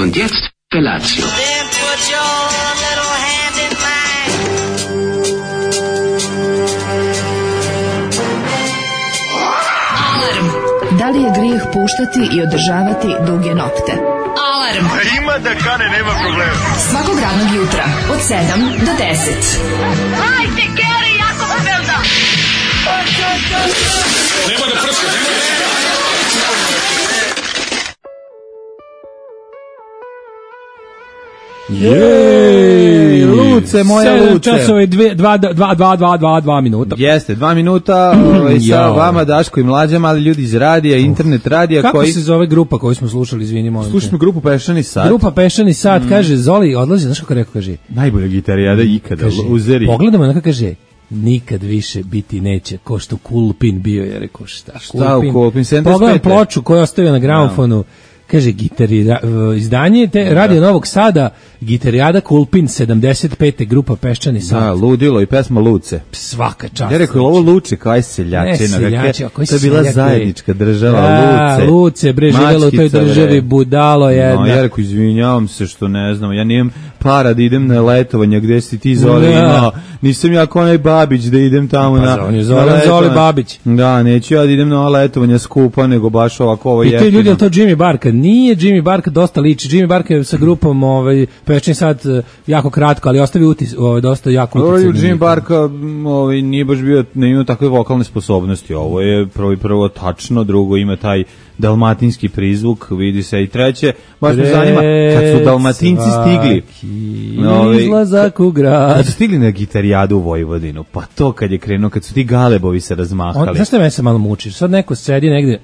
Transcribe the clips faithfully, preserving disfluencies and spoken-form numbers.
Und jetzt Felatio. Then put your little hand in mine. Alarm. Da li je grijeh puštati i održavati duge nokte? Alarm. A ima da kane, nema problema. Svakog radnog jutra od sedam do deset. Hajde, Geri, jako se velda. Nema da prska, nema da prska. Jej, Luce, moja Luce. sedam časova i dva minuta. Jeste, dva minuta ovaj, sa vama Daško i Mlađama, ali ljudi iz radija, internet radija. Kako koji... se zove grupa koju smo slušali, izvini, molim te? Slušamo grupu Pešani sat. Grupa Pešani sat, mm. kaže, Zoli odlazi, znaš kako rekao, kaže? Najbolja gitarijada ikada, kaže, uzeri. Pogledamo onako, kaže, nikad više biti neće, ko što Kulpin bio, je rekao, šta? Šta u Kulpin, sedamdeset pete Pogledam ploču koju ostavio na gramofonu. No. Kaže, gitari, izdanje te Radio Novog Sada, gitarijada Kulpin sedamdeset pete, grupa Peščani sat. Da, ludilo i pesma Luce. Svaka čast. Ja rekao, ovo Luče kao aj seljačina. Ne, seljači, to je bila zajednička država, da, Luce. Luce, bre, živjelo u toj državi, budalo jedna. No, ja rekao, izvinjavam se što ne znam, ja nijem para da idem na letovanje gde si ti Zoli imao. Nisam ja kao onaj Babić da idem tamo pa, na, on je Zoran Zoli Babić. Da, neću ja da idem na letovanje skupa, nego baš ovako ovo jeftino. I ti ljudi, je to Jimmy Barka? Nije Jimmy Barka, dosta liči. Jimmy Barka je sa grupom ovaj, Peščani sat jako kratko, ali ostavi utis, ovaj, dosta jako utis. Jimmy Barka ovaj, nije baš bio, ne ima takve vokalne sposobnosti. Ovo je prvo i prvo tačno, drugo ima taj dalmatinski prizvuk, vidi se, i treće, baš me zanima, kad su Dalmatinci stigli, ovaj, izlazak u grad, kad su stigli na gitarijadu u Vojvodinu, pa to kad je krenuo, kad su ti galebovi se razmahali. On, znaš šta me se malo muči? Sad neko sedi negde,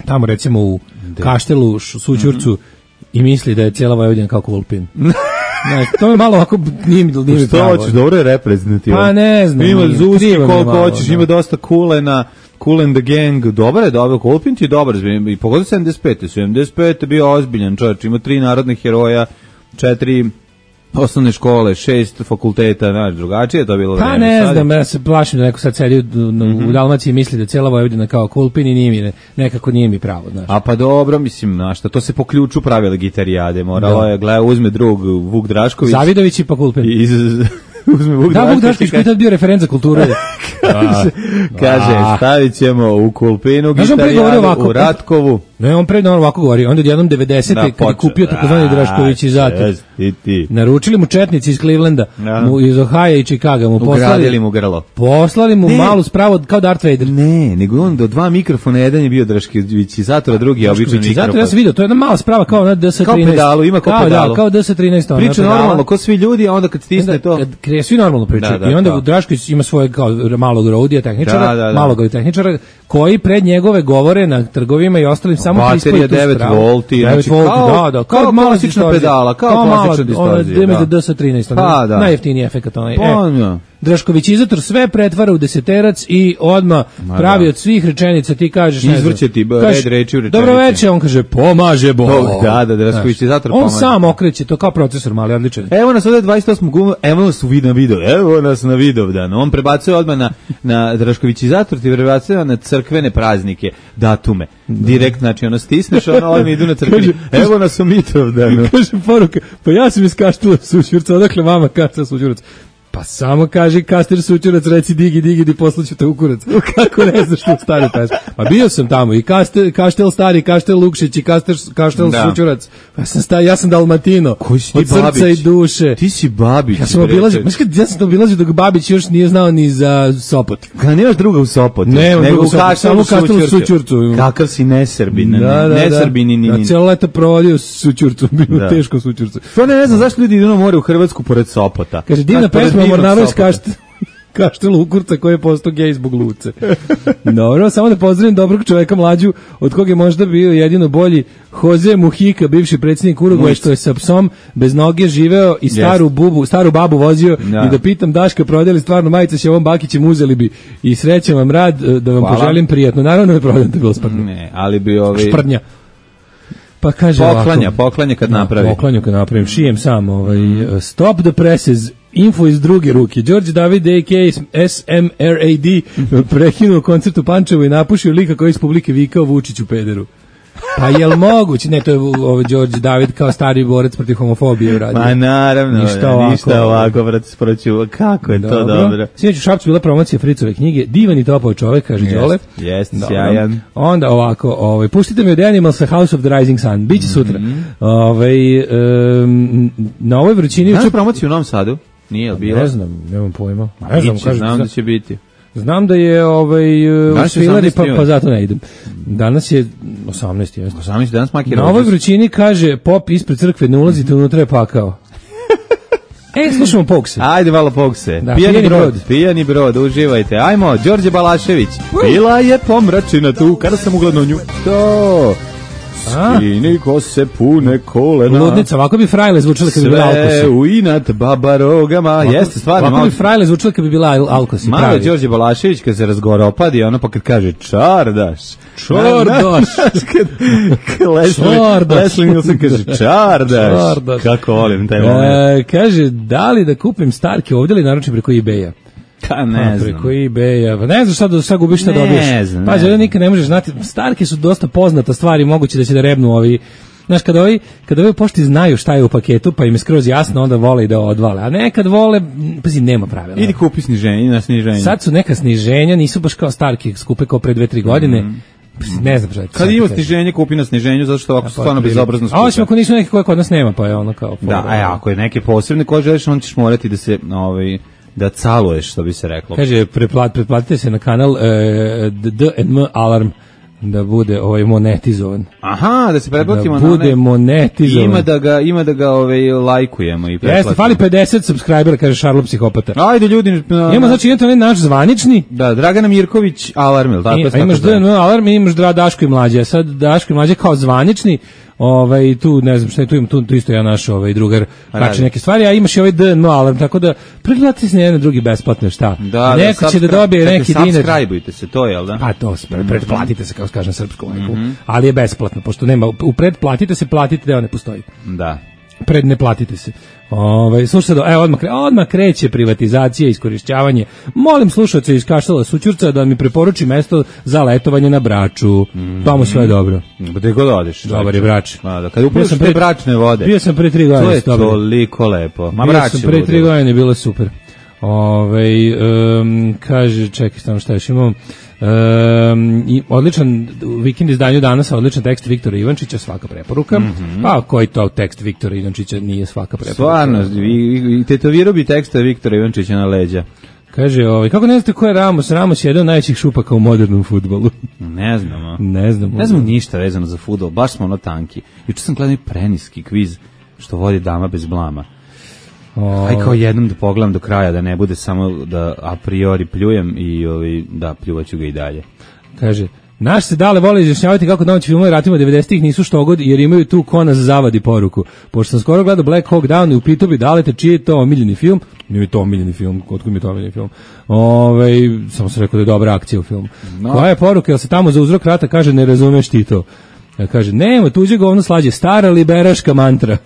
tamo recimo u De. Kaštelu, Sućurcu, mm-hmm. i misli da je cijela Vojvodina kao Kulpin. Ne, to je malo ovako nije mi nije što hoćeš, dobro je reprezentativno. Pa ne znam. Ima Zuski koliko hoćeš, ima dosta Kulena, Cool and the Gang, dobar je, dobro, Kulpin ti je dobar, i pogodio sedamdeset pete sedamdeset pete bio ozbiljan čovječ, ima tri narodnih heroja, četiri osnovne škole, šest fakulteta, znaš, drugačije je to bilo vreme. Pa ne sad znam, ja se plašim da neko sad sedi u, mm-hmm. u Dalmaciji misli da cijela Vojvodina kao Kulpin i nije mi, nekako nije mi pravo, znaš. A pa dobro, mislim, znaš, to se po ključu pravile gitarijade, moralo je, gleda, uzme drug Vuk Drašković. Zavidović i pa Kulpin. I iz... uzme Vuk da, Vuk Drašković koji je tad bio referent za kulturu. kaže, kaže, stavit ćemo u Kulpinu gitarijadu, u Ratkovu. Ne, on predno ovako govori, onda jednom devedesete da, kad je kupio takozvani Drašković i zato. Naručili mu četnici iz Clevelanda, ja. mu iz Ohaja i Chicaga, mu poslali, ugradili mu grlo. Poslali mu ne. malu spravu kao Darth Vader. Ne, nego on do dva mikrofona, jedan je bio Drašković i zato, a drugi je običan mikrofon. Zato ja sam vidio, to je jedna mala sprava kao na D S trinaest. Kao pedalu, ima kao, kao pedalu. Da, kao D S trinaest. Priča normalno, ko svi ljudi, a onda kad stisne onda, to... Kad krije, svi normalno pričaju. Da, da, I onda Drašković ima svoje kao malog rodija tehničara, da, da, da. malog tehničara, koji pred njegove govore na trgovima i ostalim samo prispoji devet volti, znači kao, da, da, kao, kao klasična pedala, kao, kao klasična distorzija. Ono D S trinaest, pa, da. najjeftiniji efekat onaj. Pa, e, Drašković izator sve pretvara u deseterac i odma pravi da. od svih rečenica, ti kažeš, ne znam. Izvrće ti red reči u rečenici. Dobro večer, on kaže, pomaže Bog. Da, da, Drašković izator pomaže. On sam okreće, to kao procesor mali, odličan. Evo nas ovdje dvadeset osmog gumu, evo nas u video, video, evo nas na Vidovdan. On prebacuje odmah na, na Drašković izator, ti prebacuje na crkvene praznike, datume. Direkt, znači, ono stisneš, ono, ovdje idu na crkveni. Evo nas u Mitrovdanu. Kaže poruka, pa ja sam iz Kaštela Sućurca, odakle vama Kaštela Sućurac? Pa samo kaži Kastir Sućurac, reci digi, digi, di poslaću te u kurac. Kako ne znaš tu stari pesmu? Pa bio sam tamo i Kastel, Kaštel Stari, Kaštel Lukšić i Kastel, Kaštel da. Sućurac. Ja sam, sta, ja sam Dalmatino. Koji si ti od srca Babić? I duše. Ti si Babić. Ja sam obilazio, ja sam obilazio dok Babić još nije znao ni za Sopot. Kada nemaš druga u Sopotu? Ne, nego u Kaštelu Sućurcu. Kakav si nesrbin, da, da, nesrbin ni ni. Da, cijelo leto provodio Sućurcu, bilo da. teško Sućurcu. To ne, ne znam zašto ljudi idu na more u Hrvatsku pored Sopota. Kaže, divna pesma Mornaro iz Kaštel. Kaštel Ukurca koji je postao gej zbog Luce. Dobro, samo da pozdravim dobrog čoveka Mlađu, od koga je možda bio jedino bolji Jose Mujica, bivši predsjednik Urugvaja, što je sa psom bez noge živeo i staru bubu, staru babu vozio da. I da pitam Daška, prodali stvarno majice s ovom Bakićem, uzeli bi i srećan vam rad, da vam Hvala. Poželim prijatno. Naravno ne prodam te bilo sprdnja. Ne, ali bi ovi... Šprdnja. Pa kaže poklanja, ovako, poklanja kad napravi. Poklanju kad napravim, šijem sam. Ovaj, stop the presses, info iz druge ruke. Đorđe David, a k a. S M R A D, prekinuo koncert u Pančevu i napušio lika koji iz publike vikao Vučiću pederu. Pa jel moguće? Ne, to je ovo Đorđe David kao stari borac protiv homofobije uradio. Ma naravno, ništa ovako, ništa ovako brat, sproću. Kako je dobro. to dobro. Sinoć u Šapcu bila promocija Fricove knjige, divan i topao čovek, kaže Đole. Jeste, sjajan. Onda ovako, ovaj, puštite mi od Animalsa House of the Rising Sun, biće sutra. Mm-hmm. Ovaj, um, na ovoj vrućini... Znaš promociju u Novom Sadu? Nije li bila? Ne znam, nemam pojma. Ne znam, kažem, znam da će biti. Znam da je ovaj u Svilari, pa, pa zato ne idem. Danas je osamnaesti, jeste. osamnaesti danas maki na ovoj vrućini kaže pop ispred crkve, ne ulazite unutra, je pakao. E, slušamo Pokse. Ajde malo Pokse. Da, pijani, pijani brod, brod. Pijani brod, uživajte. Ajmo, Đorđe Balašević. Bila je pomračina tu, kada sam ugledao nju. To... Skini kose pune kolena. Ludnica, ovako bi Frajle zvučala kad bi bila Alkosi. Sve u inat baba rogama. Ovako, jeste stvarno. Ovako bi Frajle zvučala kad bi bila Alkosi. Malo je Đorđe Balašević kad se razgovara opadi, ono pa kad kaže čardaš. Čardaš. Leslie Nielsen kaže čardaš. čardaš. Kako volim taj moment. E, kaže, da li da kupim Starke ovdje ili naručim preko eBaya? Pa ne znam. Preko eBaya. Ne znam šta da sad gubiš šta dobiješ. Ne znam. Pa ovdje nikad ne možeš znati. Starke su dosta poznata stvari, moguće da će da rebnu ovi. Znaš, kada ovi, kada ovi u pošti znaju šta je u paketu, pa im je skroz jasno, onda vole i da odvale. A nekad vole, pazi, nema pravila. Idi kupi sniženje na sniženje. Sad su neka sniženja, nisu baš kao Starke, skupe kao pre dve tri godine. Mm. Ne znam šta. Kad ima sniženje, kupi na sniženju, zato što ovako ja, stvarno bezobrazno skupe. A osim ako nisu neke koje kod nas nema, pa je ono kao... Da, a ako je neke posebne koje želiš, on ćeš morati da se... Ovaj, da caluješ, što bi se reklo. Kaže, preplat, pretplatite se na kanal e, D and M Alarm da bude ovaj monetizovan. Aha, da se pretplatimo da na bude monetizovan. Ima da ga ima da ga ovaj lajkujemo i pretplatimo. Jeste, fali pedeset subscribera, kaže Šarlo psihopata. Ajde ljudi, na, ima znači jedan naš zvanični. Da, Dragana Mirković Alarm, il tako? I, imaš D and M Alarm, i imaš Daško i Mlađa. Sad Daško i Mlađa kao zvanični. Ovaj tu ne znam šta je tu ima tu, tu isto ja naš ovaj drugar kači neke stvari, a imaš i ovaj D N M Alarm, tako da pretplatite se na jedan drugi besplatno, šta? Da, neko da, će da dobije neki dinar. Subscribeujte se, to je, al da? Pa to, pretplatite se, kao kažem srpskom leku, mm-hmm. ali je besplatno, pošto nema, u pretplatite se, platite da ne postoji. Da. Pred ne platite se. Ovaj slušajte, evo odmah, odmah kreće privatizacija, iskorišćavanje. Molim slušaoce iz Kaštela Sućurca da mi preporuči mesto za letovanje na Braču. Mm-hmm. Tamo sve je dobro. Gde god odeš. Dobar je Brač. A, da, kad upišeš te bračne vode. Bio sam pre tri godine. To je toliko lepo. Ma Brač je pre tri godine, bilo super. Ovaj um, kaže, čekaj, samo šta još imamo. Um, i odličan vikend izdanju danas, odličan tekst Viktora Ivančića, svaka preporuka. Mm-hmm. Pa koji to tekst Viktora Ivančića nije svaka preporuka? Stvarno, i tetovirao bi teksta Viktora Ivančića na leđa. Kaže, ovaj, kako ne znate ko je Ramos? Ramos je jedan od najvećih šupaka u modernom fudbalu. Ne znamo. Ne znamo. Ne znamo ništa vezano za fudbal, baš smo ono tanki. Juče sam gledao preniski kviz što vodi Dama bez blama. O... Aj kao jednom da pogledam do kraja, da ne bude samo da a priori pljujem i ovaj, da pljuvaću ga i dalje. Kaže, naš se dale vole izjašnjavati kako domaći filmovi ratima devedesetih nisu štogod jer imaju tu ko nas zavadi poruku. Pošto sam skoro gledao Black Hawk Down i u pitu bi dalete čiji je to omiljeni film, nije to omiljeni film, otkud mi je to omiljeni film. Ove, samo sam rekao da je dobra akcija u filmu. No. Koja je poruka, jel se tamo za uzrok rata kaže ne razumeš ti to? Ja kaže, nema, tuđe govno slađe, stara liberaška mantra.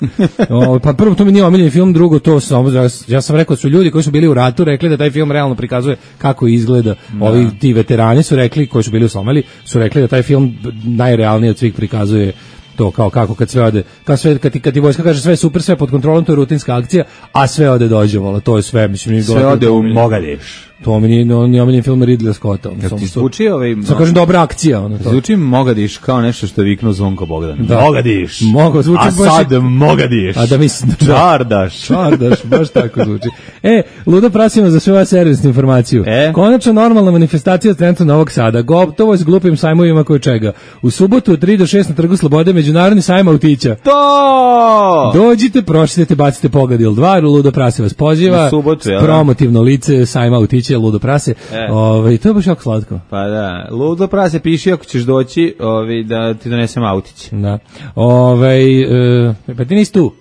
O, pa prvo to mi nije omiljeni film, drugo to sam, ja, ja sam rekao da su ljudi koji su bili u ratu rekli da taj film realno prikazuje kako izgleda. Da. Ovi ti veterani su rekli, koji su bili u Somaliji, su rekli da taj film najrealnije od svih prikazuje to kao kako kad sve ode, kad sve kad ti kad ti vojska kaže sve super, sve pod kontrolom, to je rutinska akcija, a sve ode dođe, vola, to je sve, mislim, sve ode u Mogadeš. To mi nije on nije film Ridley Scotta. Kako ti zvuči ovaj? Sa kažem dobra akcija, ono to. Zvuči Mogadiš kao nešto što je viknuo Zvonko Bogdan. Da. Mogadiš. Mogu zvuči baš. A sad Mogadiš. A da mislim čardaš. Čardaš, baš tako zvuči. E, ludo prasimo za sve ove servisnu informaciju. E? Konačno normalna manifestacija centra Novog Sada. Gotovo s glupim sajmovima koji čega. U subotu od tri do šest na Trgu Slobode međunarodni sajam autića. To! Dođite, pročitajte, bacite pogled ili dva, ludo prasi vas poziva. U subotu, ja. Promotivno lice sajma autića. Ludo prase. E. Ovaj to je baš jako slatko. Pa da, ludo prase piši ako ćeš doći, ovaj da ti donesem autić. Da. Ovaj e, pa ti nisi tu.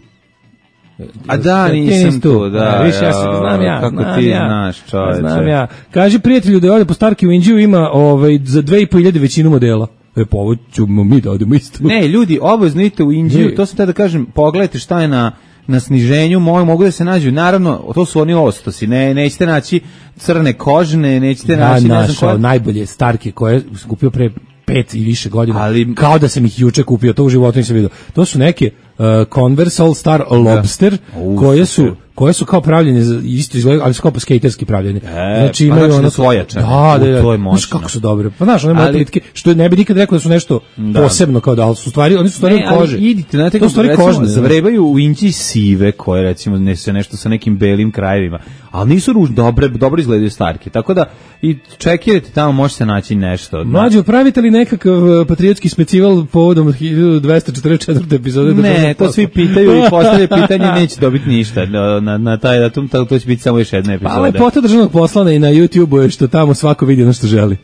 A da, nisam tu, tu, da. A, više ja sam, znam ja, kako znam ti ja, znaš, čoveče. Znam ja. Kaži prijatelju da je ovdje po Starki u Indiju ima ovaj za dve i po hiljade većinu modela. E, pa ovo ćemo mi da odemo isto. Ne, ljudi, obavezno idite u Indiju, to sam te da kažem, pogledajte šta je na na sniženju, mogu, mogu da se nađu, naravno, to su oni ostosi, ne, nećete naći crne kožne, nećete da, naći, našao, ne znam koja. Najbolje Starke koje skupio pre pet i više godina, ali kao da sam ih juče kupio, to u životu nisam vidio. To su neke uh, Converse All Star Lobster, U, koje super. su koje su kao pravljene za isto izgleda, ali su kao skaterski pravljene. E, znači pa imaju znači ono da su ojačane. Da, da, U, da. to je Znaš moćno. kako su dobre. Pa znaš, one moje Ali- plitke, što ne bi nikad rekao da su nešto Da. posebno kao da, ali su stvari, oni su stvari Ne, od kože. ali idite, znate, to su stvari recimo, kožne. zavrebaju u inđi sive, koje recimo nese nešto sa nekim belim krajevima, ali nisu ružne, dobre, dobro izgledaju starke, tako da i čekirajte tamo, može se naći nešto. Mlađo, pravite li nekakav uh, patriotski specival povodom hiljadu dvesta četrdeset četvrte epizode? Ne, Državnog to posla? svi pitaju i postavljaju pitanje, neće dobiti ništa na, na, na taj datum, to, to će biti samo još jedna epizoda. Pa lepota državnog poslana i na YouTubeu je što tamo svako vidi ono što želi.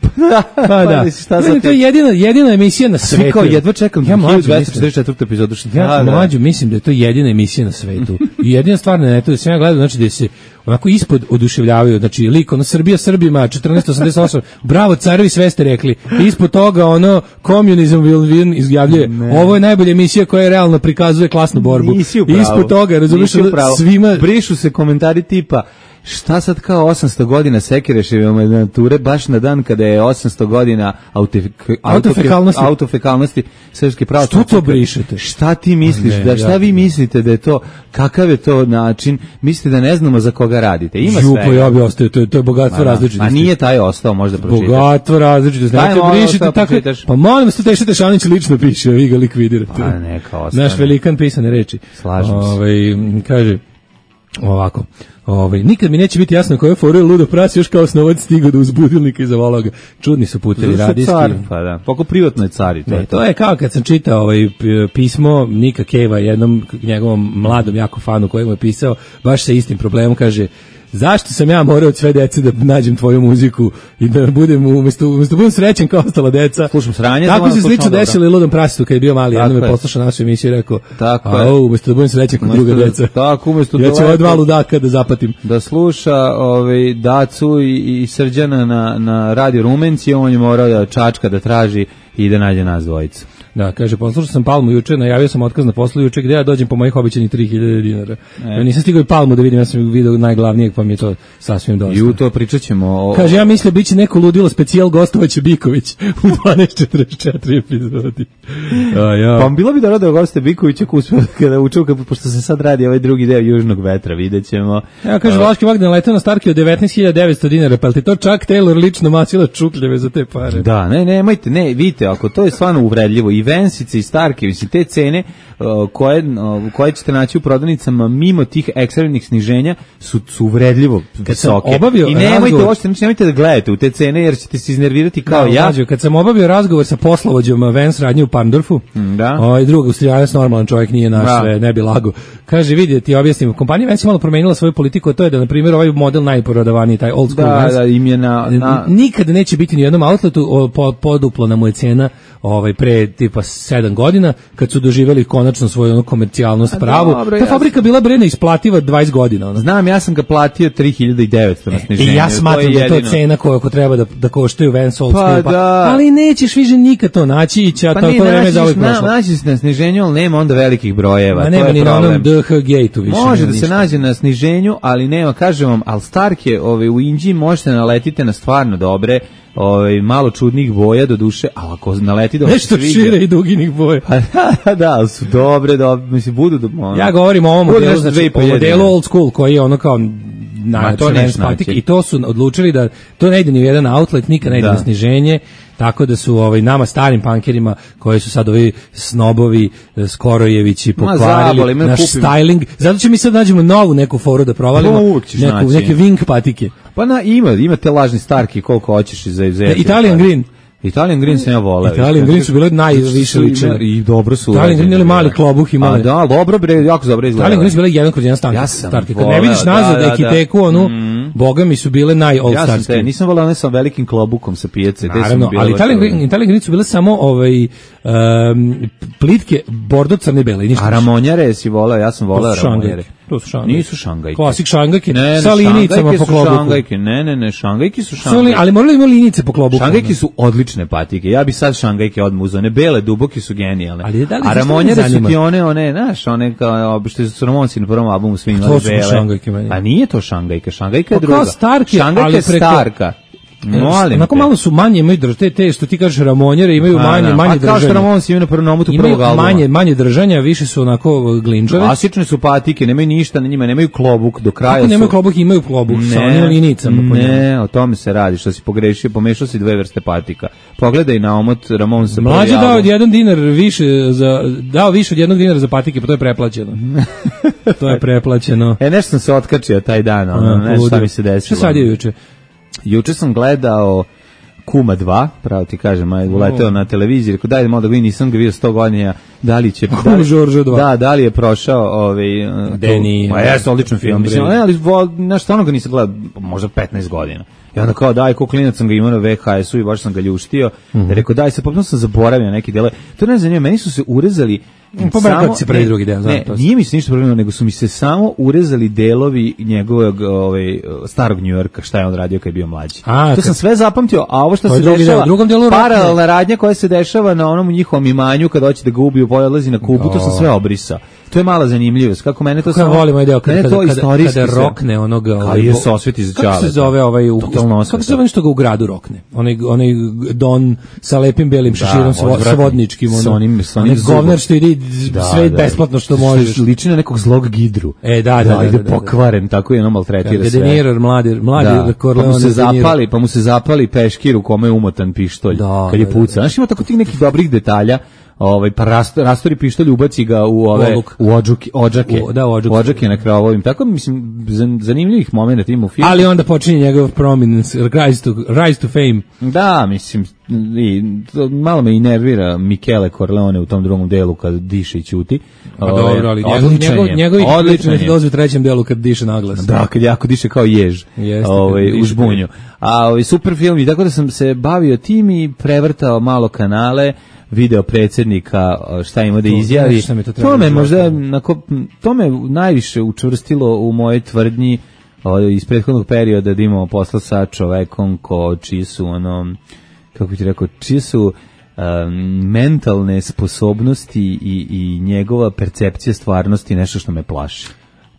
Pa da. mislim, šta sad Ne, to je ti- jedina, jedina emisija na Svi svetu. kao jedva čekam ja mlađu dvesta mislim, četrdeset četvrtu epizodu. Šta, ja da, da. mlađu mislim da je to jedina emisija na svetu. I jedina stvar na netu da sam ja gledao, znači da se onako ispod oduševljavaju, znači lik ono Srbija Srbima četrnaesto osamdeset osam, bravo carevi, sve ste rekli. I ispod toga ono communism will win izjavljuje, ovo je najbolja emisija koja realno prikazuje klasnu borbu. Nisi u I pravu. ispod toga, razumiješ, Nisi u pravu. svima brišu se komentari tipa šta sad kao osamsto godina Sekireševe nature baš na dan kada je osamsto godina autif, Autofekalnosti. autofekalnosti srpske pravoslavne Što to crkve. brišete? Šta ti misliš? Ne, da šta ja- vi mislite da je to, kakav je to način? Mislite da ne znamo za koga radite? Ima Ju, sve. pa ja bi ostao, to je, to je bogatstvo različitosti. A nije taj ostao, možda pročitaš. Bogatstvo različitosti. Daj, Nemojte molim, brišite šta tako. pročitaš? Pa molim vas, to Teša Tešanić lično piše, vi ga likvidirate. Pa neka ostane. Naš velikan pisane reči. Slažem se. Ovaj, kaže ovako. Ovaj nikad mi neće biti jasno koje fore ludo prasi još kao snovac stigao do uzbudilnika i zavolao ga. Čudni su putevi Zato što radijski. car, pa da. Poko privatno je car i to Ne, je to. to je kao kad sam čitao ovaj p- pismo Nika Keva, jednom njegovom mladom jako fanu koji mu je pisao baš sa istim problemom, kaže zašto sam ja morao od sve dece da nađem tvoju muziku i da budem umesto umesto da budem srećan kao ostala deca. Slušam sranje, Tako znam, se slušam slično dobro. desilo i Ludom Prasitu kad je bio mali, Tako jednom je je. poslušao našu emisiju i rekao, Tako a je. o, umesto da budem srećan kao Umesto druga da- deca. tako, umesto ja da ću ova dva lepo- ludaka da zapatim. Da sluša ovaj Dacu i, i Srđana na, na radio Rumenci, on je morao da čačka da traži i da nađe nas dvojicu. Da, kaže, poslušao sam Palmu juče, najavio sam otkaz na poslu juče, gde ja dođem po mojih običanih tri hiljade dinara. Ja nisam stigao i Palmu da vidim, ja sam video najglavnijeg, pa mi je to sasvim dosta. I u to pričat ćemo o... Kaže, ja mislim biće neko ludilo specijal gostovaće Biković u dvanaest četrdeset četiri epizodi. A, ja. Pa bilo bi dobro da goste Bikovića uspio kada uču, kad- pošto se sad radi ovaj drugi deo Južnog vetra, vidjet ćemo. Ja kaže, Vlaški Vagdan letao na Starki od devetnaest hiljada devetsto dinara, pa li ti to čak Taylor lično masila čukljeve za te pare? Da, ne, nemojte, ne, vidite, ako to je stvarno uvredljivo, i Vensice i Starke, mislim, te cene uh, koje, uh, koje ćete naći u prodavnicama mimo tih ekstremnih sniženja su, su uvredljivo Kad sam visoke. obavio I nemojte razgovor- uopšte, znači, nemojte da gledate u te cene, jer ćete se iznervirati kao Da, ja. mlađo, kad sam obavio razgovor sa poslovođom Vens radnje u Pandorfu, da. ovaj drug Australijanac, normalan čovjek, nije naš, Da. sve, ne bi lago. Kaže, vidi, ti objasnim, kompanija Vens je malo promenila svoju politiku, a to je da, na primjer, ovaj model najprodavaniji, taj old school Da, Vans, da, im je na... na nikad neće biti ni u jednom outletu, o, po, poduplana mu je cena ovaj, pre tipa sedam godina, kad su doživjeli konačno svoju ono, komercijalnost pravu. dobro, Ta ja- fabrika bila bre neisplativa dvadeset godina. Ono. Znam, ja sam ga platio tri hiljade devetsto na sniženju. I ja smatram da je to jedino. cena koja ako treba da, da koštaju Vans Old Pa School, pa, da. ali nećeš više nikad to naći i će, Pa to, ne, to vreme je naći, zauvijek na, prošlo. naći se na sniženju, ali nema onda velikih brojeva. Ma to nema je ni na problem. onom D H Gate-u više. Može nema da se ništa. nađe na sniženju, ali nema, kažem vam, al Starke, ove, u Inđiji možete naletite na stvarno dobre, ove, malo čudnih boja do duše, ali ako naleti da vam se Nešto sviđa- šire i duginih boja. Pa da, da, ali su dobre, dobre, mislim, budu do, ono, Ja govorim o ovom Bude modelu, nešto dve znači, i po o modelu hiljade. old school, koji je ono kao Ma, najjači to neš Vans patik, naći. i to su odlučili da to ne ide ni u jedan outlet, nikad ne ide Da. na sniženje, tako da su ovaj nama starim pankerima koji su sad ovi snobovi eh, Skorojevići Ma, pokvarili zaboli me, naš kupim. styling, zato ćemo mi sad nađemo novu neku foru da provalimo, Pa, uvek ćeš neku, naći. neke wing patike. Pa na, ima, ima te lažni Starke koliko hoćeš i za izvjeti. Italian Green. Italian Green sam ja voleo. Italian Green su bile najviše ličene. I dobro su. Italian Green urađene ili mali bile. klobuh imali. A da, dobro bre, jako dobro izgleda. Italian Green su bile jedan kroz jedan stank. Ja sam starke. Kad ne voleo, vidiš nazad da, da, ekiteku, onu, boga mi su bile naj old Ja sam starske. te, nisam voleo one sa velikim klobukom sa pijace. te su mi Naravno, bile ali baš Italian dobre. Green, Italian Green su bile samo ovaj, um, plitke, bordo crne bele i ništa. A ramonjare si voleo, ja sam To voleo su ramonjare. šangajke. To su šangajke. Nisu šangajke. Klasik šangajke, Ne, ne, sa linijicama šangajke po su klobuku. Šangajke, ne, ne, ne, šangajke su Su li, šangajke. ali morali ima linijice po klobuku. Šangajke su odlične patike. Ja bi sad šangajke odmah uzeo. One bele, duboke su genijalne. Ali da li A znaš šta me ramonjare su zanima? ti one, one, znaš, one kao što su Ramonci na prvom albumu svi imali To su bele. šangajke meni. A nije to šangajka, šangajka je Pa kao druga. Starke, šangajka ali je preko- starka. Molim onako te. malo su manje, imaju drž, te, te što ti kažeš ramonjere, imaju Pa, manje, da. manje Pa držanja. kao što Ramones imaju na prvom nomutu Imaju prvog albuma. manje, manje držanja, više su onako glinđave. Klasične su patike, nemaju ništa na njima, nemaju klobuk do kraja. Kako nemaju su... klobuk, imaju klobuk sa onim linicama po njemu. Ne, o tome se radi, što si pogrešio, pomešao si dve vrste patika. Pogledaj na omot Ramonesa. Mlađe dao od jedan dinar više za dao više od jednog dinara za patike, pa to je preplaćeno. To je preplaćeno. E, nešto sam se otkačio taj dan, ono, A, nešto šta ludo. mi se desilo. Šta sad je juče? Juče sam gledao Kuma dva, pravo ti kažem, aj uleteo na televiziji, rekao daj malo da vidim, nisam ga vidio sto godina, da li će... Kum da li- Žoržo dva. Da, da li je prošao ovaj... Deni, Pa jeste, odličan film, film, mislim, bre. ne, ali vo- znaš, stvarno ga nisam gledao, možda petnaest godina. I onda kao, daj, ko klinac sam ga imao na V H S-u i baš sam ga ljuštio, Mhm. rekao, daj, sad potpuno sam zaboravio neke dele. To ne zanima, meni su se urezali... Pa bar kako se prvi ne, drugi deo, znam ne, to. nije mi se ništa problem, nego su mi se samo urezali delovi njegovog ovaj, starog Njujorka, šta je on radio kad je bio mlađi. A, to kad- sam sve zapamtio, a ovo što To je se drugi dešava, deo, u drugom delu Rockne. paralelna radnja koja se dešava na onom njihovom imanju kada hoće da ga ubiju, odlazi na Kubu, to sam sve obrisao. To je mala zanimljivost, kako mene to Kako ja samo... volim ovaj deo kada, mene kada, to kada, istorijski kada sve- rokne onoga... Kao ovaj, je bo- se osveti za Kako se Ćaleta. zove ovaj... U, Totalno osveta. kako se zove nešto ga u gradu rokne? Onaj, onaj Don sa lepim belim šeširom, sa odvratni. svodničkim. S onim- s onim onaj zubom. govnar što ide Da, sve da. besplatno što možeš. Liči na nekog zlog gidru. E, da, da, da, ide da, da, da. pokvaren, tako je ono maltretira De sve. Niro, mladi, mladi Da, pa Corleone. mu se De Niro. zapali, pa mu se zapali peškir u kome je umotan pištolj Da, kad je da, puca. Znaš, ima tako tih nekih dobrih detalja. Ovaj pa rastor, rastori pištolj, ubaci ga u ove Oluk. u odžuke, odžake. U- da, u odžuke. Odžake na krovovim. Tako mislim zan- zanimljivih momenata ima u filmu. Ali onda počinje njegov prominence, rise to, rise to fame. Da, mislim, i, to malo me i nervira Michele Corleone u tom drugom delu kad diše i ćuti. Pa Ovaj, dobro, ali njegov, odličan njegov, je, njegovi odličan je. dolaze u trećem delu kad diše naglas. Da, kad jako diše kao jež. Jeste, kad ovaj, diše u žbunju. A ovaj, super film i tako da sam se bavio tim i prevrtao malo kanale, video predsjednika šta ima da To, izjavi. znaš šta mi to treba To me da možda života. nako, to me najviše učvrstilo u moje tvrdnji ovaj, iz prethodnog perioda da imamo posla sa čovekom ko čiji su ono, kako ti rekao, čiji su um, mentalne sposobnosti i, i njegova percepcija stvarnosti nešto što me plaši.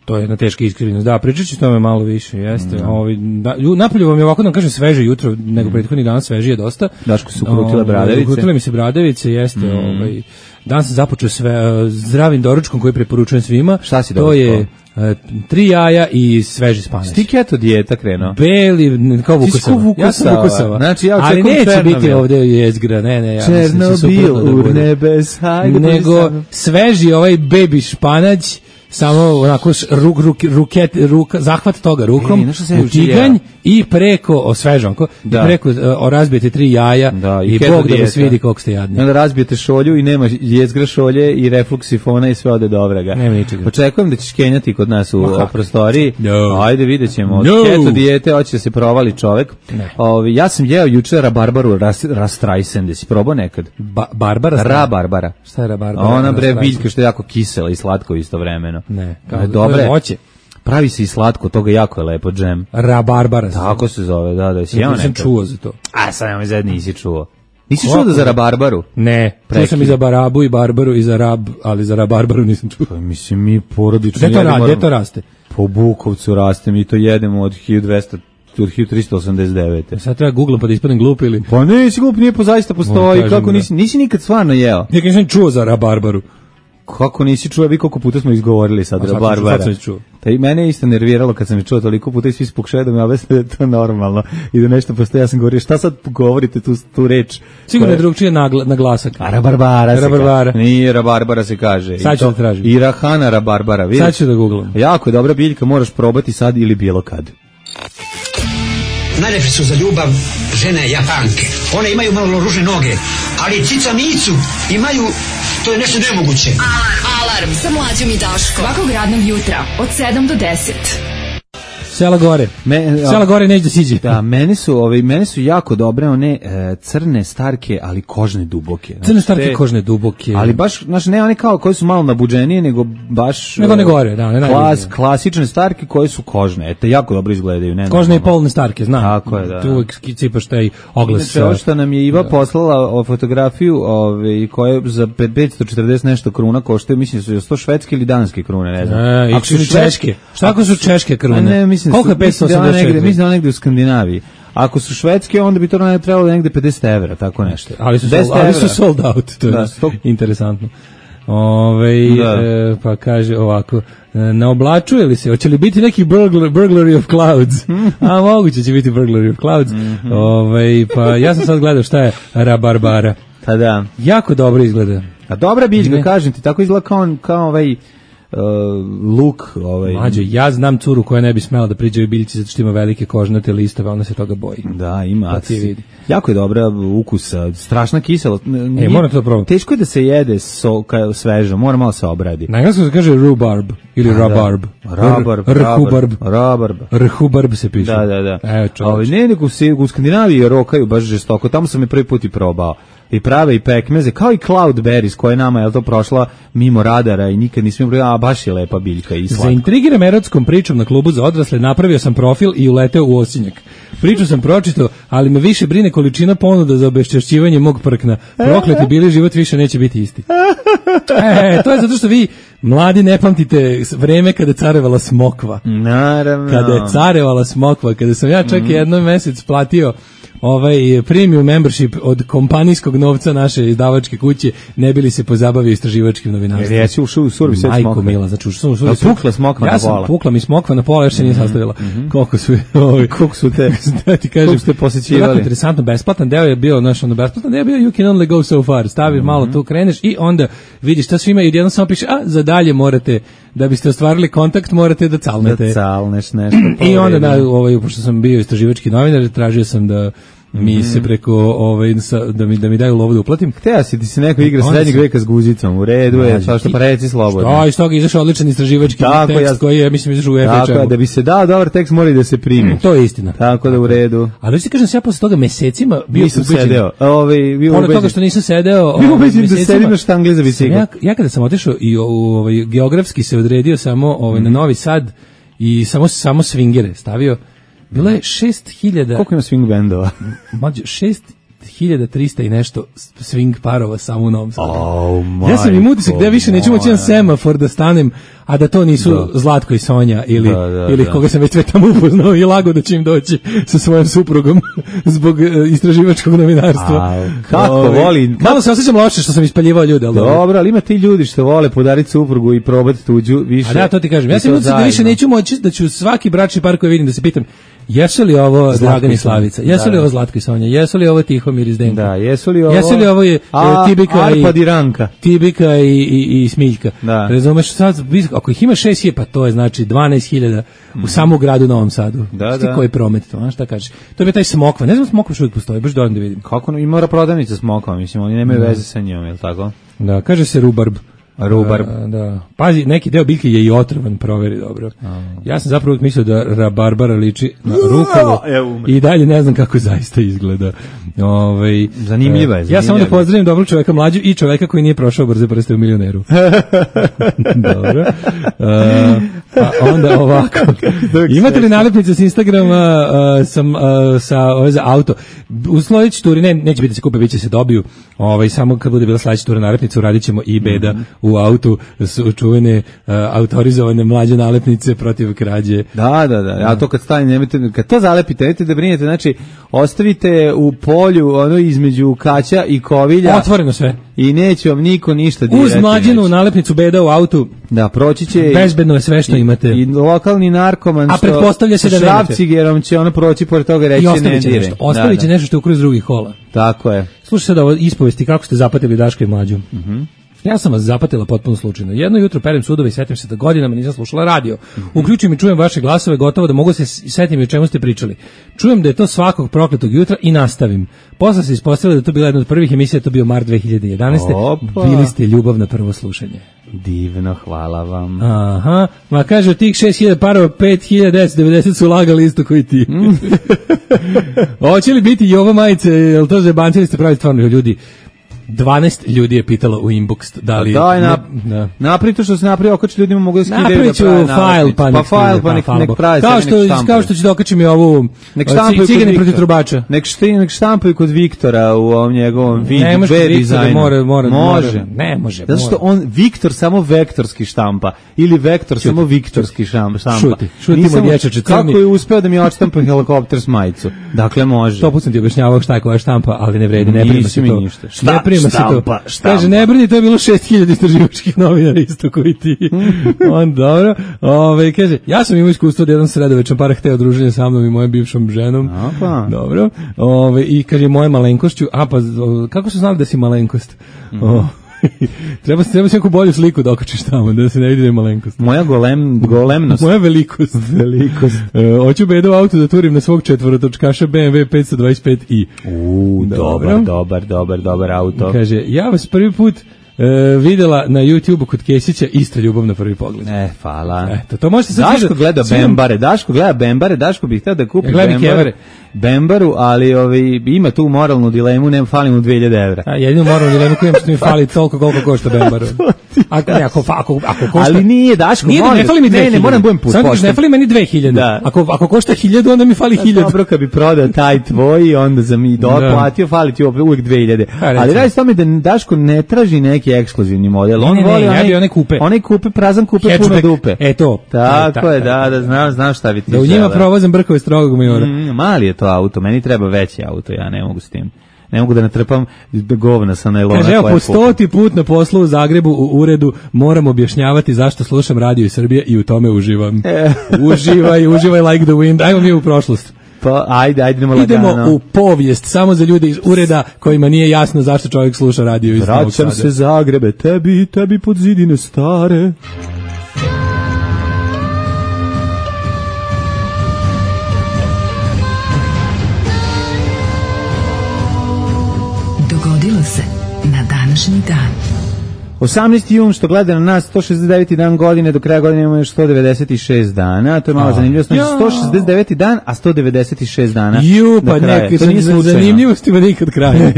To je jedna teška iskrivljenost. Da, pričat ću o tome malo više, jeste. Mm. Ovaj, da, ju- napolju vam je ovako, da vam kažem, sveže jutro, nego prethodnih dana svežije dosta. Daško su ukrutile Ovaj, bradavice. Ukrutile mi se bradavice, jeste. Mm. Ovaj, dan sam započeo sve, uh, zdravim doručkom koji preporučujem svima. Šta si To doručkao? je uh, tri jaja i sveži spanać. Ti keto dijeta krenuo. Beli, n- kao Ti si ko Vukosava. Ja sam Vukosava. Vukosava. Znači, ja Ali očekujem neće Černobil. biti ovde jezgra, ne, ne. Ja mislim da će Černobil, suprotno da bude. urnebes, hajde. Nego brzo samo. sveži ovaj baby španać, samo onako š- ruk, ruk, ruket, ruka, zahvat toga rukom, Ej, znaš šta sam u juče tiganj jeo? i preko, o svežanko, Da. i preko uh, o, razbijete tri jaja Da, i, keto Bog da vas dijeta. vidi koliko ste jadni. I onda razbijete šolju i nema jezgra šolje i refluks sifona i sve ode dobrega. Nema ničega. Očekujem da ćeš kenjati kod nas u Ma kako? o, prostoriji. No. Ajde, vidjet ćemo. Od No. keto dijete hoće da se provali čovek. Ne. Ovi, ja sam jeo juče rabarbaru ras, rastrajsende. Si probao nekad? Ba, Barbara? Rabarbara. Šta je rabarbara? Ona bre Rastrajsend. biljka što je jako kisela i slatka istovremeno. Ne, Kao, kao, dobre. to je voće. Pravi se i slatko, toga jako je lepo džem. Rabarbara. Tako se zove, da, da, si jeo Nisam nekad. čuo za to. A sad nemoj zad nisi čuo. Nisi Kako? čuo da za rabarbaru? Ne, čuo Prekid. sam i za barabu i barbaru i za rab, ali za rabarbaru nisam čuo. Pa mislim, mi porodično Gde to, jedemo- ra, gde to raste? Po Bukovcu raste, mi to jedemo od hiljadu dvesta, od hiljadu trista osamdeset devete. Sad treba googlam pa da ispadnem glup ili... Pa nisi glup, nije po zaista postoji, kažem, kako da. nisi, nisi nikad stvarno jeo. Ja nisam čuo za rabarbaru. Kako nisi čuo, vi koliko puta smo izgovorili sad A sad sam- rabarbara. sad sam čuo. Ta i mene je isto nerviralo kad sam je čuo toliko puta i svi pokušaju da me objasne da je to normalno i da nešto postoji. Ja sam govorio, šta sad govorite tu, tu reč? Sigurno je Koja- drugčije nagla, naglasak. A rabarbara se Rabarbara. kaže. Nije rabarbara se kaže. Sad I ću to- da tražim. I rahana rabarbara, vidiš? Sad ću da googlam. Jako je dobra biljka, moraš probati sad ili bilo kad. Najlepše su za ljubav žene Japanke. One imaju malo ružne noge, ali cica micu imaju, to je nešto nemoguće. Alarm sa mlađom i Daškom. Svakog radnog jutra od sedam do deset. Sela gore. Me, Sela gore neće da siđe. Da, meni su, ovaj, meni su jako dobre one e, crne starke, ali kožne duboke. Znači, Crne starke te- kožne duboke. Ali baš, znaš, ne one kao koje su malo nabuđenije, nego baš... Nego ne e, gore, da, ne klas, najbolje. klasične starke koje su kožne. Eto, jako dobro izgledaju. Ne, Kožne i normalno. polne starke, znam. Tako je, da. Tu uvijek cipaš taj oglas. Inače, ovo što nam je Iva poslala o fotografiju ove, koje za petsto četrdeset nešto kruna koštaju, mislim su sto švedske ili danske krune, ne znam. E, i Ako su švedske- češke. Šta ako su češke krune? A ne, mislim, Koliko je mislim da je ona petsto osamdeset negde, četiri? mislim da je ona negde u Skandinaviji. Ako su švedske, onda bi to ne trebalo negde pedeset evra, tako nešto. Ali su, sold, ali su sold out, to je da, sto... interesantno. Ove, da. e, pa kaže ovako, naoblačuje li se, hoće li biti neki burglar, burglary of clouds? A moguće će biti burglary of clouds. Mm-hmm. Ove, pa ja sam sad gledao šta je rabarbara. Pa da. Jako dobro izgleda. A dobra biljka, kažem ti, tako izgleda kao, kao ovaj... Uh, luk ovaj. Mađo, ja znam curu koja ne bi smela da priđe u biljci zato što ima velike kožnate listove, ona se toga boji. Da, ima. Pa vidi. Jako je dobra ukusa, strašna kisela. E, moram to probati. Teško je da se jede so, kao sveža, mora malo se obradi. Na engleskom se kaže rhubarb ili rabarb. Rabarb, rhubarb. Rabarb. Rhubarb se piše. Da, da, da. Evo, ovaj ne, nego se u Skandinaviji rokaju baš žestoko. Tamo sam je prvi put i probao. I prave i pekmeze, kao i cloudberries koja je nama, je to prošla mimo radara i nikad nismo imali, a baš je lepa biljka i slatko. Zaintrigiram erotskom pričom na klubu za odrasle, napravio sam profil i uleteo u osinjak. Priču sam pročitao, ali me više brine količina ponuda za obeščašćivanje mog prkna. Prokleti bili, život više neće biti isti. E, to je zato što vi mladi ne pamtite vreme kada je carevala smokva. Naravno. Kada je carevala smokva, kada sam ja čak mm. jednom mesec platio ovaj premium membership od kompanijskog novca naše izdavačke kuće, ne bili se pozabavio istraživačkim novinarstvom. Jer jesi ušao u survi sve smokve. Majko mila, znači ušao u survi. A pukla smokva ja na pola. Ja sam pukla mi smokva na pola, još se nije mm-hmm. sastavila. Mm-hmm. Koliko su, ovaj, koliko su te, da ti kažem, koliko ste posećivali. Jako interesantno, besplatan deo je bio, znaš, ono, besplatan deo je bio you can only go so far. Staviš mm-hmm. malo tu, kreneš i onda vidiš šta svi imaju i jedno samo piše, a za dalje morate, da biste ostvarili kontakt, morate da calnete. Da calneš nešto. I onda, da, ovaj, pošto sam bio istraživački novinar, tražio sam da mi mm-hmm. se preko ovaj da mi da mi daju lovu da uplatim. Hteo si ti se neko igra srednjeg veka s guzicom. U redu je, pa što pa reci slobodno. Što, iz toga izašao odličan istraživački tako, tekst ja, koji je mislim izašao u F H. Tako da bi se dao dobar tekst mora i da se primi. Mm, to je istina. Tako da u redu. Ali ti kažem se ja posle toga mesecima bio nisam sedeo. Ovaj bio pored toga što nisam sedeo, ovaj mesecima da sedim na štangli za bicikl. Ja, ja kada sam otišao i ovaj geografski se odredio samo ovaj mm. na Novi Sad i samo samo svingere stavio. Bilo je šest hiljada... Koliko ima swing bendova? Mađo, šest hiljada trista i nešto swing parova samo u Novom Sadu. Oh, ja sam im utisak da ja više neću moći na semafor da stanem, a da to nisu da. Zlatko i Sonja ili, da, da, ili da. Koga sam već sve tamo upoznao i lago da će im doći sa svojom suprugom zbog uh, istraživačkog novinarstva. A, kako o, voli... Malo se osjećam loše što sam ispaljivao ljude. Ali dobro, ali ima ti ljudi što vole podariti suprugu i probati tuđu više. A da, to ti kažem. Ja sam utisak da više neću moći, da ću svaki bračni par koji vidim da se pitam jesu li ovo Dragan i Slavica? Jesu li ovo Zlatko i Sonja? Jesu li ovo Tihomir i Zdenko? Da, jesu li ovo... Jesu li ovo je A, Tibika Arpad i Ranka? Tibika i, i, i Smiljka. Da. Razumeš, sad, ako ih ima šest hiljada, pa to je znači dvanaest hiljada u samom gradu Novom Sadu. Da, Šti da. Koji promet to, a šta kažeš? To bi taj smokva. Ne znam smokva što uvijek postoji, baš dovoljno da vidim. Kako i mora prodavnica smokva, mislim, oni nemaju da. Veze sa njom, je li tako? Da, kaže se rubarb. Rubarb. A, da. Pazi, neki deo biljke je i otrovan, proveri dobro. A. Ja sam zapravo mislio da rabarbara liči na rukovo i dalje ne znam kako zaista izgleda. Ovaj zanimljiva je. Ja samo da pozdravim dobrog čoveka mlađu i čoveka koji nije prošao brze prste u Milioneru. Dobro. A, pa onda ovako. Imate li nalepnice s Instagrama uh, sam, uh, sa ove za auto? U sledećoj turi ne, neće biti se kupe, biće se dobiju. Ovaj samo kad bude bila sledeća tura nalepnica uradit i beda mm-hmm. u autu su čuvene uh, autorizovane mlađe nalepnice protiv krađe. Da, da, da. A to kad stane nemojte, kad to zalepite, nemojte da brinete, znači ostavite u polju ono između kaća i kovilja. Otvoreno sve. I neće vam niko ništa dirati. Uz mlađinu nalepnicu beda u autu. Da, proći će. Bezbedno je sve što i, imate. I lokalni narkoman a što pretpostavlja se da nemate. Šrafcigerom će ono proći pored toga reći ne dire. Ostavit će nešto što je u kruz drugih hola. Tako je. Slušaj sad ovo ispovesti kako ste zapatili Daška i Mlađu. Mhm. Mm Ja sam vas zapatila potpuno slučajno. Jedno jutro perem sudove i setim se da godinama nisam slušala radio. Uključujem i čujem vaše glasove, gotovo da mogu se setim i o čemu ste pričali. Čujem da je to svakog prokletog jutra i nastavim. Posle se ispostavilo da je to bila jedna od prvih emisija, to bio mart dve hiljade jedanaeste. Opa. Bili ste ljubav na prvo slušanje. Divno, hvala vam. Aha, ma kaže od tih šest hiljada parova, pet hiljada devetsto devedeset su lagali isto koji ti. Hoće li biti Jova majice, jel to zebancili ste pravi stvarno ljudi? dvanaest ljudi je pitalo u inbox da li... Daj, na, da. Napravi to što se napravi, okači ljudima mogu da skidaju. Napravit ću file, pa nek file, pa nek, nek pravi. Kao što, kao što ću da okačim i ovu Cigani protiv trubača. Nek, šti, nek štampaju kod Viktora u ovom njegovom vid, ne može dizajnu. Mora, mora, može. Mora, ne može. Zato što on, Viktor samo vektorski štampa. Ili Vektor šuti, samo viktorski štampa. Šuti, šutimo dječače crni. Kako je uspeo da mi odštampa helikopter s majicu? Dakle, može. To put sam ti objašnjavao šta je koja štampa, ali ne vredi, ne prima se to. Ništa. Šta, ne prima štampa, se to. Štampa. Kaže, ne brini, to je bilo šest hiljada istraživačkih novinara isto koji ti. On, dobro. Ove, kaže, ja sam imao iskustvo da jedan sredovečan par hteo druženje sa mnom i mojom bivšom ženom. Apa. Dobro. Ove, i kaže, moje malenkošću, a pa, kako su znali da si malenkost? Mm. O, treba se treba se neku bolju sliku da okačiš tamo, da se ne vidi da je malenkost. Moja golem, golemnost. Moja velikost. velikost. E, hoću bedo auto da turim na svog četvorotočkaša B M W petsto dvadeset pet i. U, dobar, dobar, dobar, dobar auto. Kaže, ja vas prvi put E, videla na YouTubeu kod Kesića ista ljubav na prvi pogled. E, hvala. Eto, to možete sad Daško gleda Bembare, Daško gleda Bembare, Daško bih htio da kupi ja Bembare, Bembaru, ali ovi, ima tu moralnu dilemu, ne fali mu dve hiljade evra. A jedinu moralnu dilemu koju mi fali toliko koliko košta Bembaru. Ako, ne, ako, ako, ako košta... Ali nije, Daško, nije, molim. Ne fali mi dve hiljade. Ne, ne, moram budem put. Samo kažeš, ne fali meni dve hiljade. Da. Ako, ako košta hiljadu, onda mi fali hiljadu. Dobro, kad bi prodao taj tvoj, onda za mi doplatio, fali ti uvijek dve hiljade. Ali radi s tome da Daško ne traži neki ekskluzivni model. On ne, voli ne, onaj, ja bi one kupe. Onaj kupe, prazan kupe, hatchback, puno dupe. E to. Tako je, da, da, znam, znam šta bi ti da u njima provozam brkove strogog majora. Mm, mali je to auto, meni treba veći auto, ja ne mogu s tim. Ne mogu da natrpam govna sa najlona. Kaže, evo, po stoti put na poslu u Zagrebu u uredu moram objašnjavati zašto slušam radio iz Srbije i u tome uživam. E. Uživaj, uživaj like the wind. Ajmo mi u prošlost. Pa, ajde, ajde, idemo lagano. Idemo u povijest, samo za ljude iz ureda kojima nije jasno zašto čovjek sluša radio iz Novog Sada. Vraćam se Zagrebe, tebi, tebi pod zidine stare. Dogodilo se na današnji dan. osamnaesti jun, što gleda na nas, sto šezdeset deveti dan godine, do kraja godine imamo još sto devedeset šest dana, to je malo zanimljivo, znači sto šezdeset deveti dan, a sto devedeset šest dana. Ju, pa neki, to nije zanimljivostima nikad kraja.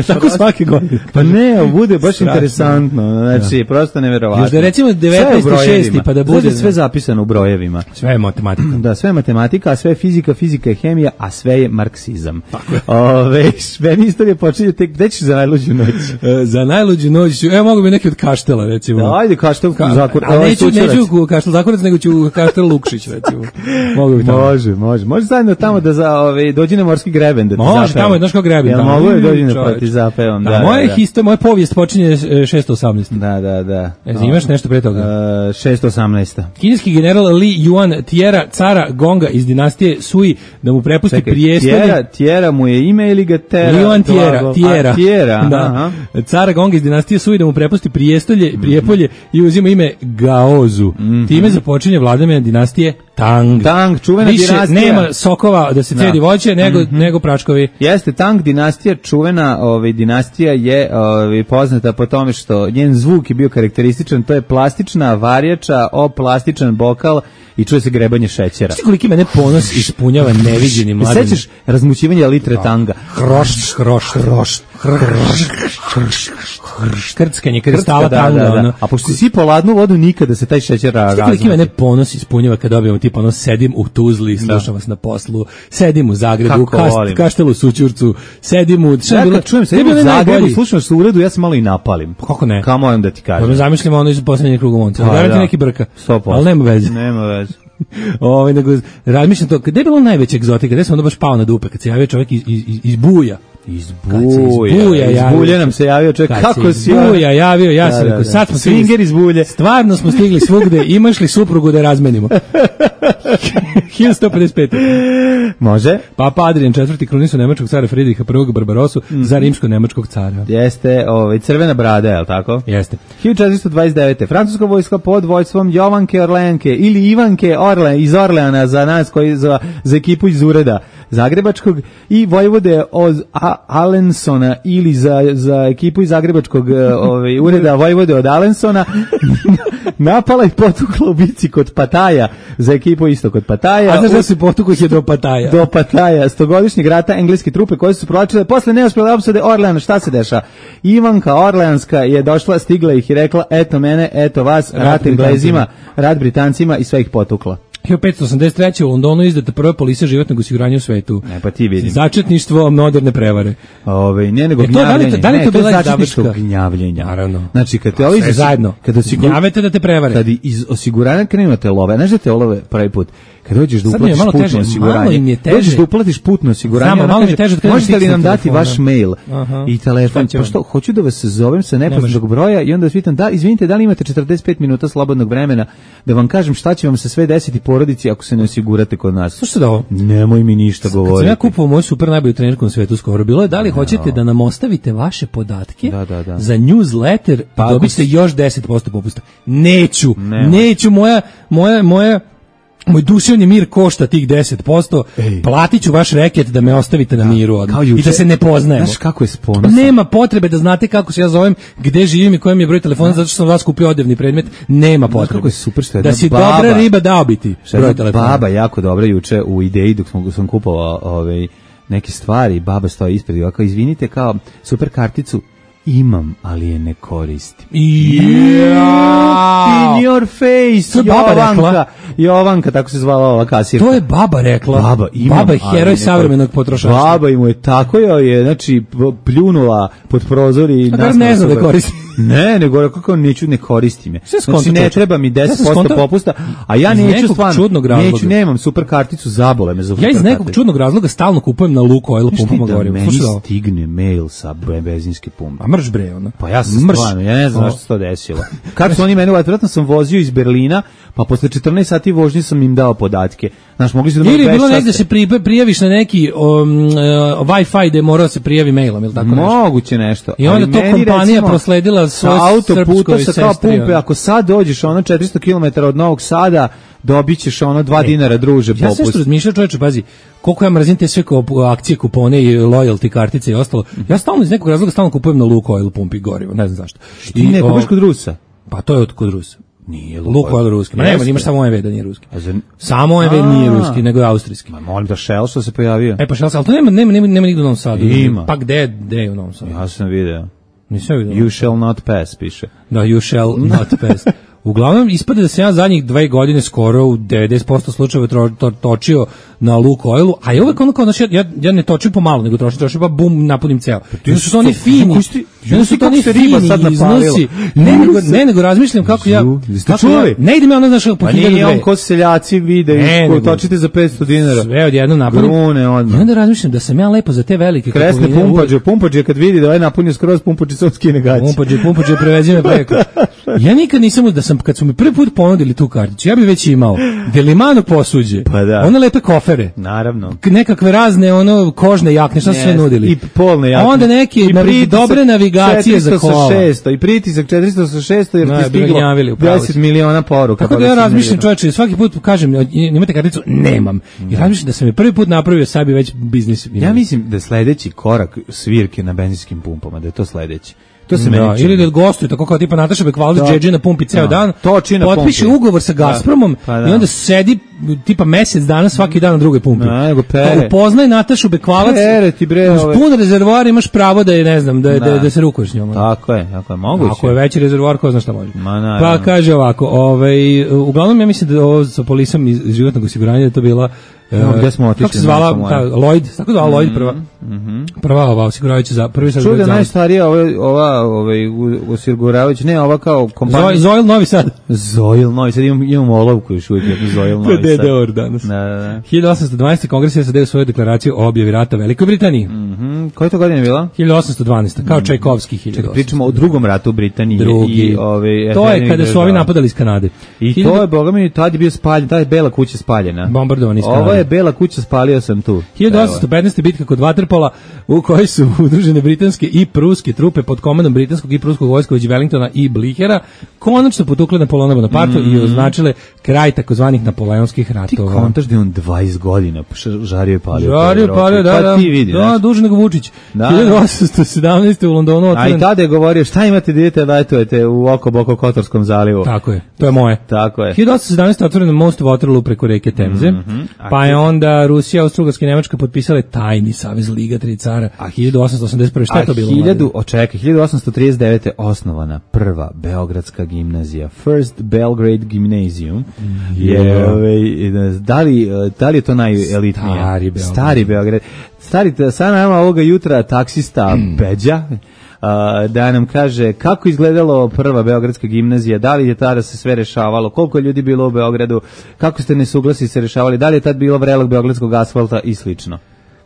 Tako svake godine. Pa ne, bude baš interesantno, znači, prosto neverovatno. Još da recimo devetnaesti šesti pa da bude... Sve zapisano u brojevima. Sve je matematika. Da, sve je matematika, a sve je fizika, fizika je hemija, a sve je marksizam. Ove, sve istorije počinje tek, gde ćeš za najluđu noć? Za najluđu noć, evo mogu bi neki od Kaštela, recimo. Da, ajde, Kaštel Ka, Zakor. A neću, neću Kaštel Zakorac, nego ću Kaštel Lukšić, recimo. Mogu bi tamo. Može, može. Može zajedno tamo da za, ove, dođi na morski greben da ti može, tamo je, znaš kao greben. Ja mogu je dođi na proti zapevom. Da, da, moja, da, histo, moja povijest počinje šesto osamnaest. Da, da, da. E, imaš nešto pre toga? Uh, šesto osamnaest. Kineski general Li Yuan tjera cara Gonga iz dinastije Sui da mu prepusti Čekaj, prijestolje. Tjera, tjera mu je ime ili ga tera? Li Yuan tjera, tjera. A, tjera, da. Aha. Cara Gonga iz dinastije Sui da mu prepusti prijestolje, Prijepolje i uzima ime Gaozu. Mm-hmm. Time započinje vladavina dinastije Tang. Tang, čuvena Više dinastija. Nema sokova da se cedi voće, nego, mm-hmm. nego pračkovi. Jeste, Tang dinastija, čuvena ovaj, dinastija je ovaj, poznata po tome što njen zvuk je bio karakterističan, to je plastična varjača o plastičan bokal i čuje se grebanje šećera. Šti koliki mene ponos ispunjava neviđeni mladen. Sećaš razmućivanja litre Tanga? Hrošt, hrošt, hrošt, krckanje kristala Tanga. Da, da, da. A pošto si sipao ladnu vodu, nikada se taj šećer razmuti. Šti koliki mene ponos ispunjava kad dobijemo tipa ono, sedim u Tuzli, slušam vas na poslu, sedim u Zagrebu, kast, Kaštelu Sućurcu, sedim u... Ja kad čujem, sedim u Zagrebu, slušam vas u uredu, ja se malo i napalim. Kako ne? Kao moram da ti kažem. Pa zamišljamo ono iz poslednjeg kruga monca. Da, da. Neki brka. Ali nema veze. Nema veze. Ovaj nego razmišljam to, gde je bilo najveća egzotika, gde se onda baš pao na dupe kad se javio čovjek iz iz iz Buja. Iz Buja, iz Bulje nam se javio čovjek, kako si Buja javio, ja sam rekao, sad smo swinger iz Bulje. Stvarno smo stigli svugde, imaš li suprugu da razmenimo? hiljadu pedeset pet. Može. Papa Adrian četvrti krunisu nemačkog cara Fridriha prvog Barbarosu mm. za rimsko-nemačkog cara. Jeste, ovaj crvena brada, je l' tako? Jeste. hiljadu četiristo dvadeset devete. Francuska vojska pod vođstvom Jovanke Orleanke ili Ivanke Orle iz Orleana za nas koji za, za ekipu iz ureda zagrebačkog i vojvode od A- Alensona ili za, za ekipu iz zagrebačkog ovaj, ureda vojvode od Alensona napala i potukla u bici kod Pataja za ekipu isto kod Pataja. A znaš da se potukla ih je do Pataja? Do Pataja, stogodišnjeg rata engleske trupe koje su se provlačile posle neuspjele opsade Orleana. Šta se deša? Ivanka Orleanska je došla, stigla ih i rekla eto mene, eto vas, rat, rat Englezima, rat Britancima i sve ih potukla. hiljadu petsto osamdeset treće u Londonu izdata prva polisa životnog osiguranja u svetu. Ne, pa ti vidim. Začetništvo moderne prevare. Ove, ne nego e to, gnjavljenje. Da li, da li ne, to bila začetništvo začetnička gnjavljenja. Naravno. Znači, kad te ovi sve zajedno, kad osigur... gnjavete da te prevare. Kad iz osiguranja krenu te love, znaš da te love prvi put, kad dođeš da uplatiš putno teže, osiguranje, dođeš da uplatiš putno osiguranje, Znamo, malo mi je teže, možete li nam dati telefona. Vaš mail Aha. i telefon, pa što, hoću da vas zovem sa nepoznatog broja i onda vas pitam, da, izvinite, da li imate četrdeset pet minuta slobodnog vremena da vam kažem šta će vam se sve desiti porodici ako se ne osigurate kod nas. Slušajte da ovo. Nemoj mi ništa govoriti. Kad sam ja kupovao moju super najbolju trenerku na svetu skoro, bilo je da li hoćete da nam ostavite vaše podatke da, da, da. za newsletter, pa dobit ćete još deset posto popusta. Neću, Nema. neću, moja, moja, moja moj duševni mir košta tih deset posto, platit ću vaš reket da me ostavite na miru odmah i da se ne poznajemo. Znaš kako je sponosan? Nema potrebe da znate kako se ja zovem, gde živim i koji mi je broj telefona, zato što sam vas kupio odevni predmet. Nema potrebe. Kako je super što je da si baba, dobra riba dao biti broj telefona. Baba jako dobra juče u ideji dok sam, sam kupovao ovaj, neke stvari, baba stoji ispred i ovako, izvinite, kao super karticu imam, ali je ne koristim. Yeah. In your face. To je baba Jovanka, rekla. Jovanka, tako se zvala ova kasirka. To je baba rekla. Baba, imam, baba je heroj savremenog potrošača. Baba im je tako joj je, znači, pljunula pod prozor i... A ne znam da koristim. Ne, nego kako neću, ne koristim je. Znači, ne treba mi deset posto popusta, a ja neću stvarno, neću, nemam super karticu, zabole me za super Ja iz karticu. nekog čudnog razloga stalno kupujem na Lukoil pumpama gorivo. Meni stigne mail sa benzinske pumpe. A mrš bre, ono. Pa ja sam stvarno, ja ne znam zašto se to desilo. Kad su oni meni, vjerojatno sam vozio iz Berlina, pa posle četrnaest sati vožnje sam im dao podatke. Znaš, mogli su da ili je bilo negde se pri, prijaviš na neki um, uh, Wi-Fi gde mora se prijavi mailom ili tako nešto. Moguće nešto. I onda to kompanija recimo, prosledila svoj autoputa sa kao pumpe, ako sad dođeš ono četiristo kilometara od Novog Sada, dobit ćeš ono dva e, dinara druže popust. Ja sve što razmišljam, čoveče, pazi, koliko ja mrzim te sve akcije, kupone i loyalty kartice i ostalo. Ja stalno iz nekog razloga stalno kupujem na Lukoil pumpi gorivo, ne znam zašto. I ne kupiš kod Rusa? Pa to je od kod Rusa. Nije Lukoil ruski. Ma nema, imaš samo O M V da nije ruski. Samo O M V nije ruski, nego je austrijski. Ma molim da Shell što se pojavio. E pa Shell, ali to nema, nema, nema, nema nigde u Novom Sadu. Ima. Pa gde, gde je u Novom Sadu? Ja sam video. Nisam vidio. You shall not pass, piše. Da, you shall not pass. Uglavnom, ispada da sam ja zadnjih dve godine skoro u devedeset posto slučajeva to, to, točio na Lukoilu, a je uvek ono kao, znači, ja, ja ne točim pomalo, nego trošim, trošim pa bum, napunim ceo. Onda su to oni fini, onda su to oni fini iznosi. Ne, nego, ne, nego razmišljam kako ja, kako ja, ne idem ja ono, znaš, po pa hiljadu dve. Nije on ko seljaci vide, ko točite za petsto dinara. Sve odjedno napunim. Grune odmah. I onda razmišljam da sam ja lepo za te velike kresne pumpađe, pumpađe kad vidi da ovaj napunio skroz pumpađe, sam skine gaći. Pumpađe, pumpađe, prevezi me preko. Ja nikad nisam, da sam, kad su mi prvi put ponudili tu karticu, ja bih već imao Delimano posuđe, pa da. One lepe kofere, naravno, nekakve razne ono kožne jakne, šta su sve nudili, i polne jakne, onda neke navi, dobre navigacije za kola, šesto i pritisak četiristo šest jer ti stiglo deset miliona poruka. Tako da ja razmišljam, čovječe, svaki put kažem, imate karticu? Nemam. I razmišljam da sam je prvi put napravio sebi već biznis. Ja mislim da je sledeći korak svirke na benzinskim pumpama, da je to sledeći. To se da, ili da gostuje tako kao tipa Nataša Bekvalac Džedži na pumpi ceo dan, potpiše pumpi. Ugovor sa Gazpromom da, pa da. I onda sedi tipa mesec dana svaki dan na drugoj pumpi. Da, pere. Upoznaj Natašu Bekvalac, uz pun rezervoar imaš pravo da je, ne znam, da, da. da, da se rukuješ s njom. Tako je, tako je, moguće. Ako je veći rezervoar, ko zna šta može. Ma, pa kaže ovako, ovaj, uglavnom ja mislim da ovo sa polisom iz životnog osiguranja je to bila No, gdje smo otišli? Kako se zvala? Ta, Lloyd, tako zvala Lloyd prva. Mm-hmm. Prva ova osiguravajuća za prvi sad. Čude najstarija ova ova ovaj osiguravajuća, ne, ova kao kompanija. Zoil Novi Sad. Zoil Novi Sad, imam imam olovku još uvijek jednu Zoil Novi Sad. D D R danas. Da, da, da. hiljadu osamsto dvanaeste Kongres je sadio svoju deklaraciju o objavi rata Velikoj Britaniji. Mhm. Koja to godina je bila? hiljadu osamsto dvanaeste kao Čajkovski hiljadu osamsto. Pričamo o drugom ratu u Britaniji i ove. To je kada su ovi napadali iz Kanade. I to je bogami tad je bio spaljen, ta je bela kuća spaljena. Bombardovani iz Kanade. Ovo je Bela kuća, spalio sam tu. hiljadu osamsto petnaeste. bitka kod Waterpola u kojoj su udružene britanske i pruske trupe pod komandom britanskog i pruskog vojska od Wellingtona i Blihera konačno potukle Napoleona Bonaparte mm. i označile kraj takozvanih napoleonskih ratova. Ti kontaš da je on dvadeset godina žario i palio. Žario i palio, da, da. Ti vidi, da, duže nego Vučić. Da. hiljadu osamsto sedamnaeste. u Londonu otvoren. A i tada je govorio šta imate da idete letujete u oko boko Kotorskom zalivu. Tako je, to je moje. Tako je. hiljadu osamsto sedamnaeste. otvoren most Waterloo preko reke Temze, mm-hmm. pa je onda Rusija, Austro-Ugarska i Nemačka potpisale tajni savez Liga tri cara. A hiljadu osamsto osamdeset prve. šta je to bilo? hiljadu, očekaj, hiljadu osamsto trideset devete. osnovana prva Beogradska gimnazija, First Belgrade Gymnasium. Mm, je, ove, da, li, da li je to najelitnija? Stari Beograd. Stari Beograd. Stari, sad nama ovoga jutra taksista mm. Beđa, Uh, da nam kaže kako izgledalo prva Beogradska gimnazija, da li je tada se sve rešavalo, koliko je ljudi bilo u Beogradu, kako ste nesuglasi se rešavali, da li je tad bilo vrelog beogradskog asfalta i slično.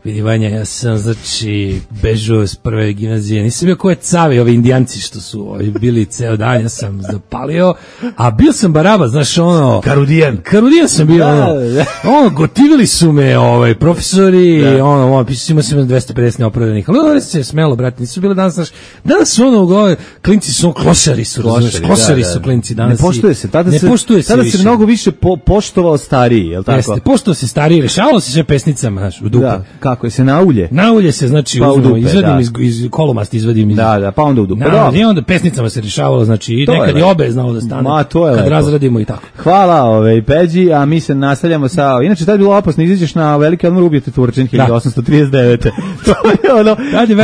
Vidi Vanja, ja sam znači bežao s prve gimnazije, nisam bio koje cavi, ovi indijanci što su ovi bili ceo dan, ja sam zapalio, a bio sam baraba, znaš ono... Karudijan. Karudijan sam bio, da, ono, da. ono, gotivili su me ovaj, profesori, da. ono, ono, pisao ima se dvesta pedeset neopravdanih, ali ono se smelo, brate, nisu bile danas, znaš, danas su ono, ovaj, klinci su, klošari su, razumiješ, klošari da, da. su klinci danas. Ne poštuje se, tada ne se, poštuje se tada više. se mnogo više po, poštovao stariji, je li tako? Jeste, poštovao se stariji, rešavalo se sve pesnicama, znaš, u dupe. Da. Kako je se na ulje? Na ulje se, znači, pa uzmemo, dupe, izvadim da. iz, iz kolomasti, izvadim iz... Da, da, pa onda u dupe. Na, i onda pesnicama se rešavalo, znači, i nekad i obe znalo da stane, Ma, to je kad lepo. razradimo i tako. Hvala, ove, Peđi, a mi se nastavljamo sa... Inače, tad je bilo opasno, izađeš na veliki odmor, ubijete Turčin, hiljadu osamsto trideset devete. To je ono,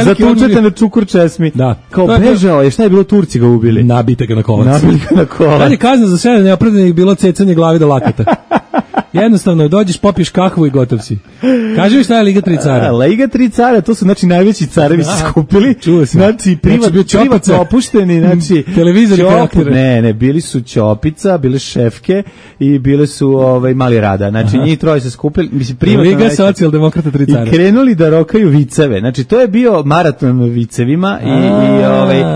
zatučete na čukur česmi. Da. Kao bežao je, šta je bilo, Turci ga ubili? Nabite ga na kolac. Nabili ga na kolac. Tad je kazna za sve neopravdanih bilo cecanje glavi do lakata. Jednostavno, dođeš, popiješ kahvu i gotov si. Kaži mi šta je Liga tri cara? Liga tri cara, to su znači najveći carevi se skupili. Čuo sam. Znači, privat, znači, privatno opušteni, znači... Televizori karaktere. Ne, ne, bili su Ćopica, bile šefke i bile su ovaj, Mali Rada. Znači, njih troje se skupili, mislim, privatno... Liga socijaldemokrata tri cara. I krenuli da rokaju viceve. Znači, to je bio maraton vicevima i, i ovaj, uh,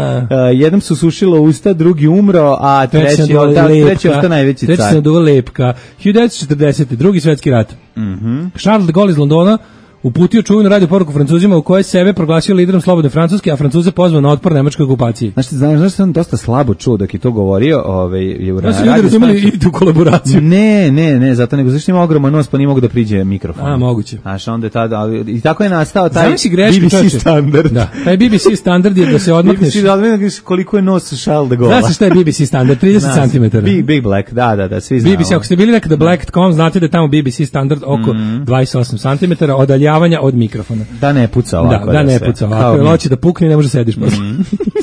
jednom su sušilo usta, drugi umro, a treći, treći je ostao najveći car. Treći se naduvao lepka. hiljadu devetsto četrdesete. drugi svetski rat. Mhm. Charles de Gaulle iz Londona uputio čuvenu radio poruku Francuzima u kojoj sebe proglasio liderom slobodne Francuske, a Francuze pozvao na otpor nemačkoj okupaciji. Znaš, znaš, znaš sam dosta slabo čuo dok je to govorio, ovaj, je u radio. Znači, ljudi razumeli i tu kolaboraciju. Ne, ne, ne, zato nego zašto ima ogroman nos, pa nije mogu da priđe mikrofon. A, moguće. Znaš, onda je tada, ali, i tako je nastao taj greški, B B C čoče. standard. Da, taj B B C standard je da se odmakneš. B B C, da odmakneš koliko je nos Charles de Gaulle. Znaš šta je B B C standard? trideset centimetara. Big, big Black, da, da, da, svi znamo. B B C, ako ste bili nekada black dot com, znate da je tamo B B C standard oko mm. dvadeset osam centimetara odaljavanja od mikrofona. Da ne puca ovako. Da, da, da ne puca ovako. Jer hoće da pukne i ne može sediš. Mm.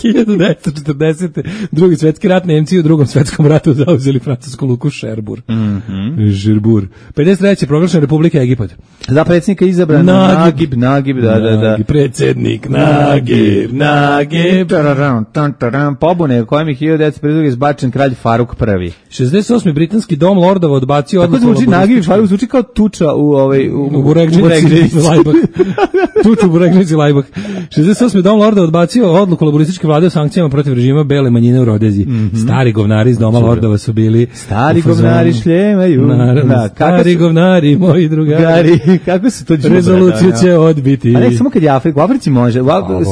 hiljadu devetsto četrdesete. drugi svetski rat, Nemci u drugom svetskom ratu zauzeli francusku luku Šerbur. Mm -hmm. Žerbur. pedeset treće proglašena Republika Egipat. Za predsjednika izabran Nagib, Nagib, da, da, da. Predsjednik Nagib, Nagib. Pobune u kojem je hiljadu devetsto pedeset druge izbačen kralj Faruk prvi. šezdeset osmi britanski dom lordova odbacio odluku. Tako zvuči Nagib, Faruk zvuči kao tuča u ovaj u u Buregdžici Lajbah. Tuču u Buregdžici Lajbah. šezdeset osmi dom lordova odbacio odluku laborističke vlade o sankcijama protiv režima bele manjine u Rodeziji. Mm -hmm. Stari govnari iz doma lordova su bili stari govnari šljemaju. Da, stari su... govnari, moji drugari. Gari, kako su to džubre? Rezoluciju će odbiti. A ne samo kad je Afrika, u Africi može, u,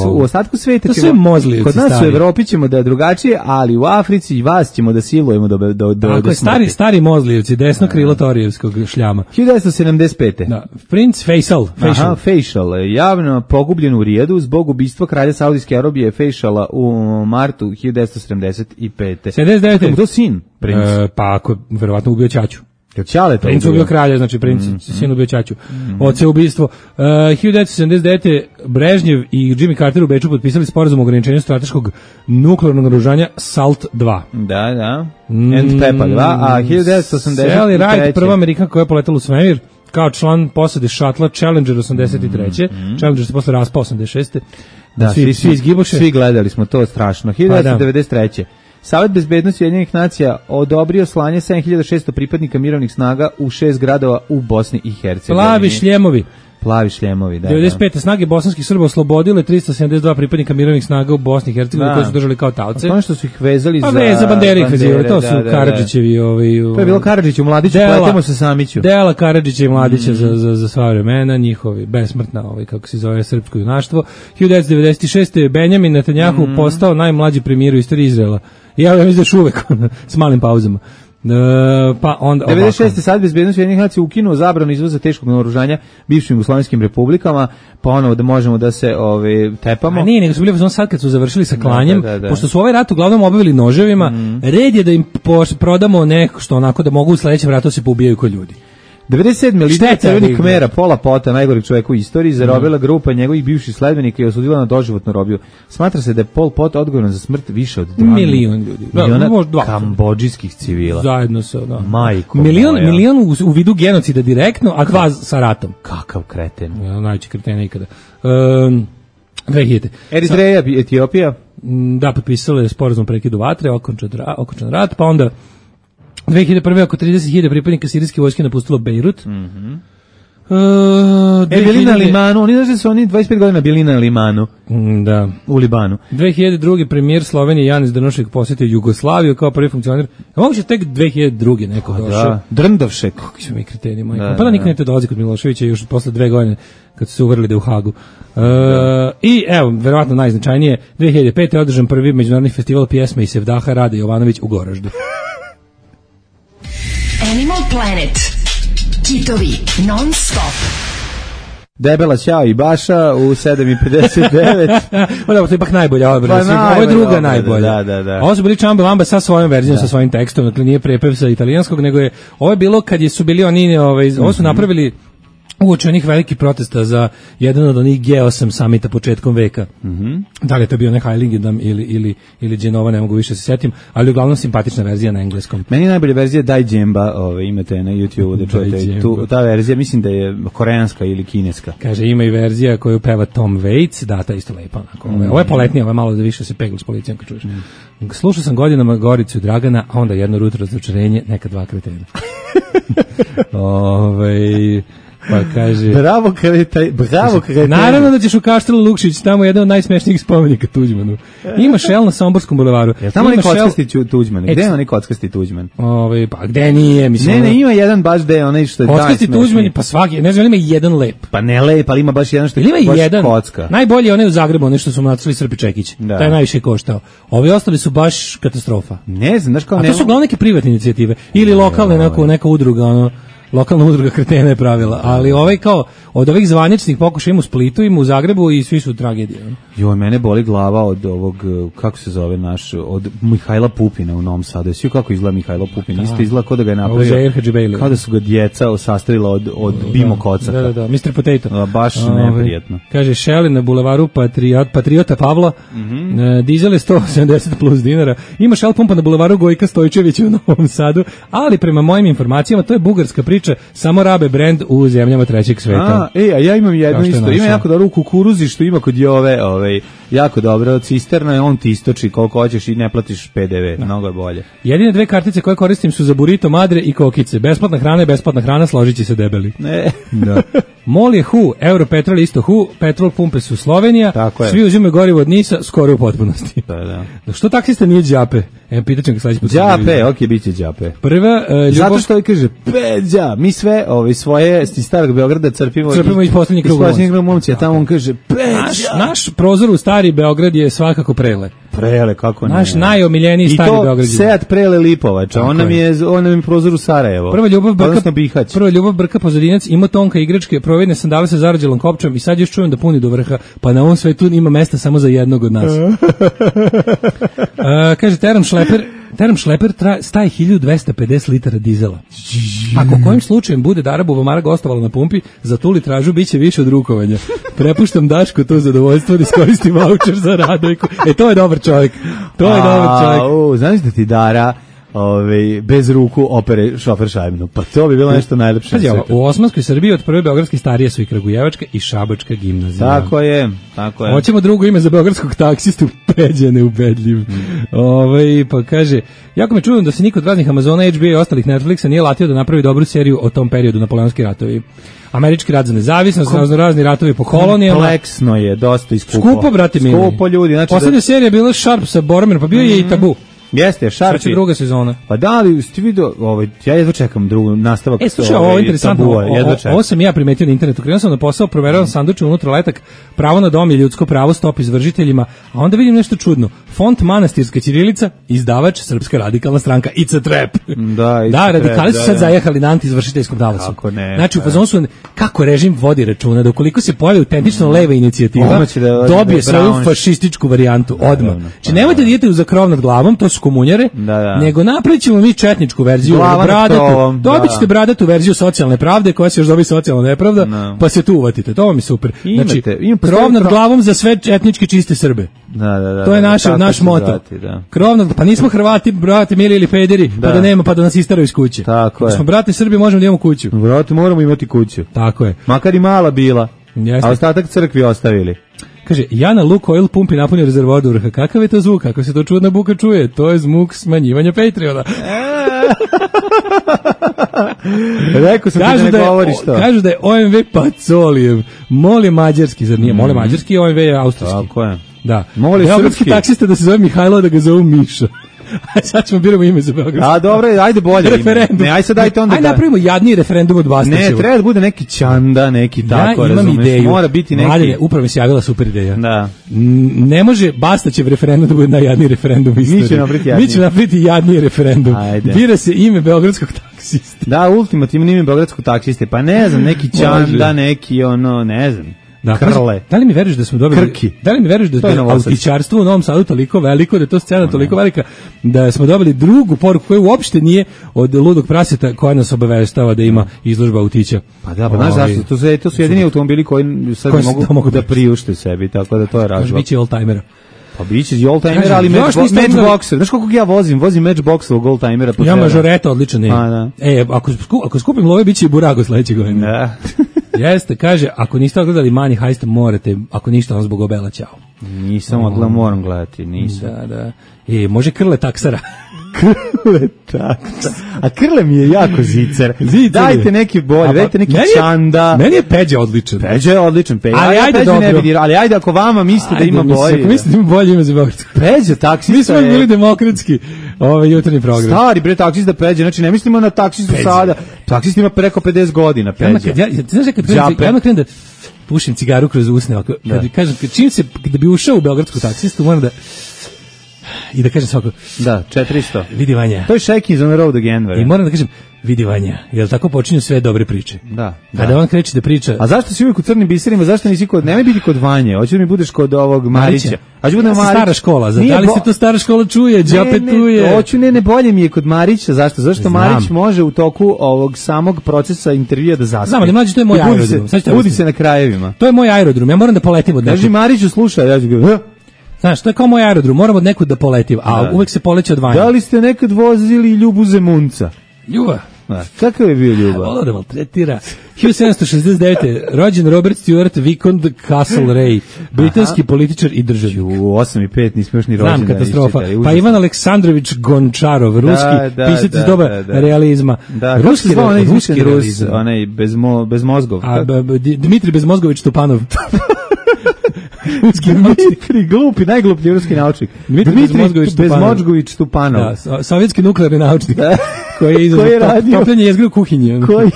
u ostatku sveta ćemo, kod nas stari. U Evropi ćemo da je drugačije, ali u Africi i vas ćemo da silujemo do do do. Tako je, stari stari mozlijevci, desno krilo Torijevskog šljama. hiljadu devetsto sedamdeset pete. Da, princ Faisal, Faisal. Aha, Faisal, javno pogubljen u Rijadu zbog ubistva kralja Saudijske Arabije Faisala u martu hiljadu devetsto sedamdeset pete. sedamdeset devete. Kako to sin, princ? E, pa ako verovatno ubio ćaću. Ćale to princ ubio kralja, znači princ, mm -hmm. sin ubio ćaću. Mm -hmm. Oce ubistvo. Uh, hiljadu devetsto sedamdeset devete. Brežnjev i Jimmy Carter u Beču potpisali sporazum o ograničenju strateškog nuklearnog naoružanja SALT dva. Da, da. And Pepa dva, a hiljadu devetsto osamdeset treće. Sally Ride, prva Amerikanka koja je poletala u svemir, kao član posade šatla Challenger osamdeset treće. Mm -hmm. Challenger se posle raspao osamdeset šeste. Da, svi, svi izgiboše. Svi gledali smo to strašno. hiljadu devetsto devedeset treće. Savet bezbednosti Ujedinjenih nacija odobrio slanje sedam hiljada šesto pripadnika mirovnih snaga u šest gradova u Bosni i Hercegovini. Plavi šljemovi. plavi šljemovi, da. devedeset pete snage bosanskih Srba oslobodile tristo sedamdeset dva pripadnika mirovnih snaga u Bosni i Hercegovini koji su držali kao taoce. Pa što su ih vezali pa za... Pa veza bandere ih vezivali, to su da, da, Karadžićevi... Ovaj, to je bilo Karadžić u Mladiću, pletemo se Samiću. Dela Karadžića i Mladića mm. za, za, za sva vremena, njihovi besmrtna, ovaj, kako se zove, srpsko junaštvo. hiljadu devetsto devedeset šeste. Benjamin Netanjahu mm. postao najmlađi premijer u istoriji Izraela. Ja mislim da još uvek s malim pauzama. Uh, pa onda devedeset šeste. Sad bezbednost Ujedinjenih nacija ukinuo zabranu izvoza teškog naoružanja bivšim jugoslovenskim republikama, pa ono da možemo da se ove tepamo. A nije, nego su bili on sad kad su završili sa klanjem, da, da, da. Pošto su ovaj rat uglavnom obavili noževima, mm. red je da im prodamo neko što onako da mogu u sledećem ratu se poubijaju ko ljudi. devedeset sedme. lidera Crvenih Kmera, Pola Pota, najgoreg čoveka u istoriji, zarobila mm. grupa njegovih bivših sledbenika i osudila na doživotnu robiju. Smatra se da je Pol Pot odgovoran za smrt više od dva milion ljudi. Miliona da, kambodžijskih civila. Zajedno sa, da. Majko milion, moja. Milion u, u vidu genocida direktno, a dva sa ratom. Kakav kreten. Ja, najveći kreten ikada. Um, dve hiljade. Eritreja, Etiopija. Da, potpisala je sporazum prekidu vatre, okončan, okončan rat, pa onda dve hiljade prve. oko trideset hiljada pripadnika sirijske vojske napustilo Bejrut. Mhm. Mm Uh, e, bili na Limanu, oni znaš da su oni dvadeset pet godina bili na Limanu. Mm, da. U Libanu. dve hiljade druge. premijer Slovenije Janez Drnovšek posjetio Jugoslaviju kao prvi funkcioner. A moguće tek dve hiljade druge. neko pa, došao. Da, Drndovšek. Kako su mi kreteni, majko. Da, pa da, nikad ne te dolazi kod Miloševića još posle dve godine kad su se uvrli da u Hagu. Uh, I evo, verovatno najznačajnije, dve hiljade pete. održan prvi međunarodni festival pjesme i sevdaha Rade Jovanović u Goraždu. Animal Planet. Kitovi non stop. Debela Ćao i Baša u sedam i pedeset devet. Pa da, to je ipak najbolja ova verzija. Pa ovo je druga najbolja. Da, da, da. Ovo su bili Čamba Vamba sa svojom verzijom, da. Sa svojim tekstom, dakle nije prepev sa italijanskog, nego je, ovo je bilo kad je su bili oni, ovaj, ovo su napravili uoči onih velikih protesta za jedan od onih G osam samita početkom veka. Mm-hmm. Da li je to bio neki Heiligendamm ili, ili, ili Genova, ne mogu više se setim, ali uglavnom simpatična verzija na engleskom. Meni je najbolja verzija Daj Džemba, ove, imate na YouTube, da čujete tu, ta verzija, mislim da je koreanska ili kineska. Kaže, ima i verzija koju peva Tom Waits, da, ta isto lepa. Onako. Mm. Ovo je poletnija, ovo je malo da više se pegla s policijom kad čuješ. Mm. Slušao sam godinama Goricu i Dragana, a onda jedno jutro razočarenje, neka dva kretena. Ove... Pa kaže... Bravo kretaj, bravo kretaj. Naravno da ćeš u Kaštelu Lukšić, tamo je jedan od najsmešnijih spomenika Tuđmanu. Ima šel na Somborskom bulevaru. Jel tamo neki kockasti Tuđman? Gde je onaj kockasti Tuđman? Ove, pa gde nije? Mislim, ne, ne, ima jedan baš gde, onaj što je kockasti Tuđman, pa svaki, ne znam, ima jedan lep. Pa ne lep, ali ima baš jedan što je ima baš jedan, kocka. Najbolji je onaj u Zagrebu, onaj što su mu nacrtali Srpi Čekić. Da. Taj najviše koštao. Ovi ostali su baš katastrofa. Ne znam, znaš kao... A to su uglavnom neke privatne inicijative. Ili lokalne, neko, neka udruga, ono... Lokalna udruga kretena je pravila, ali ovaj kao od ovih zvaničnih pokušaja ima u Splitu, ima u Zagrebu i svi su tragedije. Joj, mene boli glava od ovog, kako se zove naš, od Mihajla Pupina u Novom Sadu. Svi kako izgleda Mihajlo Pupin, isto izgleda kao da ga je napravio, kao da su ga djeca sastavila od, od Bimo Kocaka. Da, da, da, mister Potato. A, baš neprijatno. Kaže, Šeli na bulevaru Patriot, Patriota Pavla, mm-hmm. uh, dizel je sto sedamdeset plus dinara, ima Shell pumpa na bulevaru Gojka Stojčevića u Novom Sadu, ali prema mojim informacijama to je bugarska priča, samo rabe brend u zemljama trećeg sveta. A, ej, a ja imam jedno isto, ima jako dobro u kukuruzi što ima kod Jove, ovaj, jako dobro, cisterna je, on ti istoči koliko hoćeš i ne platiš P D V, mnogo je bolje. Jedine dve kartice koje koristim su za burrito, madre i kokice. Besplatna hrana je besplatna hrana, složit će se debeli. Ne. Da. Mol je Hu, Europetrol isto Hu, petrol pumpe su Slovenija, svi uzimaju gorivo od Nisa, skoro u potpunosti. Da, da. Što taksista nije Đape? E, pitat ga sledeći put. Đape, okej, bit će Đape. Prva, uh, ljubav... Zato što ovaj kaže, Peđa, mi sve ovaj, svoje iz starog Beograda crpimo, crpimo iz poslednjeg kruga. Iz poslednjeg momci, a tamo on kaže, Peđa. Naš, naš prozor u stari Beograd je svakako Prele. Prele, kako ne. Naš najomiljeniji stari Beograd. I to Seat Prele Lipovača, on nam je, on nam je prozor u Sarajevo. Prva ljubav Brka, prva ljubav Brka Pozadinac, ima tonka igračke, provedne sandale sa zarađelom kopčom i sad još čujem da puni do vrha, pa na ovom svetu ima mesta samo za jednog od nas. uh, kaže, Teram Šleper, Teram Šleper tra, staje hiljadu dvesta pedeset litara dizela. Ako kojim slučajem bude da Arabova Mara gostovala na pumpi, za tu litražu bit će više od rukovanja. Prepuštam Dašku to zadovoljstvo da iskoristim vaučer za Radojku. E, to je dobar čovjek. To je dobar čovjek. Znaš da ti Dara ovaj, bez ruku opere šofer šajbnu. Pa to bi bilo nešto najlepše. Pazi, u Osmanskoj Srbiji od prve beogradske starije su i Kragujevačka i Šabačka gimnazija. Tako je, tako je. Hoćemo drugo ime za beogradskog taksistu, Peđa neubedljiv. Mm. Ovaj, pa kaže, jako me čudno da se niko od raznih Amazona, H B O i ostalih Netflixa nije latio da napravi dobru seriju o tom periodu, napoleonski ratovi. Američki rat za nezavisnost, Kom... razni ratovi po kolonijama. Kompleksno je, dosta i skupo. Skupo, brate mili. Skupo, ljudi. Znači poslednja da... serija je bila Sharp sa Boromerom, pa bio je mm. i Tabu. Jeste, Sharp. Sad druga sezona. Pa da li ste vidio, ovaj, ja jedva čekam drugu nastavak. E, slušaj, ovo je interesantno. Tabua, o, o, ovo sam ja primetio na internetu. Krenuo sam na posao, proveravam sanduče unutra letak, pravo na dom je ljudsko pravo, stop izvršiteljima, a onda vidim nešto čudno. Font manastirska ćirilica, izdavač Srpska radikalna stranka. It's a trap. Da, it's da a radikali trap, su da, sad da. zajahali na antiizvršiteljskom talasu. Kako ne. Znači, u fazonu su, kako režim vodi računa, da ukoliko se pojavi autentično leva inicijativa, da, dobije da, svoju fašističku varijantu odmah. Znači, nemojte da idete za krov nad glavom, to su komunjare, da, da. nego napravit ćemo mi četničku verziju, bradatu, dobit ćete bradatu verziju socijalne pravde, koja se još dobi socijalna nepravda, no. Pa se tu uvatite, to vam je super. Imate, znači, imate, krov nad pro... glavom za sve etnički čiste Srbe. Da, da, da, to je da, naš, da, naš moto. Zvati, da. Krov nad, pa nismo Hrvati, brate, mili ili pederi, da. Pa da nema, pa da nas istaraju iz kuće. Tako je. Smo brate Srbi, možemo da imamo kuću. Brate, moramo imati kuću. Tako je. Makar i mala bila, jeste. A ostatak crkvi ostavili. Kaže, ja na Lukoil pumpi napunio rezervoar do vrha. Kakav je to zvuk? Kako se to čudna buka čuje? To je zvuk smanjivanja Patreona. Rekao sam ti da ne govoriš to. Kažu da je O M V Pacolijev. Mol je mađarski, zar nije? Mol je mađarski, O M V je austrijski. Tako je. Da. Mol je srpski. Taksista da se zove Mihajlo, da ga zovu Miša. Aj sad ćemo biramo ime za Beograd. A dobro, ajde bolje referendum. Ne, aj sad dajte onda. Aj da... napravimo jadniji referendum od Bastaćeva. Ne, treba da bude neki Čanda, neki tako, ja razumeš. Ideju. Mora biti neki. Mladine, upravo mi se javila super ideja. Da. Ne može Bastaćev referendum da bude najjadniji referendum u istoriji. Mi ćemo napraviti jadniji. Mi ćemo napraviti jadniji referendum. Ajde. Bira se ime beogradskog taksiste. Da, ultimativno ime beogradskog taksiste. Pa ne znam, neki Čanda, neki ono, ne znam. Da, Krle. Da li mi veruješ da smo dobili Krki. Da li mi veruješ da je autičarstvo u Novom Sadu toliko veliko, da je to scena toliko velika da smo dobili drugu poruku koja uopšte nije od ludog praseta koja nas obaveštava da ima izložba autića. Pa da, pa znaš zašto? To su, to su jedini automobili koji sad koji mogu, mogu da priušte sebi, tako da to je razlog. Biće oldtimera. Pa biće oldtimer, ali Matchboxer. Znaš koliko ja vozim? Vozim Matchboxovog oldtimera. Ja Mažoreta odličan je. A, da. E, ako, ako skupim love, biće i Burago sledeće godine. Da. Jeste, kaže, ako niste odgledali Money Heist, morate, ako ništa, on zbog obela, ćao. Nisam odgledao, moram gledati, nisam. Da, da. E, može Krle taksara. Krle taksara. A Krle mi je jako zicer. zicer. Dajte neki bolje, dajte neki meni je, Čanda. Meni je Peđa odličan. Peđa je odličan. Peđa. Ali, ja ajde, Peđa dobro. Ne vidim, ali ajde, ako vama mislite da ima bolje. Ako mislite da ima bolje ime za Beogradsko. Peđa, taksista. Mi smo je... bili demokratski ovaj jutarnji program. Stari bre taksista Peđa, znači ne mislimo na taksistu Peđa. Sada. Taksist ima preko pedeset godina, Peđa. Ja, ja, znaš kad krenem, krenem da pušim cigaru kroz usne, ako, kad da. Kažem, čim se, da bi ušao u beogradsku taksistu, moram da i da kažem svako da, četiristo. Vidi Vanja. To je Shaking on the Road again. Vere. I moram da kažem, vidi Vanja, jer tako počinju sve dobre priče. Da. Kada da. On kreće da priča. A zašto si uvijek u crnim biserima, zašto nisi kod, nemoj biti kod Vanje, hoćeš da mi budeš kod ovog Marića. A ću budem Marić. Stara škola, za, da li bo... se to stara škola čuje, džape tuje. Hoću, ne, ne, bolje mi je kod Marića, zašto? Zašto Znam. Marić može u toku ovog samog procesa intervjua da zaspe. Znam, ali mlađi, to je moj aerodrom. Se, budi se na krajevima. To je moj aerodrom, ja moram da poletim od nekog. Kaži Mariću, slušaj, ja ću ga... Znaš, to je kao moj aerodrom, moram od nekud da poletim, a da. Uvek se poleće od Vanja. Da li ste nekad vozili Ljubu Zemunca? Ljuba? Da. Kakav je bio Ljuba? Volao da maltretira. hiljadu sedamsto šezdeset devete. rođen Robert Stewart Vicomte Castlereagh, britanski Aha. političar i državnik. U osam i pet nismo još ni rođen. Znam, katastrofa. Pa Ivan Aleksandrović Gončarov, ruski da, da, pisatelj da, iz doba da, da. realizma. Da, ruski, re, onaj ruski realizam. Onaj bez, mo, bez mozgov. A, b, b, Dmitri Bezmozgović Tupanov. Ruski Dmitri, glupi, najgluplji ruski naučnik. Dmitri, Dmitri Bezmozgović Tupanov. Da, so, sovjetski nuklearni naučnik. koji je izazvao topljenje jezgre u kuhinji. Koji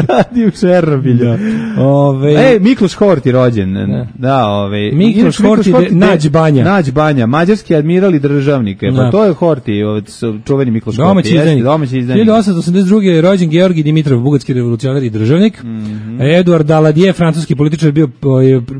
radi u Černobilju. Da. Ove... E, Mikloš Horti rođen. Da, da ove... Mikloš Horti, Horti Nađ Banja. Nađ Banja, mađarski admiral i državnik. Pa da. To je Horti, čuveni Mikloš domaći Horti. Izdanik. Domaći izdanik. hiljadu osamsto osamdeset druge. je rođen Georgij Dimitrov, bugarski revolucionar i državnik. Mm -hmm. Eduard Daladier, francuski političar, bio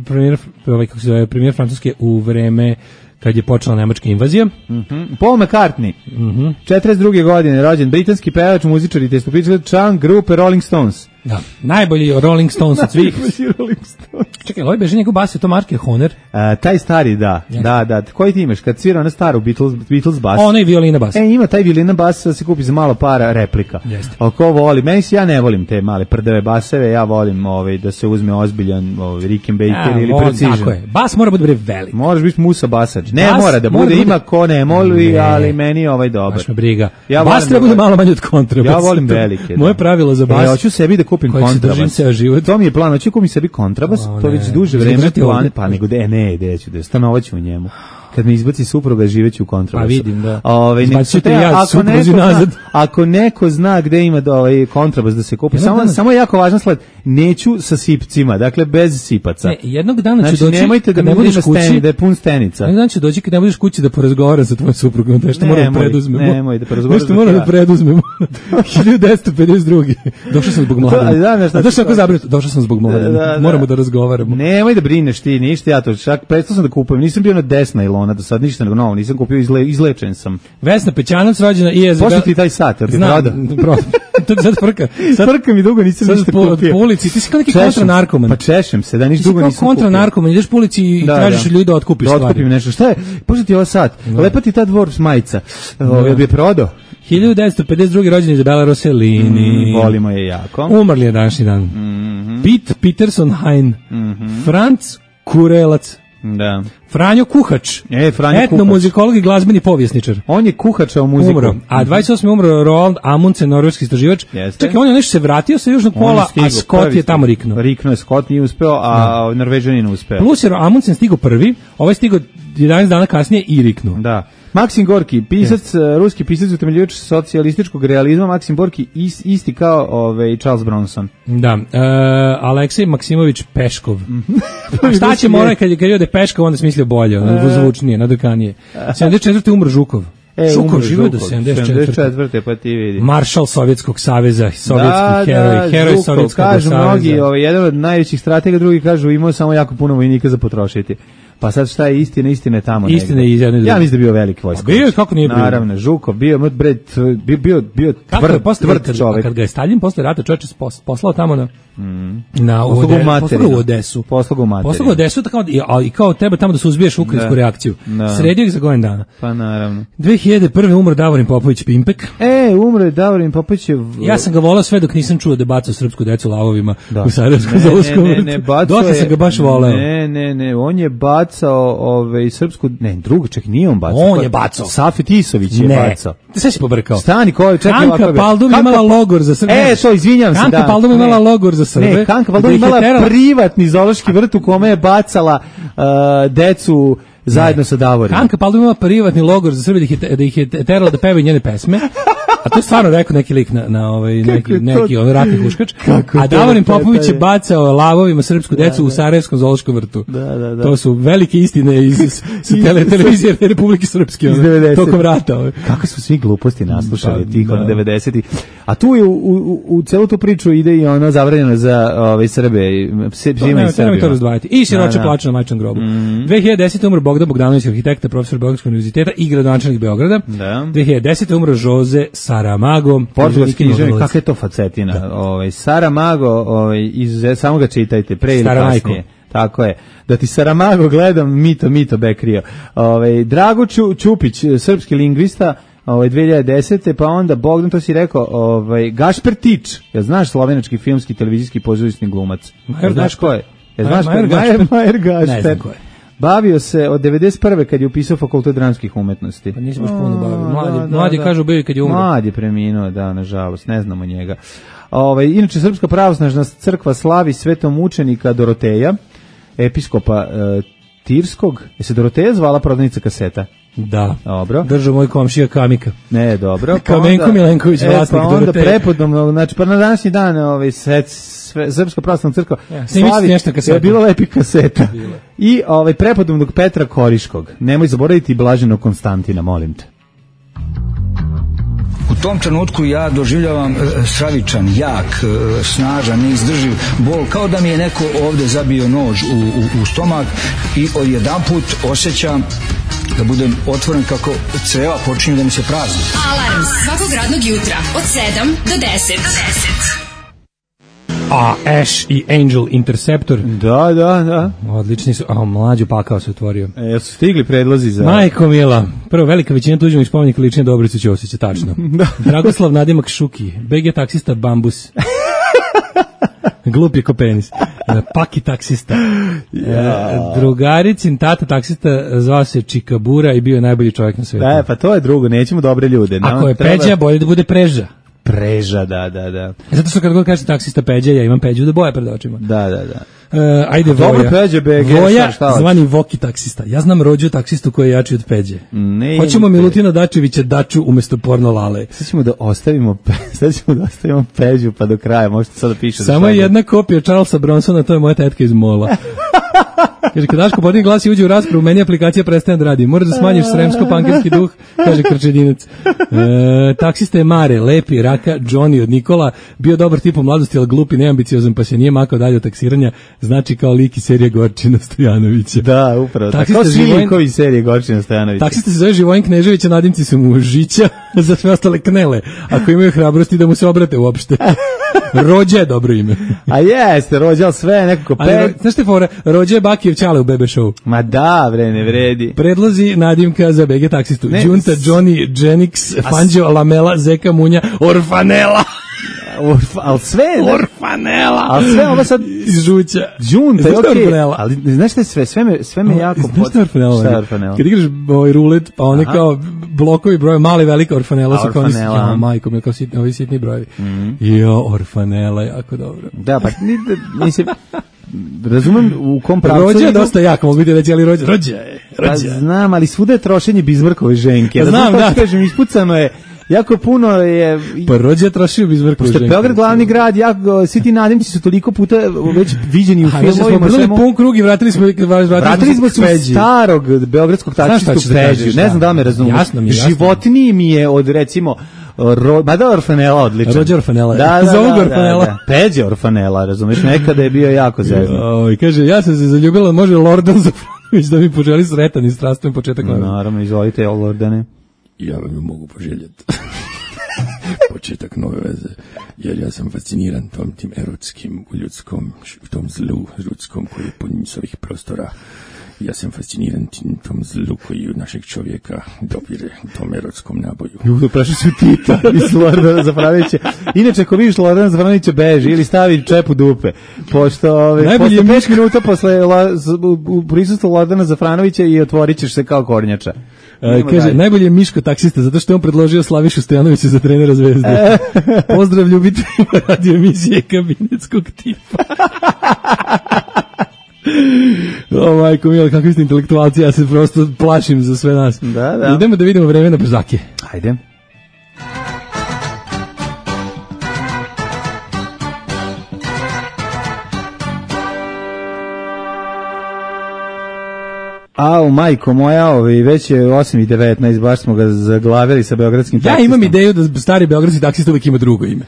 premijer, ovaj, kako se zove, premijer Francuske u vreme kad je počela nemačka invazija. Mm-hmm. Paul McCartney, mm-hmm. četrdeset druge godine, rođen, britanski pevač, muzičar i testopičar, član grupe Rolling Stones. Da, najbolji Rolling Stones od svih. Najbolji Rolling Stones. Čekaj, ovaj beže njegov bas, je to marke Hohner? A, taj stari, da, yes. da, da. Koji ti imaš? Kad svira na staru Beatles, Beatles bas. Ona je violina bas. E, ima taj violina bas, da se kupi za malo para replika. Jeste. Oko voli, meni se, ja ne volim te male prdeve baseve, ja volim ovaj, da se uzme ozbiljan ovaj, Rickenbacker ja, ili on, Precision. Tako je, bas mora biti velik. Moraš biti Musa basač. Ne bas mora da bude, bude, ima ko ne moli, ne. ali meni je ovaj dobar. Baš me briga. Ja bas treba bude malo manje od kontrabasa. Ja volim velike. Moje pravilo za bas. Ja hoću sebi da kupim kontrabas. To mi je plan, hoću kupim sebi kontrabas, o, to već duže vreme plane, pa nego da ne, ide ću da stanovaću u njemu. Kad me izbaci supruga, živeću u kontrabasu. Pa vidim, da. Ovaj Izbacite ja ako neko nazad. Zna, ako neko zna gde ima da ovaj kontrabas da se kupi, samo dana, samo je jako važna stvar, neću sa sipcima, dakle bez sipaca. Ne, jednog dana ću znači, doći. Nemojte da ne budeš kući, steni, da je pun stenica. Jednog dana ću doći kad ne budeš kući da porazgovaram sa tvojom suprugom, nešto moramo da preduzmemo. Nemoj da porazgovaraš. Nešto moramo da preduzmemo. hiljadu devetsto pedeset druge. Došao sam zbog mladena. Da, da, da, došao sam zabrinut. Došao sam zbog mladena. Da, da, moramo da razgovaramo. Nemoj da brineš ti, ništa ja to čak prestao sam da kupujem. Nisam bio na desna ilona do sad ništa nego novo, nisam kupio, izle, izlečen sam. Vesna Pećanac rođena i je za Pošto ti taj sat, jel ti proda? To sad frka. Sad frka mi dugo nisam ništa po, kupio. Po ulici, ti si kao neki kontranarkoman. Pa češem se, da niš dugo nisam kupio. Kontranarkoman, ideš po ulici i da, tražiš da. ljudi da otkupiš da stvari. Da otkupim nešto. Šta je? Pošto ti ovo sat? Da. Lepa ti ta dvor majica. Ovo bi je prodao. hiljadu devetsto pedeset drugi rođen Izabela Rossellini. Mm, volimo je jako. Umrli je današnji dan. Mm -hmm. Pete Peterson Hein. Mm -hmm. Franc Kurelac. Da. Franjo Kuhač. E, Franjo etnomuzikolog i glazbeni povjesničar. On je kuhačao muziku. Umro. A dvadeset osme umro Roald Amundsen, norveški istraživač. Jeste. Čekaj, on je nešto se vratio sa južnog pola, stigu, a Scott je tamo riknuo. Riknuo je, Scott nije uspeo, a no. Norvežanin uspeo. Plus je Amundsen stigao prvi, ovaj stigao jedanaest dana kasnije i riknuo. Da. Maksim Gorki, pisac, yes. ruski pisac utemeljivač socijalističkog realizma, Maksim Gorki is, isti kao ovaj Charles Bronson. Da, uh, Aleksej Maksimović Peškov. A šta će morati kad je kad je Peškov, onda smislio bolje, onda zvučnije, nadrkanije. sedamdeset četvrte umro Žukov. E, Žukov živio do sedamdeset četvrte pa ti vidi. Maršal Sovjetskog saveza, sovjetski da, heroj, da, heroj Žukov, Sovjetskog kažu saveza. Mnogi, ovaj, jedan od najvećih stratega, drugi kažu imao samo jako puno vojnika za potrošiti. Pa sad šta je istina, istina je tamo. Istina je iz jedne. Ja mislim da bio veliki vojskovođa. Bio je, kako nije bio? Naravno, Žukov bio, bre, bio bio bio tvrd, tvrd čovjek. Kad ga je Staljin posle rata čoveče poslao tamo na mm. na u Odesu. Poslao u materinu. Poslao u Odesu tako i, i kao treba tamo da se uzbiješ ukrajinsku reakciju. Da. Sredio ih za godinu dana. Pa naravno. dve hiljade prve umro Davorin Popović Pimpek. E, umro je Davorin Popović. V... Ja sam ga volao sve dok nisam čuo da bacao srpsku decu lavovima da. U Sarajevskom zoološkom vrtu. Ne, ne, ne, Dosta sam ga baš voleo. Ne, ne, ne, on je bacao ovaj srpsku, ne, drugo, ček, nije on bacao. On je bacao. Safet Isović je ne. bacao. Sve si pobrkao. Stani, ko, čekaj, Kanka ovako. Paldum imala logor za Srbe. E, to, izvinjam se, da. Kanka Paldum imala logor za Srbe. Ne, Kanka Paldum imala terala... privatni zoološki vrt u kome je bacala uh, decu zajedno ne. sa Davorinom. Kanka Paldum imala privatni logor za Srbe da ih je, da ih je terala da pevaju njene pesme. A to je stvarno rekao neki lik na, na ovaj, neki, neki on ratni huškač. A Davorin Popović je bacao lavovima srpsku decu da, da. u Sarajevskom zoološkom vrtu. Da, da, da. To su velike istine iz sa tele, televizije Republike Srpske ovaj, tokom rata. Ovaj. Kako su svi gluposti naslušali da, tih da. devedesetih. A tu je u, u, u celu tu priču ide i ono zabranjeno za ovaj Srbe, svima i Srbima. To razdvajati. I siroče da, plaču na majčinom grobu. Mm. dve hiljade desete umro Bogdan Bogdanović, arhitekta, profesor Beogradskog univerziteta i gradonačelnik Beograda. Da. dve hiljade desete umro Jose Saramago, portugalski književnik, kakva je to facetina. Da. Ovaj Saramago, ovaj iz samo ga čitajte pre ili kasnije. Tako je. Da ti Saramago gledam, mito mito bekrio. Ovaj Drago Ču, Čupić, srpski lingvista, ovaj dve hiljade desete, pa onda Bogdan, to si rekao, ovaj Gašper Tič. Ja znaš, slovenački filmski televizijski pozorišni glumac. Ja znaš ko je? Ja znaš ko je? Majer, Majer Gašper. Ne znam ko je. Bavio se od devedeset prve kad je upisao fakultet dramskih umetnosti. Pa nisam baš puno bavio. Mladi, da, mladi da, kažu bio kad je umro. Mladi je preminuo, da, nažalost, ne znamo njega. Ovaj inače Srpska pravoslavna crkva slavi svetomučenika Doroteja, episkopa e, Tirskog. Je se Doroteja zvala prodavnica kaseta? Da. Dobro. Držao moj komšija Kamika. Ne, dobro. Pa Kamenko onda, Milenković, vlasnik e, pa Doroteja. Onda prepodobno, znači pa na današnji dan ovaj set Srpska pravoslavna crkva ja, slavi nešto kaseta. Je bilo lepi kaseta. Bilo. I ovaj prepodobnog Petra Koriškog. Nemoj zaboraviti Blaženog Konstantina, molim te. U tom trenutku ja doživljavam e, stravičan, jak, e, snažan, neizdrživ bol, kao da mi je neko ovde zabio nož u, u, u stomak i odjedanput osjećam da budem otvoren kako creva počinju da mi se prazni. Alarm svakog radnog jutra od sedam do deset. Do deset. A, Ash i Angel Interceptor. Da, da, da. Odlični su. A, mlađu pakao se otvorio. E, su stigli predlozi za... Majko mila. Prvo, velika većina tuđenih spomenika lične Dobricu Ćosića, tačno. Dragoslav Nadimak Šuki. B G taksista Bambus. Glupi ko penis. Paki taksista. Yeah. Drugaricin tata taksista zvao se Čikabura i bio je najbolji čovjek na svijetu. Da, pa to je drugo, nećemo dobre ljude. Ako je treba... Peđa, bolje da bude Preža. Preža, da, da, da. Zato što kad god kažete taksista Peđa, ja imam Peđu da boje pred očima. Da, da, da. Uh, ajde Voja. Dobro Peđe, B G, Voja, šta zvani Voki taksista. Ja znam rođu taksistu koji je jači od Peđe. Ne, hoćemo ne, Milutina Dačevića Daču umjesto porno Lale. Sad ćemo da ostavimo, sad ćemo da ostavimo Peđu pa do kraja, možete sad da pišete. Samo je jedna kopija Charlesa Bronsona, to je moja tetka iz Mola. Kaže, kad Daško podini glas i uđe u raspravu, meni aplikacija prestane da radi. Moraš da smanjiš sremsko-pankerski duh, kaže Krčedinac. E, taksista je Mare, lepi, raka, Johnny od Nikola, bio dobar tip u mladosti, ali glupi, neambiciozan, pa se nije makao dalje od taksiranja, znači kao lik iz serije Gorčina Stojanovića. Da, upravo. Taksista tako svi Živojn... likovi iz serije Gorčina Stojanovića. Taksista se zove Živojn Knežević, a nadimci su mu Žića, za sve ostale knele, ako imaju hrabrosti da mu se obrate uopšte. Rođa je dobro ime. A jeste, Rođa, ali sve nekako pe... Znaš te fora, Rođa je Bakijev Ćale u Bebe Show. Ma da, bre, ne vredi. Predlozi nadimka za B G taksistu. Ne, Đunta, Johnny, Genix, Fanđo, Lamela, Zeka, Munja, Orfanela. Orfa, ali sve... Orfanela. Ali sve ovo sad... Iz Žuća. Đunta, je okej. Okay. Ali znaš šta je sve? Sve me, sve me jako... Znaš šta je Orfanela? Šta je Orfanela? Kad igraš ovaj rulet, pa one kao blokovi broje, mali, velika Orfanela su kao... Orfanela. Ja, majko, mi kao sitni, ovi sitni brojevi. Mm. Jo, Orfanela, jako dobro. Da, pa mislim... Razumem u kom pravcu... Rođa je dosta jak, mogu ti reći, ali rođa, rođa je. Pa znam, ali svuda je trošenje Bizmarkove ženke. Znam, da. Kažem, ispucano je, jako puno je... Pa Rođa je trošio Bizmarkove ženke. Pošto je Beograd glavni grad, jako, svi ti nadimci su toliko puta već viđeni u filmovima. Smo brali pun krug i vratili smo... Vratili smo se u starog beogradskog taksistu Peđu. Ne znam da li me razumiješ. Jasno mi je, jasno. Životniji mi je od, recimo... Ro, ma da, Orfanela odličan. Rođe Orfanela. Da, da, Zovu da, Orfanela. da, da. Peđe Orfanela, razumiješ, nekada je bio jako zezno. Oj, kaže, ja sam se zaljubila, može Lordan Zafranović da mi poželi sretan i strastven početak. No, naravno, izvolite, Lordane. Ja vam ju mogu poželjeti. Početak nove veze, jer ja sam fasciniran tom tim erotskim, u ljudskom, u tom zlu ljudskom koji je pun ovih prostora. Ja sam fasciniran tom zlu koji od našeg čovjeka dopire tom erotskom naboju. Ljudo, prešli su Tita iz Lordana Zafranovića. Inače, ako vidiš Lordana Zafranovića, beži ili stavi čep u dupe. Pošto ove, posle pet minuta posle la, u prisustvu Lordana Zafranovića i otvorit ćeš se kao kornjača. E, kaže, dalje. Najbolji je Miško taksista, zato što je on predložio Slavišu Stojanovića za trenera Zvezde. Pozdrav ljubiteljima radio emisije kabinetskog tipa. O majko mila, kakvi ste intelektualci, ja se prosto plašim za sve nas. Da, da. Idemo da vidimo vreme na brzake. Ajde. Au, majko moja, ovi, već je osam i devetnaest, baš smo ga zaglavili sa beogradskim taksistom. Ja imam ideju da stari beogradski taksista uvijek ima drugo ime.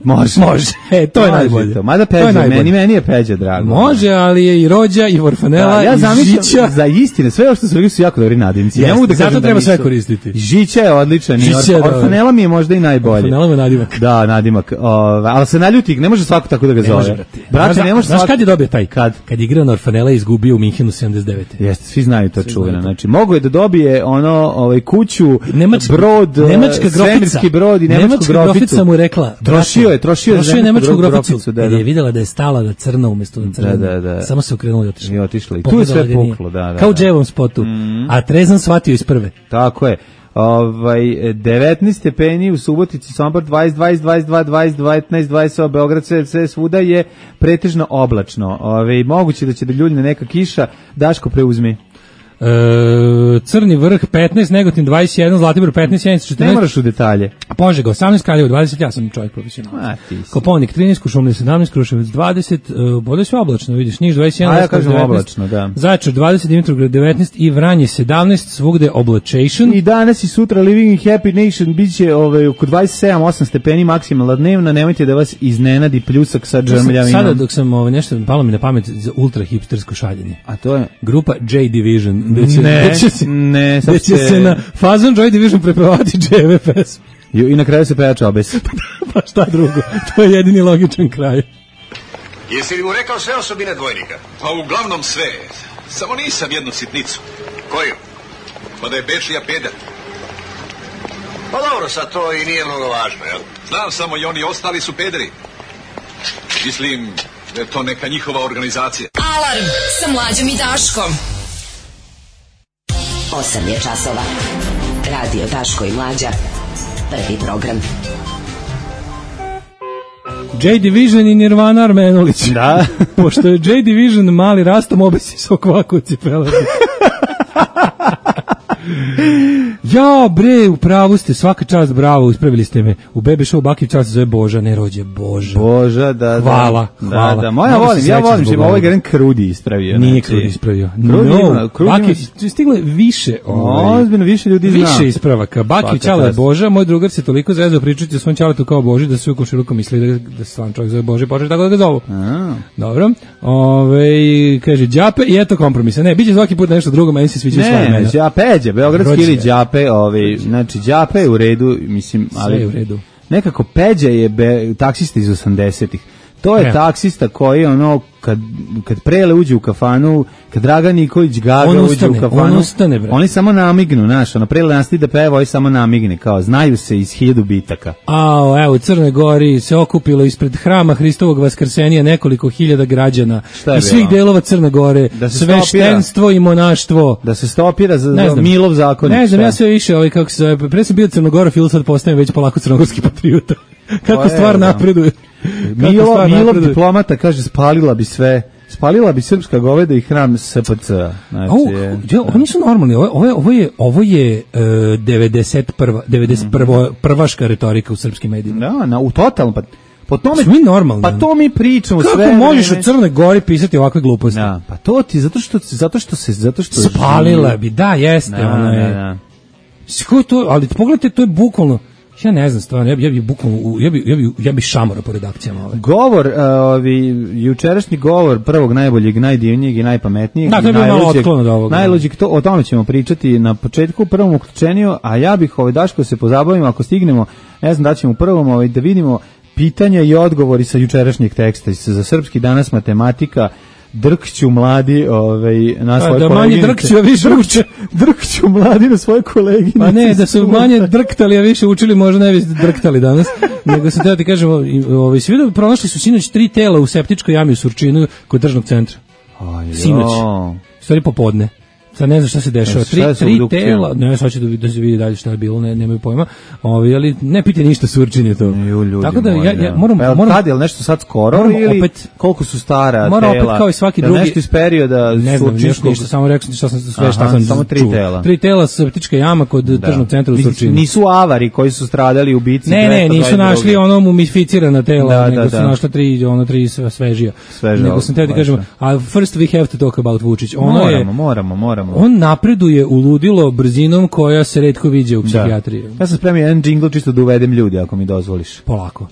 Može. Može, e, to je može najbolje. To. Mada Peđa, meni, meni je Peđa drago. Može, ali je i Rođa, i Orfanela, da, ja i Žića. Za istine, sve ovo što su rekli su jako dobri nadimci. Yes, ja mogu da zato kažem treba da sve koristiti. Žića je odličan, i Or, Orfanela mi je možda i najbolje. Orfanela je nadimak. Da, nadimak. O, ali se naljuti, ne može svako tako da ga zove. Ne može, brate. Brate, ne može svako. Znaš kad je dobio taj? Kad? Kad je igrao na Orfanela i izgubio u Minhenu sedamdeset devete. Jeste, svi znaju to čuveno. Znači, mogu je da dobije ono, ovaj, kuću, Nemačka, brod, nemačka svemirski brod i nemačku nemačka groficu. grofica mu rekla. Trošio je, trošio je, trošio je nemačku groficu. groficu da, da. da. Je videla da je stala na crno umjesto na crno. Da, da, da. Samo se okrenula i otišla. I otišla. I tu je sve puklo, da, da. Kao u da. Dževom spotu. Mm. A trezan shvatio iz prve. Tako je. Ovaj devetnaest stepeni u Subotici, Sombor dvadeset, dvadeset, dvadeset dva, dvadeset, devetnaest, dvadeset, Beograd sve, sve svuda je pretežno oblačno. Ovaj moguće da će da ljuljne neka kiša. Daško preuzmi. E, Crni vrh petnaest, Negotin dvadeset jedan, Zlatibor petnaest, Sjenica četrnaest. Ne moraš u detalje. Požega osamnaest, Kraljevo dvadeset, ja sam čovjek profesionalac. Koponik trinaest, Kuršumlija sedamnaest, Kruševac dvadeset, uh, bude sve oblačno, vidiš, Niš dvadeset jedan, a ja kažem oblačno, da. Zaječar dvadeset, Dimitrovgrad devetnaest i Vranje sedamnaest, svugde oblačation. I danas i sutra Living in Happy Nation biće ovaj oko dvadeset sedam osam stepeni maksimalna dnevna, nemojte da vas iznenadi pljusak sa džemljavinom. Sada dok sam ovaj nešto palo mi na pamet za ultra hipstersko šaljenje. A to je grupa J Division. Da će, ne, da će se, ne, da će se na fazon Joy Division prepevati dževe pesme. I na kraju se peja čobes. Pa šta drugo, to je jedini logičan kraj. Jesi li mu rekao sve osobine dvojnika? Pa uglavnom sve. Samo nisam jednu sitnicu. Koju? Pa da je Bečija peder. Pa dobro, sad to i nije mnogo važno, jel? Znam samo i oni ostali su pederi. Mislim da je to neka njihova organizacija. Alarm sa Mlađom i Daškom. osam je časova. Radio Daško i Mlađa. Prvi program. J Division i Nirvana Armenulić. Da. Pošto je J Division mali rastom, obesi se okvako u cipelama. Ja, bre, u pravu ste, svaka čast, bravo, ispravili ste me. U Bebe Show Bakiv čast se zove Boža, ne rođe Boža. Boža, da, hvala, da. Hvala, da, da. Moja volim, ja volim, že ovaj Garen Krudi ispravio. Nije znači. Krudi ispravio. Krudi No, ima, Krudi Bakiv, ima... stigle više, ovaj, ozbiljno, više ljudi zna. Više ispravaka. Bakiv Ćale je Boža, moj drugar se toliko zezao pričati o svom Ćaletu kao Boži, da se u komšiluku misli da, da se stvarno čovjek zove Boži, počeo tako da ga zovu. A. Dobro. Ove, kaže, Đape i eto kompromisa. Ne, biće svaki put nešto drugo, meni se sviđa sva imena. Ne, Đapeđe, beogradski ili Đape, ovaj, znači Đape je u redu, mislim, ali sve u redu. Nekako Peđa je be, taksista iz osamdesetih. To je ne. taksista koji ono kad kad Prele uđe u kafanu, kad Dragan Nikolić Gaga on uđe ustane, u kafanu, on ustane, oni samo namignu, znaš, ono Prele nastavi da peva, oni samo namigne, kao znaju se iz hiljadu bitaka. A, evo, u Crnoj Gori se okupilo ispred hrama Hristovog Vaskrsenja nekoliko hiljada građana iz svih delova Crne Gore, da sveštenstvo i monaštvo. Da se stopira za, za Milov zakonik. Ne znam, ja sve više, ovaj, kako se zove, pre sam bio Crnogorofil, sad postajem već polako crnogorski patriota. Kako stvar napreduje. Milo, Milov diplomata kaže spalila bi sve, spalila bi srpska goveda i hram S P C. Znači, oh, ja, oni su normalni. Ovo, ovo je ovo je ovo je uh, devedeset prva devedeset prva prvaška retorika u srpskim medijima. Da, na u totalno pa po tome mi normalni. Pa to mi pričamo kako sve. Kako možeš u Crnoj Gori pisati ovakve gluposti? Da, pa to ti zato što zato što se zato što spalila živi. Bi, da, jeste, da, ona je. Da, da.Sko to, ali pogledajte, to je bukvalno ja ne znam stvarno, ja bi ja bi bukvalno ja bi ja bi ja bi šamora po redakcijama ove. Govor, uh, ovi jučerašnji govor prvog najboljeg, najdivnijeg i najpametnijeg. Da, to je bilo malo otklon od ovoga. Najluđeg, to o tome ćemo pričati na početku u prvom uključenju, a ja bih ovaj Daško se pozabavimo ako stignemo, ne znam da ćemo u prvom ovaj da vidimo pitanja i odgovori sa jučerašnjeg teksta za srpski danas matematika. Drkću mladi ovaj, na svoje da koleginice. Da manje drkću, a više uče. Drkću mladi na svoje koleginice. Pa ne, da su manje drktali, a više učili, možda ne bi drktali danas. Nego sam teo ti kažem, ovaj, svi da pronašli su sinoć tri tela u septičkoj jami u Surčinu kod državnog centra. Aj, sinoć. Stvari popodne. Sad ne znam šta se dešava. Tri, tri tela, ne, sad će da, da se vidi dalje šta je bilo, ne, nemaju pojma. Ovi, ali ne pite ništa, Surčin je to. Ju, ljudi tako da moji, ja, ja moram... Pa, moram tad je li nešto sad skoro ili opet, koliko su stara moram tela? Moram opet kao i svaki da drugi... nešto iz perioda ne znam, ništa, ništa, samo rekao sam šta sam sve šta sam samo tri čuo. tela. Tri tela sa septička jama kod da. Tržnog centra u Surčinu. Nisu avari koji su stradali u bici. Ne, ne, nisu našli ono mumificirana tela, da, nego da, su da. našla tri, ono tri svežija. Svežija. Nego sam teo ti kažem, a first we have to talk about Vučić. Ono moramo, je, moramo, moramo. On napreduje u ludilo brzinom koja se retko viđe u psihijatriji. Da. Ja sam spremio jedan džingl čisto da uvedem ljudi, ako mi dozvoliš. Polako.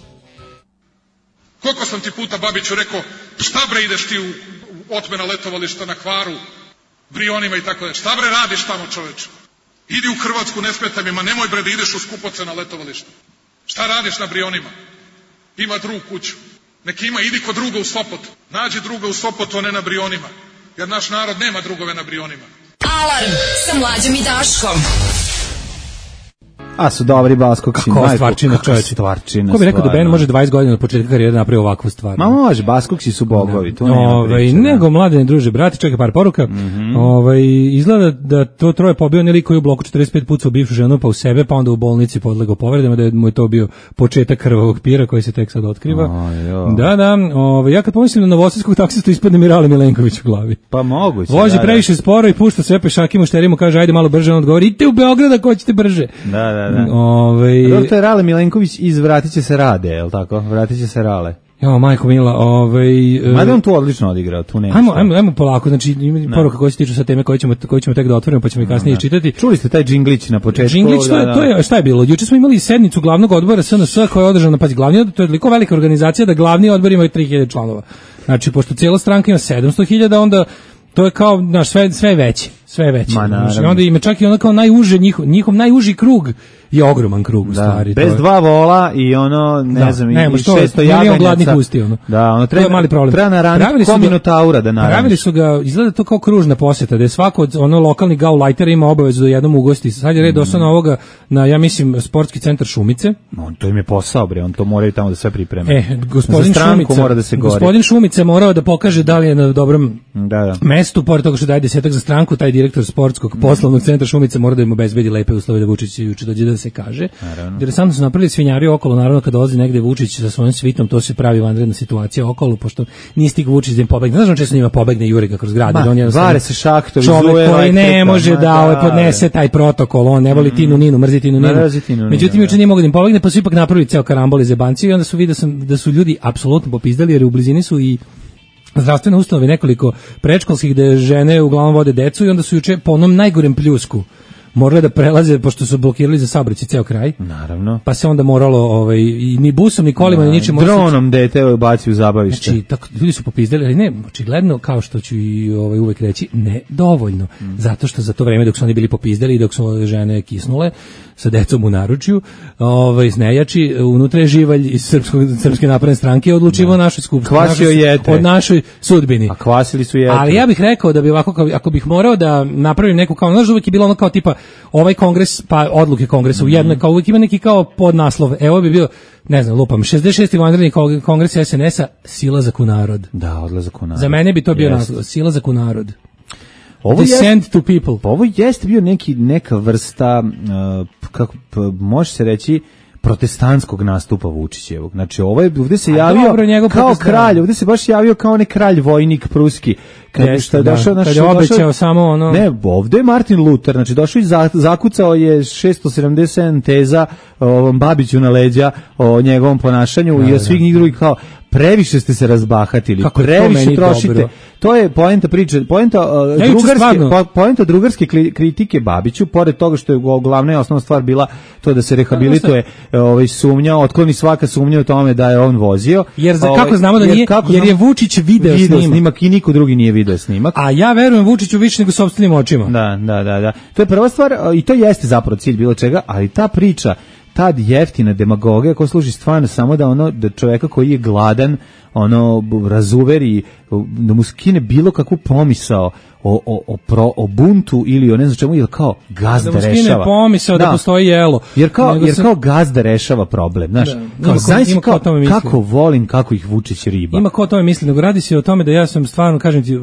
Koliko sam ti puta, Babiću, rekao, šta bre ideš ti u, u otmena letovališta na Hvaru, Brionima i tako da. Šta bre radiš tamo, čoveče? Idi u Hrvatsku, ne smeta mi, ma nemoj bre da ideš u skupoce na letovališta. Šta radiš na Brionima? Ima drug kuću. Neki ima, idi kod druga u Sopot. Nađi druga u Sopotu, a ne na Brionima. Jer naš narod nema drugove na Brionima. Alarm sa Mlađom i Daškom. A su dobri Baskokci. Kako stvarčina, čovječe. Stvarčina. Ko bi rekao da Ben može dvadeset godina od početka karijere napravi ovakvu stvar? Ma može, Baskokci su bogovi, to nema Ove, priče. Nego, mladene druže, brati, čekaj par poruka. Mm -hmm. Ove, izgleda da to troje pobio nelik koji u bloku četrdeset pet puca u bivšu ženu, pa u sebe, pa onda u bolnici podlegao povredama, da je mu je to bio početak krvavog pira koji se tek sad otkriva. Oh, da, da. Ove, ja kad pomislim na novosadskog taksistu ispadne Mirale Milenković u glavi. Pa moguće. Vozi da, previše sporo i pušta sve pešakima, šterima, kaže ajde malo brže, on odgovori idite u Beograd ako hoćete brže. Da, da, da. Ove, Dobro, to je Rale Milenković iz Vratit će se Rade, je li tako? Vratit će se Rale. Jo, majko mila, ovaj... Mada on tu odlično odigrao, tu nema. Ajmo, ajmo, ajmo polako, znači ima poruka koje se tiču sa teme koje ćemo, koje ćemo tek da otvorimo, pa ćemo i kasnije čitati. Čuli ste taj džinglić na početku? Džinglić, to je, to je, šta je bilo? Juče smo imali sednicu glavnog odbora S N S koja je održana, pazi, glavni odbor, to je toliko velika organizacija da glavni odbor ima tri hiljade članova. Znači, pošto cijela stranka ima sedamsto hiljada, onda to je kao, znaš, sve, sve veće, sve veće. Ma, znači, onda ima čak i onda kao najuže, njihov, njihov najuži krug je ogroman krug u stvari. Bez to dva vola i ono, ne da, znam, ne, i šesto milion gladnih usti, ono. Da, ono treba, to je mali problem. Treba naraniti ko Minotaura da naraniš. Pravili su ga, izgleda to kao kružna posjeta, da je svako od ono lokalnih gaulajtera ima obavezu da jednom ugosti. Sad je red došao na ovoga, na, ja mislim, sportski centar Šumice. On to im je posao, bre, on to moraju tamo da sve pripreme. E, gospodin Šumica, mora da se gori. Gospodin Šumica morao da pokaže da li je na dobrom da, da. mestu, pored toga što daje desetak za stranku, taj direktor sportskog poslovnog centra Šumice mora da im obezbedi lepe uslove da Vučić juče dođe da se kaže. Interesantno su napravili svinjari okolo, naravno kad dolazi negde Vučić sa svojim svitom, to se pravi vanredna situacija okolo, pošto nije stig Vučić da im pobegne. Znaš on često njima pobegne Jure ga kroz grad. Ma, on je vare se šahtovi, čovek koji ne može da ovaj podnese taj protokol, on ne voli mm. Tinu Ninu, mrzi Tinu Ninu. Tinu, Međutim, juče nije mogu da im pobegne, pa su ipak napravili ceo karambol iz jebancije i onda su vidio sam da su ljudi apsolutno popizdali, jer u blizini su i zdravstvene ustanove, nekoliko predškolskih gde žene uglavnom vode decu i onda su juče po onom najgorem pljusku morale da prelaze, pošto su blokirali za saobraćaj ceo kraj. Naravno. Pa se onda moralo ovaj, i ni busom, ni kolima, ni ničim. Dronom dete baci u zabavište. Znači, tako, ljudi su popizdali, ali ne, očigledno, kao što ću i ovaj, uvek reći, ne dovoljno. Mm. Zato što za to vreme dok su oni bili popizdali i dok su žene kisnule sa decom u naručju, ovaj, znejači, unutra je živalj iz srpskog, srpske napredne stranke odlučivao da. našoj skupštini. Kvasio jete. Od našoj sudbini. A kvasili su jete. Ali ja bih rekao da bi ovako, kao, ako bih morao da napravim neku, kao, znaš, uvek je bilo ono kao tipa, ovaj kongres, pa odluke kongresa u jednoj, kao uvijek ima neki kao podnaslov. Evo bi bio, ne znam, lupam, šezdeset šesti vanredni kongres es en es-a, silazak u narod. Da, odlazak u narod. Za mene bi to bio yes. naslov, silazak u narod. Ovo Descent to people. Ovo jeste bio neki, neka vrsta, uh, kako, može se reći, protestantskog nastupa Vučićevog. Znači, ovo je, ovdje se javio dobro, kao kralj, ovdje se baš javio kao onaj kralj vojnik pruski. Kad Jeste, što je došao, da, kad je obećao došao, samo ono... Ne, ovdje je Martin Luther, znači došao i zakucao je šesto sedamdeset sedam teza ovom Babiću na leđa o njegovom ponašanju da, i o svih njih drugih kao previše ste se razbahatili, kako previše trošite. Dobro. To je poenta priče, poenta uh, drugarske, po, poenta drugarske kritike Babiću, pored toga što je glavna i osnovna stvar bila to da se rehabilituje ovaj sumnja, otkloni svaka sumnja u tome da je on vozio. Jer za kako znamo da jer nije, kako jer je Vučić video, video snimak. snimak i niko drugi nije video snimak. A ja verujem Vučiću više nego sopstvenim očima. Da, da, da, da. To je prva stvar i to jeste zapravo cilj bilo čega, ali ta priča, ta jeftina demagogija koja služi stvarno samo da ono da čoveka koji je gladan ono razuveri, da mu skine bilo kakvu pomisao o, o, o, pro, o buntu ili o ne znam čemu, ili kao gazda rešava. Da mu skine rešava. pomisao da, da postoji jelo. Jer kao, jer kao gazda rešava problem, znaš. Da, kao, znaš kao, kako volim, kako ih Vučić riba. Ima ko o tome misli, nego radi se o tome da ja sam stvarno, kažem ti,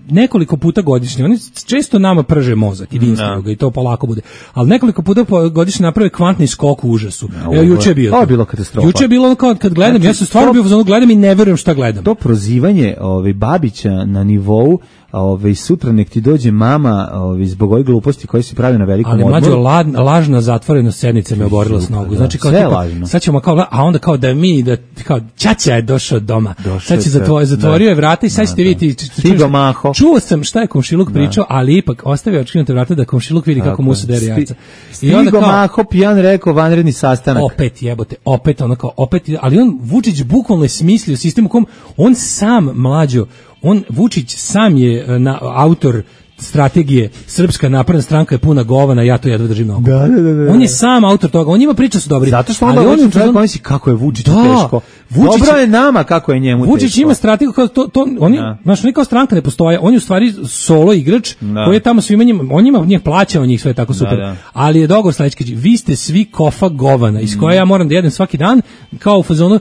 nekoliko puta godišnje, oni često nama prže mozak i vinskog i to polako bude, ali nekoliko puta godišnje naprave kvantni skok u užasu. No, Evo, juče je bio. To je bilo katastrofa. Juče je bilo kao kad gledam, znači, ja sam stvarno bio u gledam i ne verujem šta gledam. To prozivanje ovaj Babića na nivou ovaj sutra nek ti dođe mama ovaj zbog ove gluposti koje se pravi na velikom odmoru. Ali mlađo la, lažna zatvorenost sednice me oborila s nogu. Znači kao tipa, sad ćemo kao a onda kao da mi da kao ćaća je došao doma. Sad će zatvorio zatvorio je vrata i sad ćete vidjeti Stigo Maho. Čuo sam šta je komšiluk pričao, ali ipak ostavio otškrinute vrata da komšiluk vidi kako mu se dere jaca. I onda kao Maho pijan rekao vanredni sastanak. Opet jebote, opet ono kao opet, ali on Vučić bukvalno je smislio sistem u kom on sam mlađo on Vučić sam je na, autor strategije Srpska napredna stranka je puna govana, ja to jedva držim na oko. Da, da, da, da. On je sam autor toga, on ima priča su dobri. Zato što onda on čovjek on... misli kako je Vučić da, teško. Vučić, dobro je nama kako je njemu Vučić teško. Vučić ima strategiju kao to, to oni, da. Znaš, oni kao stranka ne postoje, on je u stvari solo igrač da. Koji je tamo svima njima, on njima njih plaća, on njih sve tako super. Da, da. Ali je dogovor sledeći, vi ste svi kofa govana, iz koje ja moram da jedem svaki dan, kao u fazonu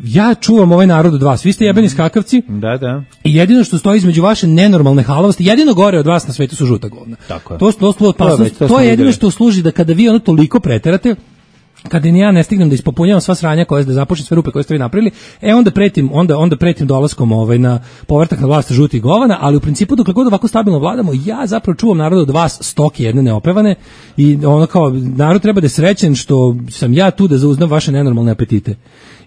ja čuvam ovaj narod od vas. Vi ste jebeni skakavci. Da, da. I jedino što stoji između vaše nenormalne halavosti, jedino gore od vas na svetu su žuta govna. Tako je. To, to, to, to, to, to je jedino što služi da kada vi ono toliko preterate, kada ni ja ne stignem da ispopunjavam sva sranja koje da započnem sve rupe koje ste vi napravili, e onda pretim, onda onda pretim dolaskom ovaj na povratak na vlast žutih govana, ali u principu dokle god ovako stabilno vladamo, ja zapravo čuvam narod od vas stoke jedne neopevane i ono kao narod treba da je srećen što sam ja tu da zauzdam vaše nenormalne apetite.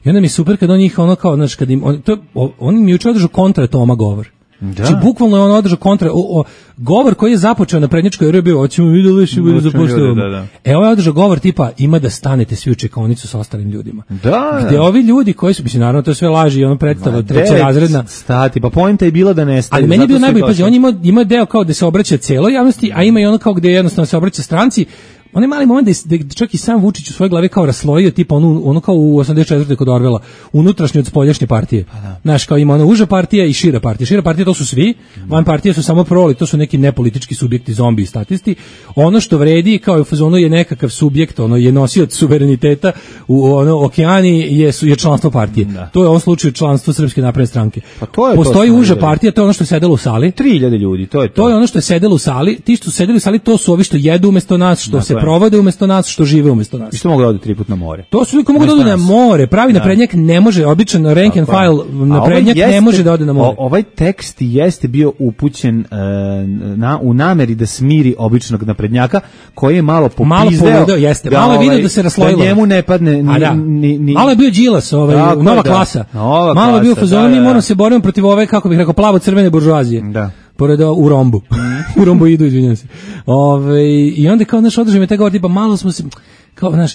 I onda mi je super kad on njih ono kao, znaš, kad im, on, to, on mi juče održao kontra Toma govor. Da. Znači, bukvalno je on održao kontra, o, o, govor koji je započeo na prednjačkoj R B, hoćemo vidjeli više bude zapostavljamo. Da, da. E, ovo je održao govor tipa, ima da stanete svi u čekaonicu sa ostalim ljudima. Da, gde ovi ljudi koji su, mislim, naravno to sve laži i ono predstava trećerazredna. Stati, pa poenta je bila da nestaju. Ali meni je bio najbolji, pazi, on ima, ima deo kao da se obraća celoj javnosti, a ima i ono kao gde jednostavno se obraća stranci, onaj mali moment da je čak i sam Vučić u svojoj glavi kao raslojio, tipa ono, ono kao u osamdeset četvrtoj kod Orvela, unutrašnje od spoljašnje partije. Znaš, kao ima ona uža partija i šira partija. Šira partija to su svi, van partije su samo proli, to su neki nepolitički subjekti, zombi i statisti. Ono što vredi kao u fazonu je nekakav subjekt, ono je nosioc suvereniteta u ono okeani je, je članstvo partije. Da. To je u ovom slučaju članstvo Srpske napredne stranke. Pa to je Postoji to uža partija, to je ono što je sedelo u sali. tri hiljade ljudi, to je to. To je ono što je sedelo u sali. Ti što su sedeli u sali, to su ovi što jedu umesto nas, što dakle. se provode umesto nas, što žive umesto nas. I što mogu da ode tri put na more. To su ljudi koji mogu da ode na more. Pravi da. naprednjak ne može, običan rank and file naprednjak ne može da ode na more. O, ovaj tekst jeste bio upućen uh, na, u nameri da smiri običnog naprednjaka, koji je malo popizdeo. Malo povodao, jeste. Da, malo je vidio da se raslojilo. Da njemu ne padne ni, da. ni, ni... Malo je bio Đilas, ovaj, Tako, nova da. klasa. Nova malo je bio klasa, fazon, da, mi da. moramo se boriti protiv ove, kako bih rekao, plavo-crvene buržoazije. Da. Pored u rombu. u rombu idu, izvinjam se. Ove, I onda kao, znaš, održaj me taj govor, tipa, malo smo se, kao, znaš,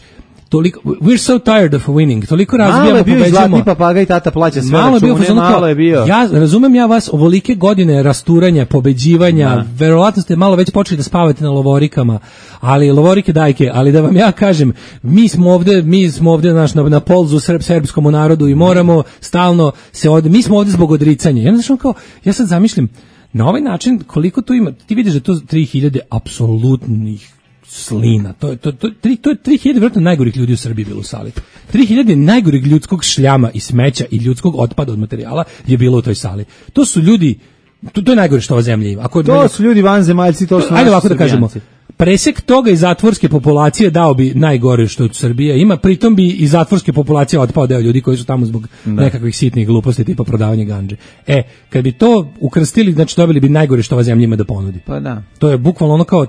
toliko, we're so tired of winning, toliko razbijamo, pobeđujemo. Malo je bio zlatni papaga i tata plaća sve malo račune, bio, malo je bio. Ja razumem ja vas, ovolike godine rasturanja, pobeđivanja, da. Verovatno ste malo već počeli da spavate na lovorikama, ali lovorike dajke, ali da vam ja kažem, mi smo ovde, mi smo ovde naš, na, na polzu srp, srpskom narodu i moramo stalno se od, mi smo ovde zbog odricanja. Ja, znaš, kao, ja sad zamišljam, na ovaj način, koliko tu ima, ti vidiš da to tri hiljade apsolutnih slina. To je to to tri to je tri hiljade vjerojatno najgorih ljudi u Srbiji bilo u sali. tri hiljade najgorih ljudskog šljama i smeća i ljudskog otpada od materijala je bilo u toj sali. To su ljudi, to, to je najgore što ova zemlja ima. Ako to su ljudi vanzemaljci, to su. Ajde ovako da kažemo. Presek toga iz zatvorske populacije dao bi najgore što Srbija ima, pritom bi iz zatvorske populacije otpao deo ljudi koji su tamo zbog da. nekakvih sitnih gluposti tipa prodavanja gandže. E, kad bi to ukrstili, znači dobili bi najgore što ova zemlja ima da ponudi. Pa da. To je bukvalno ono kao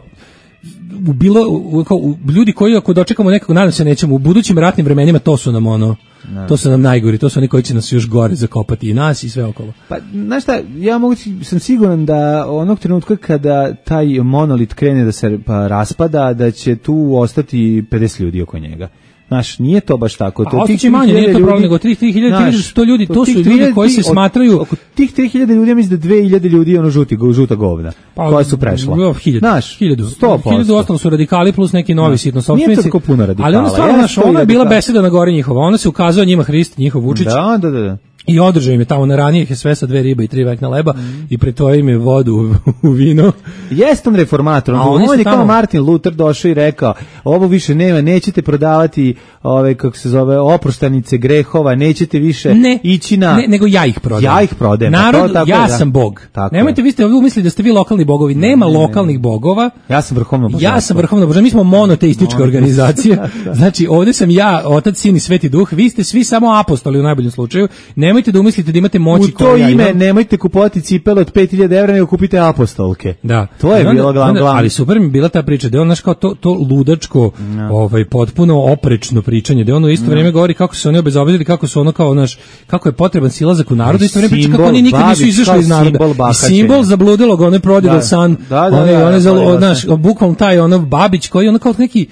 u bilo u, kao, u, ljudi koji ako dočekamo nekako, nadam se nećemo, u budućim ratnim vremenima to su nam ono, ne. to su nam najgori, to su oni koji će nas još gore zakopati i nas i sve okolo. Pa, znaš šta, ja mogu, sam siguran da onog trenutka kada taj monolit krene da se pa, raspada, da će tu ostati pedeset ljudi oko njega. Znaš, nije to baš tako. To tih manje, nije to problem, nego tri hiljade su to ljudi, to su ljudi koji se smatraju... Oko tih tri hiljade ljudi, ja mislim da dve hiljade ljudi ono žuti, žuta govna, pa, koja su prešla. Hiljadu, znaš, hiljadu, hiljadu ostalo su radikali plus neki novi sitno sopstvenici. Nije to tako puno radikala. Ali ona stvarno, znaš, ona je bila beseda na gori njihova, ona se ukazao njima Hrist, njihov Vučić. Da, da, da. I održao im je tamo na ranijih je sve sa dve ribe i tri vekna leba mm. i pretvojio im je vodu u, u vino. Jeste on reformator, on, on je kao Martin Luther došao i rekao, ovo više nema, nećete prodavati ove, kako se zove, oproštanice grehova, nećete više ne, ići na... Ne, nego ja ih prodajem. Ja ih prodajem. Narod, to, tako ja da. sam bog. Tako Nemojte, vi ste vi umislili da ste vi lokalni bogovi. Nema ne, ne, lokalnih ne. bogova. Ja sam vrhovno božanstvo. Ja sam vrhovno božanstvo. Mi smo monoteistička organizacija. Znači, ovdje sam ja, Otac, Sin i Sveti Duh. Vi ste svi samo apostoli u najboljem slučaju. Nemojte da umislite da imate moći u to ime ja nemojte kupovati cipele od pet hiljada evra, nego kupite apostolke. Da. To je bilo glavno. Ali super mi bila ta priča, da je on naš kao to, to ludačko, no. ovaj, potpuno oprečno pričanje, da on u isto no. vrijeme govori kako su oni obezobedili, kako su ono kao naš, kako je potreban silazak u narod, isto vrijeme priča kako oni nikad nisu izašli iz naroda. I simbol zabludilog, onaj prodigal da. san, da, da, onaj, da, onaj, da, da, da, naš, bukvalno taj ono Babić koji ono kao neki,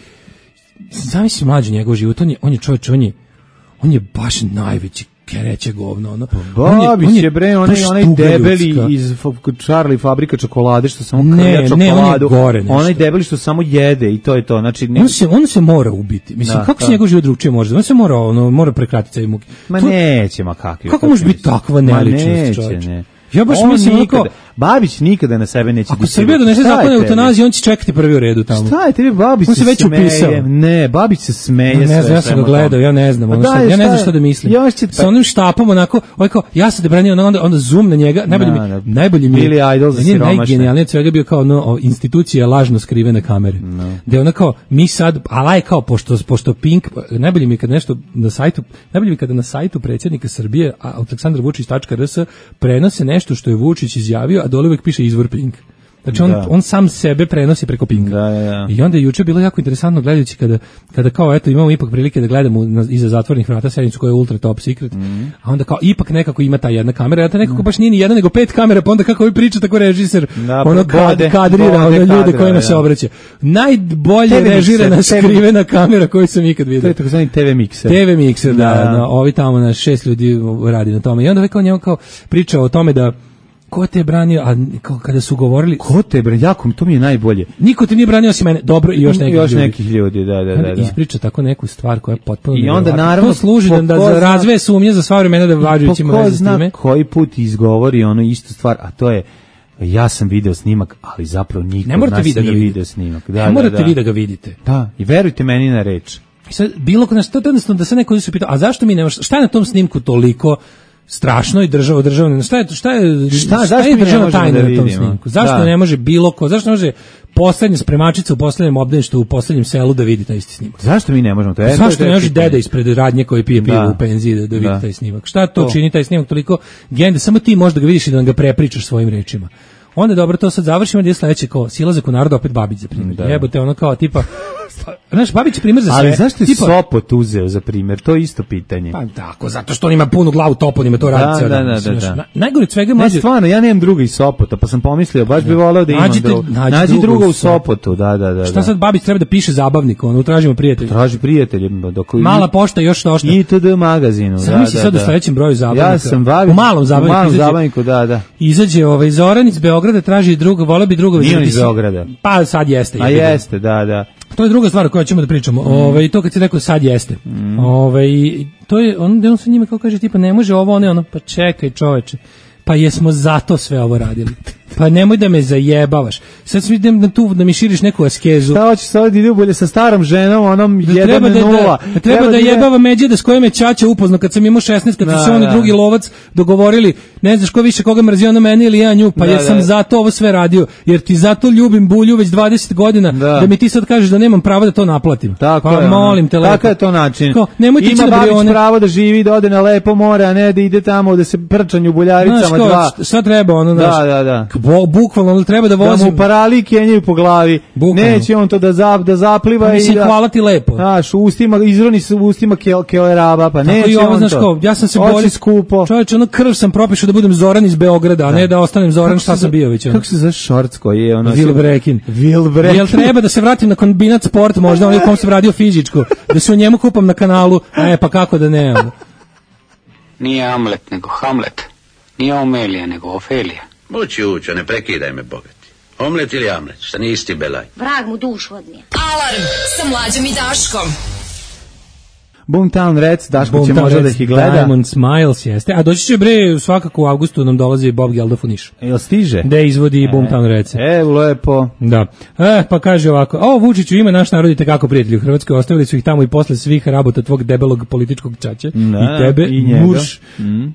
zamisli mlađi njegov život, on je, on je čovječ, on je, on je baš najveći kereće govno, ono. Babić je, je bre, onaj, onaj debeli ljudska. Iz Charlie fabrika čokolade što samo krlja čokoladu. Ne, on je gore nešto. Onaj debeli što samo jede i to je to. Znači, ne... on, se, on se mora ubiti. Mislim, da, kako da. se njegov život drugčije može? On se mora, ono, mora prekratiti sve muke. Ma to, neće, ma kakvi. Kako može biti takva neličnost, čovječ? Ja baš on mislim nikada, onako, Babić nikada na sebe neće. Ako Srbija donese zakon o eutanaziji, on će čekati prvi u redu tamo. Šta je tebi Babić? On se već upisao. Ne, Babić se smeje. Ja ne znam, ja sam ga gledao, ja ne znam, ono šta, ja ne znam šta da mislim. Će... Sa onim štapom onako, ovaj kao, ja sam te branio, onda, onda zoom na njega, najbolji mi, no, najbolji mi Billy Idol za siromašne. Najgenijalnije od svega bio kao no, institucija lažno skrivene kamere. No. Da je ona kao, mi sad, ala je kao, pošto, pošto Pink, najbolji mi kad nešto na sajtu, najbolji mi kada na sajtu predsjednika Srbije, aleksandar vučić tačka r s, prenose nešto što je Vučić izjavio, a dole uvek piše izvor Pink. Znači on, on sam sebe prenosi preko Pinka. Da, da. I onda je juče bilo jako interesantno gledajući kada, kada kao eto imamo ipak prilike da gledamo na, iza zatvornih vrata sednicu koja je ultra top secret, mm. a onda kao ipak nekako ima ta jedna kamera, a ta nekako baš nije ni jedna nego pet kamera, pa onda kako vi priča tako režiser, da, ono kad, kadrira ono ljude kojima se obraća. Najbolje režirana skrivena kamera koju sam ikad vidio. To je takozvani te ve mikser. te ve mikser, da, da, da, ovi tamo na šest ljudi radi na tome. I onda kao njemu kao priča o tome da ko te je branio, a kao kada su govorili... Ko te je branio, jako, to mi je najbolje. Niko te nije branio osim mene, dobro i još nekih još ljudi. nekih ljudi, da, da, da. da. Ispriča tako neku stvar koja je potpuno... I onda naravno... To služi da, da za razve sumnje za sva vremena da važujući ima veze s time. Koji put izgovori ono istu stvar, a to je ja sam video snimak, ali zapravo niko od nas nije video snimak. Da, ne morate da, da. vi da ga vidite. Da, i verujte meni na reč. I sad, bilo kod nas, to je jednostavno da se neko se pitao, a zašto mi ne, šta je na tom snimku toliko strašno i državo državno, šta je, šta je, šta, šta je državna tajna da na tom snimku? Zašto da. ne može bilo ko, zašto ne može poslednja spremačica u poslednjem obdaništu u poslednjem selu da vidi taj isti snimak? Zašto mi ne možemo to? E, zašto ne može deda ispred radnje koji pije pivo da. u penziji da, da vidi da. taj snimak? Šta to, to čini taj snimak toliko gende, samo ti možda ga vidiš i da ga prepričaš svojim rečima. Onda dobro, to sad završimo, gdje je sledeće kao silazak u narod, opet Babić za primjer. Da. Jebote, ono kao tipa, znaš, Babić je primjer za sve. Ali zašto je tipa, Sopot uzeo za primjer? To je isto pitanje. Pa tako, zato što on ima punu glavu toponima, to radi ceo dan. Da, da, da, da. Na, najgore od svega mlađe... Ne, stvarno, ja nemam druga iz Sopota, pa sam pomislio, baš bi voleo da imam nađite, drugo. Nađi, nađi drugo, drugo u Sopotu, da, da, da. Šta sad Babić treba da piše zabavnik, ono, tražimo prijatelja. Traži prijatelje. Dok Mala pošta, još došta. I T D magazinu, sam da, misli da, sad da. u sledećem broju zabavnika. Ja sam Babić. U malom zabavniku. U malom izađe, zabavniku, da, da. Izađe ovaj Zoran iz Beograda, traži druga, vole bi druga. Nije iz Beograda. Pa sad jeste. A jeste, da, da. To je druga stvar o kojoj ćemo da pričamo. Mm. Ovaj to kad si rekao sad jeste. Mm. Ovaj to je on da on sa njima kao kaže tipa ne može ovo one ono pa čekaj čoveče. Pa jesmo zato sve ovo radili. Pa nemoj da me zajebavaš. Sad sam idem na tu da mi širiš neku askezu. Šta hoćeš sad ide bolje sa starom ženom, onom jedan nula. Da, da, da, treba da, da jebava Međeda s kojom je ćaća upoznao kad sam imao šesnaest, kad da, su se on i drugi lovac dogovorili, ne znaš ko više koga mrzi, ona mene ili ja nju, pa da, jer sam da. zato ovo sve radio, jer ti zato ljubim Bulju već dvadeset godina, da, da mi ti sad kažeš da nemam prava da to naplatim. Tako pa je, molim te lepo. Tako je to način. Ko, nemoj ti ima da Babić one... pravo da živi, da ode na lepo more, a ne da ide tamo da se prčanju u Buljaricama dva. Šta treba ono, da, da, da. Bukvalno treba da vozim. Da mu parali kenjaju po glavi. Bukvalno. Neće on to da zap, da zapliva pa, mislim, i da. Hvala ti lepo. Znaš, ustima izroni se ustima kel keleraba, pa neće i ovo, on znaš, to. Kao, ja sam se bolje skupo. Čovječe, ono krv sam propišao da budem Zoran iz Beograda, a da. ne da ostanem Zoran šta sam bio već. Ono. Kako se zove šorc koji je ono? Vilbrekin. Vilbrekin. Jel treba da se vratim na kombinat sport, možda onaj u kom sam radio fizičko, da se u njemu kupam na kanalu, e pa kako da ne. Ono. Nije Hamlet, nego Hamlet. Nije Omelija, nego Ofelija. Moći učo, ne prekidaj me, bogati. Omlet ili Amlet, šta nisi ti belaj? Vrag mu dušu odnije. Alarm sa Mlađom i Daškom. Boomtown Rats, Daško će možda da ih gleda. Diamond Smiles jeste. A doći će bre, svakako u avgustu nam dolazi Bob Geldof u Niš. Jel stiže? Da izvodi e, Boomtown Rats. E, lepo. Da. E, pa kaže ovako, o Vučiću ima naš narod i tekako prijatelji u Hrvatskoj, ostavili su ih tamo i posle svih rabota tvog debelog političkog čače. Da, i tebe, i muš. Mm. E,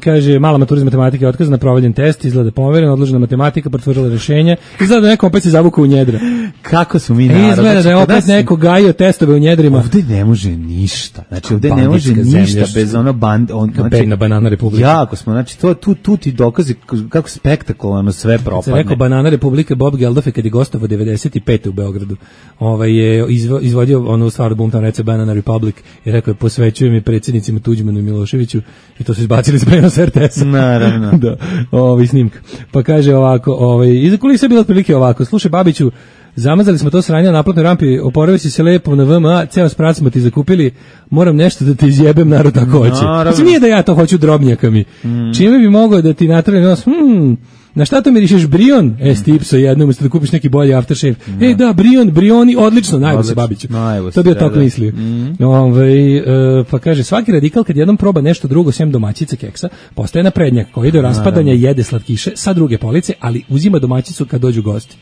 kaže, mala matura iz matematike otkazana, provaljen test, izgleda pomeren, odložena matematika, potvrdila rešenje. Izgleda da neko opet se zavukao u njedra. Kako su mi narod? Izgleda da je opet neko gajio testove u njedrima. Ovde ne može ništa. Znači ovde ne može ništa zemlja, bez ono band on znači na Banana Republika. Jako smo, znači to tu tu ti dokazi kako spektakularno sve propadne. Kad rekao Banana Republika, Bob Geldof kad je gostovao devedeset pete u Beogradu. Ovaj je izvo, izvodio onu stvar Boomtown Rats Banana Republic i rekao je posvećujem je predsjednicima Tuđmanu i Miloševiću i to su izbacili s prenosa R T S-a. Naravno. Da. Ovaj snimka. Pa kaže ovako, ovaj iza kulisa je bilo otprilike ovako. Slušaj Babiću, zamazali smo to sranje na naplatnoj rampi, oporavio si se lepo na V M A, ceo sprat smo ti zakupili, moram nešto da ti izjebem, narod tako hoće. Znači nije da ja to hoću drobnjakami. Mm. Čime bi mogao da ti natrali nos, hmm, na šta to mirišeš, Brion? E, stipso jednom, umesto da kupiš neki bolji aftershave. Mm. E, da, Brion, Brioni, odlično, najvo se Babiću. To bi ja tako mislio. Mm. Ove, e, pa kaže, svaki radikal kad jednom proba nešto drugo, sem domaćice keksa, postaje naprednjak koji do raspadanja jede slatkiše sa druge police, ali uzima domaćicu kad dođu gosti.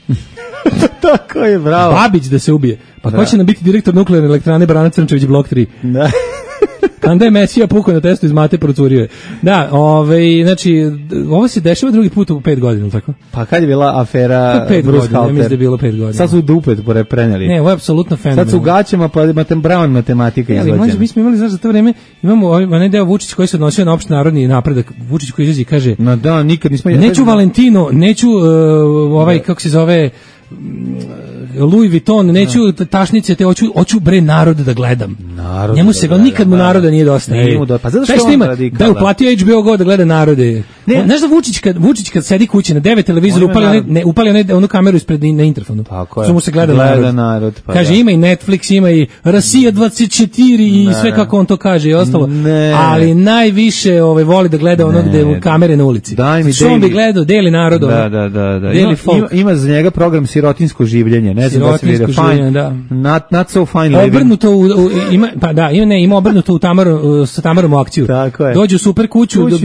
Tako je, bravo. Babić da se ubije. Pa ko će nam biti direktor nuklearne elektrane Brana Crnčević blok tri? Da. Kanda je Mesija pukao na testu iz mate, procurio je. Da, ovaj, znači, ovo se dešava drugi put u pet godina, tako? Pa kad je bila afera Bruce Halter? Ja mislim da je bilo pet godina. Sad su dupet preneli. Ne, ovo je apsolutno fenomenalno. Sad su u gaćama, pa Matem Brown matematika izvođena. Ali mi smo imali, znaš, za to vreme, imamo onaj deo Vučić koji se odnosio na opšti narodni napredak. Vučić koji izađe i kaže, no da, nikad nismo... Neću Valentino, neću uh, ovaj, kako se zove... Louis Vuitton, neću no. tašnice, te hoću, hoću bre narod da gledam. Narod Njemu se ga da nikad mu naroda nije dosta. Nije mu dosta. Pa zato što, što ima, radikal, da je uplatio H B O Go da gleda narode. Ne. Znaš da Vučić kad, Vučić kad sedi kući na devet televizora upali, one, ne, upali one, onu kameru ispred na interfonu. Tako je. Što mu se gleda, gleda narod. narod pa kaže da. Ima i Netflix, ima i Rusija dvadeset četiri i ne, sve kako on to kaže i ostalo. Ne. Ali najviše ovaj, voli da gleda ono gde u kamere na ulici. Daj mi što on bi gledao, deli narod. Da, da, da, da. Ima, ima, ima za njega program Sirotinsko življenje, ne znam da se vidi fine, da. Not, not so fine living. Obrnuto u, u, ima, pa da, ima, ne, ima obrnuto u Tamaru, sa Tamarom u akciju. Tako je. Dođu u super kuću, kuću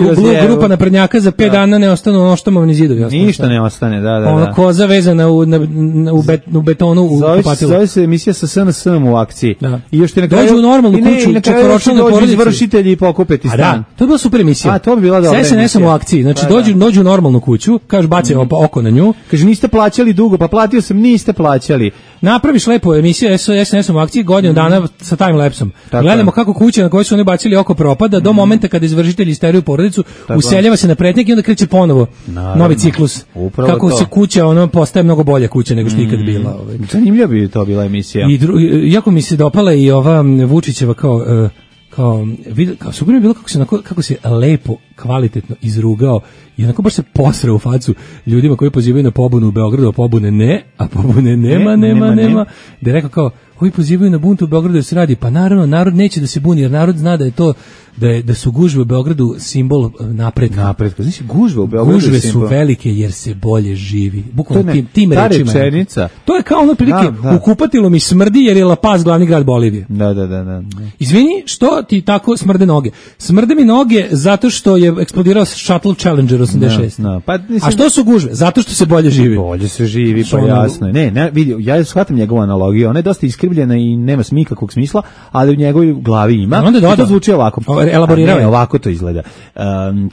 grupa naprednjaka za pet da. dana ne ostanu oštomovni zidovi. Ostanu, ništa šta? Ne ostane, da, da. Ono da. koza vezana u, na, na, u, bet, u betonu u kupatilu. Zove se emisija sa S N S-om u akciji. Da. I još ti na kraju, dođu u normalnu kuću, četvoročlane porodice. Dođu izvršitelji i pokupeti stan. Da, to je bila super emisija. A, to bi bila dobra emisija. S N S-om u akciji, znači pa, dođu, dođu u normalnu kuću, kažu bacaju mm. oko na nju. Kaže niste plaćali dugo, pa platio sam, niste plaćali. Napraviš lepo emisiju S N S-om u akciji godinu mm. dana sa time-lapsom. Gledamo kako kuća na kojoj su oni bacili oko propada do mm. momenta kada izvršitelji isteruju porodicu, tako. Useljava se na pretnjak i onda kreće ponovo naravno. Novi ciklus. Upravo kako to. Se kuća ono postaje mnogo bolja kuća nego što mm. ikad bila. Ovaj. Zanimljiva bi to bila emisija. I dru, jako mi se dopala i ova Vučićeva kao uh, kao vid, kao super mi je bilo kako se kako se lepo kvalitetno izrugao i onako baš se posrao u facu ljudima koji pozivaju na pobunu u Beogradu, a pobune ne, a pobune nema, ne, nema, nema, nema. Da je rekao kao, ovi pozivaju na bunt u Beogradu da se radi, pa naravno, narod neće da se buni, jer narod zna da je to, da, je, da su gužve u Beogradu simbol napretka. Napretka, znači gužve u Beogradu gužve su velike jer se bolje živi. Bukvalno tim, tim ta rečima. Rečenica. To je kao ono prilike, da, da. U kupatilu mi smrdi jer je La Paz glavni grad Bolivije. Da, da, da, da. Izvini, što ti tako smrde noge? Smrde mi noge zato što je eksplodirao Shuttle Challenger osamdeset šest. No, no. Pa, mislim, a što su gužve? Zato što se bolje živi. Bolje se živi, pa jasno je. Ne, ne, vidi, ja shvatam njegovu analogiju, ona je dosta iskrivljena i nema nikakvog smisla, ali u njegovoj glavi ima. Onda doda. I to zvuči ovako. Elaborirao je. Ovako to izgleda. Um,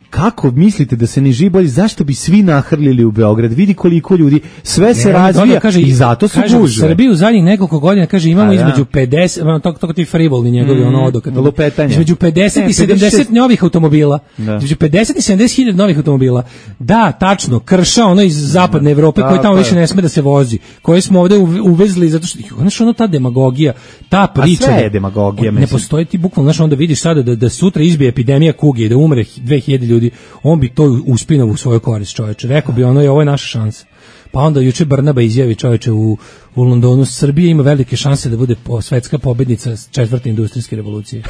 kako mislite da se ne živi bolje? Zašto bi svi nahrlili u Beograd? Vidi koliko ljudi, sve se ne, razvija kaže, i zato su kaže, gužve. U Srbiji u zadnjih nekoliko godina, kaže, imamo a, između pedeset, to, to ti frivolni njegovi, mm, ono odokat. Lupetanje. Između pedeset ne, i sedamdeset novih automobila. Da. Između pedeset i sedamdeset hiljada novih automobila. Da, tačno, krša ono iz zapadne Evrope, koji tamo više ne sme da se vozi. Koje smo ovde uvezli, zato što, znaš, ono ta demagogija, ta priča. A sve je demagogija, ne postoji ti bukvalno, znaš, onda vidiš sada da, da sutra izbije epidemija kuge i da umre dve hiljade ljudi, on bi to uspinao u svoju korist, čoveče. Rekao bi ono, je ovo je naša šansa. Pa onda juče Brnaba izjavi, čoveče, u, u Londonu, Srbija ima velike šanse da bude po, svetska pobednica četvrte industrijske revolucije.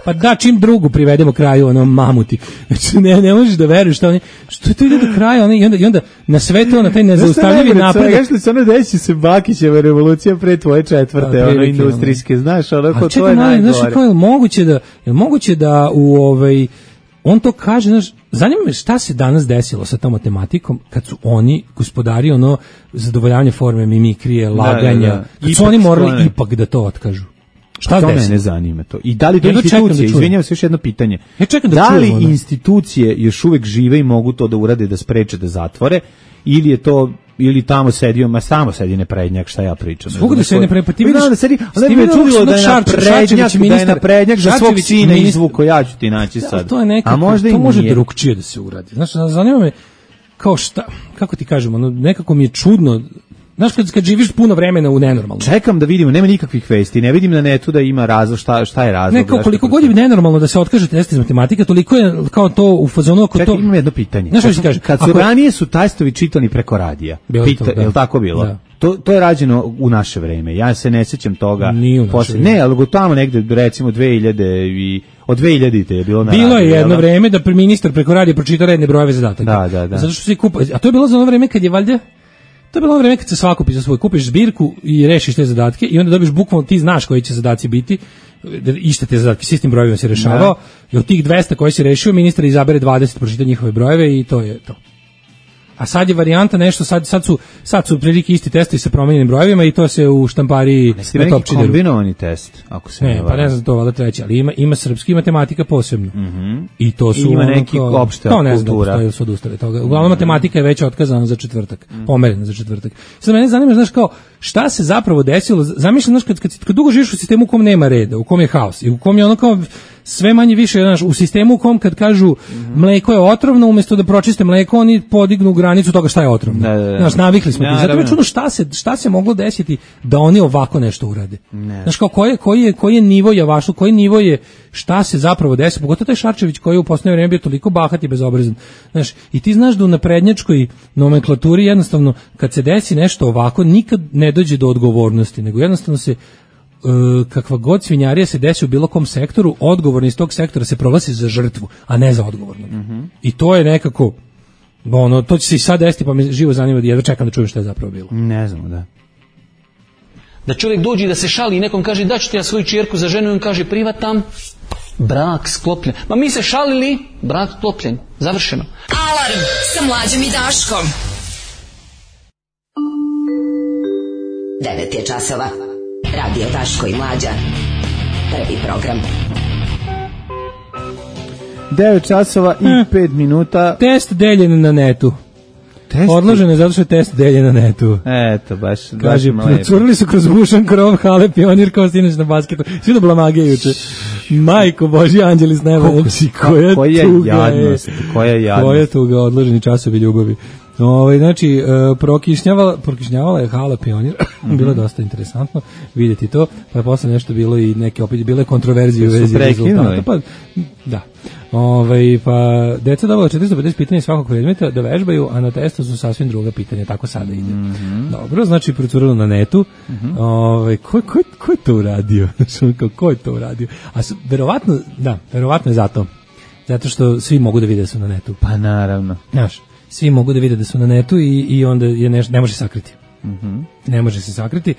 Pa da, čim drugu privedemo kraju, ono, mamuti. Znači, ne, ne možeš da veruješ što oni, što je to ide do kraja, oni, i onda, i onda na sve to, na taj nezaustavljivi napredak. Znaš li se ono desi se Bakićeva revolucija pre tvoje četvrte, da, ono, industrijske, znaš, ono, ko to je najgore. Znaš, kao je moguće da, je moguće da u, ovaj, on to kaže, znaš, zanima me šta se danas desilo sa tom matematikom kad su oni gospodari ono zadovoljavanje forme, mimikrije, laganja, da, da, da. Kad ipak su oni morali stvarne. Ipak da to otkažu. Šta to mene zanima to. I da li to ja institucije, da izvinjavam se još jedno pitanje. Ja čekam da, da li čujem, institucije još uvek žive i mogu to da urade, da spreče, da zatvore, ili je to ili tamo sedio, ma samo sedi neprednjak, šta ja pričam. Svugde da se ne prepati, ti vidiš da sedi, ali me čudilo da je naprednjak, da je naprednjak za svog sina izvuko, ja ću ti naći sad. To je nekako, a možda to može drugčije da se uradi. Znaš, zanima me kao šta, kako ti kažemo, no, nekako mi je čudno. Znaš, kad, kad živiš puno vremena u nenormalno. Čekam da vidimo, nema nikakvih vesti, ne vidim na netu da ima razlog, šta, šta je razlog. Ne, kao koliko god je nenormalno da se otkaže test iz matematike, toliko je kao to u fazonu ako to... Čekaj, imam jedno pitanje. Znaš što ti kaže? Kad su ako... ranije su testovi čitani preko radija, Pita, to, da. Je li tako bilo? Da. To, to je rađeno u naše vreme, ja se ne sećam toga. Nije u naše posle, ne, ali tamo negde, recimo, dve hiljade i... Od dve hiljadite je bilo na Bilo radiju, je jedno vreme da ministar preko radija pročita redne brojeve zadataka. Da, da, da. Zato što se kupa, a to je bilo za ono vreme kad je valjda to je bilo ono vreme kad se svako pisa svoj, kupiš zbirku i rešiš te zadatke i onda dobiš bukvalno, ti znaš koji će zadaci biti, iste te zadatke, s istim brojevima si rešavao, i od tih dvesta koji si rešio, ministar izabere dvadeset, pročita njihove brojeve i to je to. A sad je varijanta nešto, sad, sad su sad su prilike isti testovi sa promenjenim brojevima i to se u štampariji na top čideru. Kombinovani test, ako se ne, ne pa ne znam to valjda treći, ali ima ima srpski i matematika posebno. Mm-hmm. I to su I ima neki opšta to ne znam, kultura. To su odustali toga. Uglavnom mm-hmm. matematika je već otkazana za četvrtak, mm-hmm. pomerena za četvrtak. Sad mene zanima, znaš, kao šta se zapravo desilo? Zamišljam, znaš, kad, kad, kad dugo živiš u sistemu u kom nema reda, u kom je haos i u kom je ono kao sve manje više, znaš, u sistemu u kom kad kažu mm-hmm. mleko je otrovno, umjesto da pročiste mleko, oni podignu granicu toga šta je otrovno. Da, da, da. Znaš, navikli smo. Ja, zato je čudno šta se, šta se moglo desiti da oni ovako nešto urade. Ne. Znaš, kao koji je, koji je, koji je nivo javašlu, koji nivo je, šta se zapravo desi, pogotovo taj Šarčević koji je u posljednje vrijeme bio toliko bahat i bezobrazan. Znaš, i ti znaš da u naprednjačkoj nomenklaturi jednostavno, kad se desi nešto ovako, nikad ne dođe do odgovornosti, nego jednostavno se kakva god svinjarija se desi u bilo kom sektoru, odgovorni iz tog sektora se proglasi za žrtvu, a ne za odgovornog. Mm-hmm. I to je nekako, ono, to će se i sad desiti, pa me živo zanima, jedva čekam da čujem šta je zapravo bilo. Ne znam, da. Da čovjek dođe da se šali i nekom kaže da ću ti ja svoju čerku za ženu i on kaže privatam, brak sklopljen. Ma mi se šalili, brak sklopljen, završeno. Alarm sa Mlađom i Daškom. devet je časova. Radio Daško i Mlađa. Prvi program. devet časova i hm. pet minuta. Test deljen na netu. Test? Odložen je zato što je test deljen na netu. Eto, baš. Kaže, procurili su kroz bušan krov hale pionir kao sinoć na basketu. Svi do blamage juče. Majko Božji, anđeli s neba. Koja, koja tuga jadnost, je. Koja jadnost. Koja tuga, odloženi časovi ljubavi. Ovaj znači uh, prokišnjavala prokišnjavala je hala Pionir. Mm-hmm. Bilo je dosta interesantno vidjeti to, pa je posle nešto bilo i neke opet bile kontroverzije u vezi rezultata, pa da. Ovaj pa deca dobila četiristo pedeset pitanja svakog predmeta da vežbaju, a na testu su sasvim druga pitanja, tako sada ide. Mm-hmm. Dobro, znači procurilo na netu. Mm-hmm. Ovaj ko ko ko je to uradio? Ko je to uradio? A su, verovatno, da, verovatno je zato. Zato što svi mogu da vide da su na netu. Pa naravno. Znaš, svi mogu da vide da su na netu i, i onda je ne, ne može sakriti. Mm-hmm. Ne može se sakriti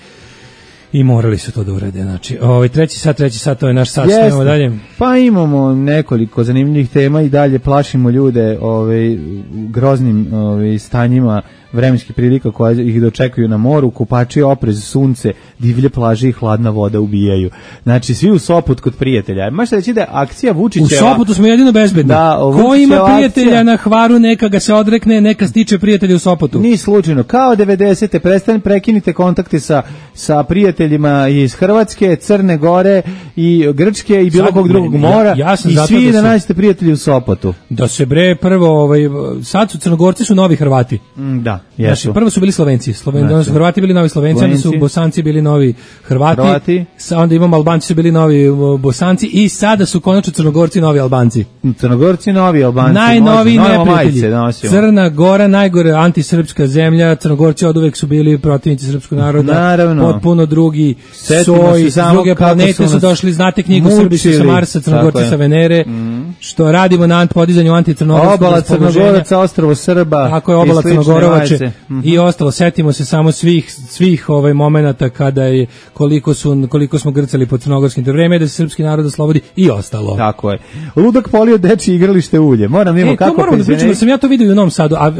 i morali su to da urade. Znači, ovaj treći sat, treći sat, to je naš sat, snimamo dalje. Pa imamo nekoliko zanimljivih tema i dalje plašimo ljude ovaj, groznim ovaj, stanjima vremenskih prilika koje ih dočekuju na moru, kupači, oprez, sunce, divlje plaže i hladna voda ubijaju. Znači, svi u Sopot kod prijatelja. Možete reći da je akcija Vučićeva... U Sopotu smo jedino bezbedni. Da, ko ima prijatelja akcija... na Hvaru, neka ga se odrekne, neka stiče prijatelja u Sopotu. Ni slučajno. Kao devedesete prestane, prekinite kontakte sa, sa prijateljima iz Hrvatske, Crne Gore i Grčke i bilo sad, kog drugog mora ja, ja i svi da, da nađete prijatelji u Sopotu. Da se bre prvo, ovaj, sad su Crnogorci su novi Hrvati. Mm, da. Znači, prvo su bili Slovenci, Sloven, znači, Hrvati bili novi Slovenci, Slovenci. Onda su Bosanci bili novi Hrvati, Hrvati. Sa, onda imamo Albanci su bili novi Bosanci i sada su konačno Crnogorci novi Albanci. Crnogorci novi Albanci. Najnoviji neprijatelji. Crna Gora, najgore antisrpska zemlja, Crnogorci oduvek su bili protivnici srpskog naroda. Naravno. Potpuno drugi soj, s druge planete su došli, znate knjigu Srbi su sa Marsa, Crnogorci sa Venere, mm. što radimo na podizanju anticrnogorskog obala Crnogoraca, ostrvo Srba. Tako je, obala Crnogorovače. Mm-hmm. I ostalo, setimo se samo svih svih ovaj momenata kada je koliko su koliko smo grcali pod crnogorskim, to vreme da se srpski narod oslobodi i ostalo. Tako je. Ludak polio dečije igralište ulje. Moram mimo e, kako moram da pričam, da sam ja to vidio u Novom Sadu, a uh,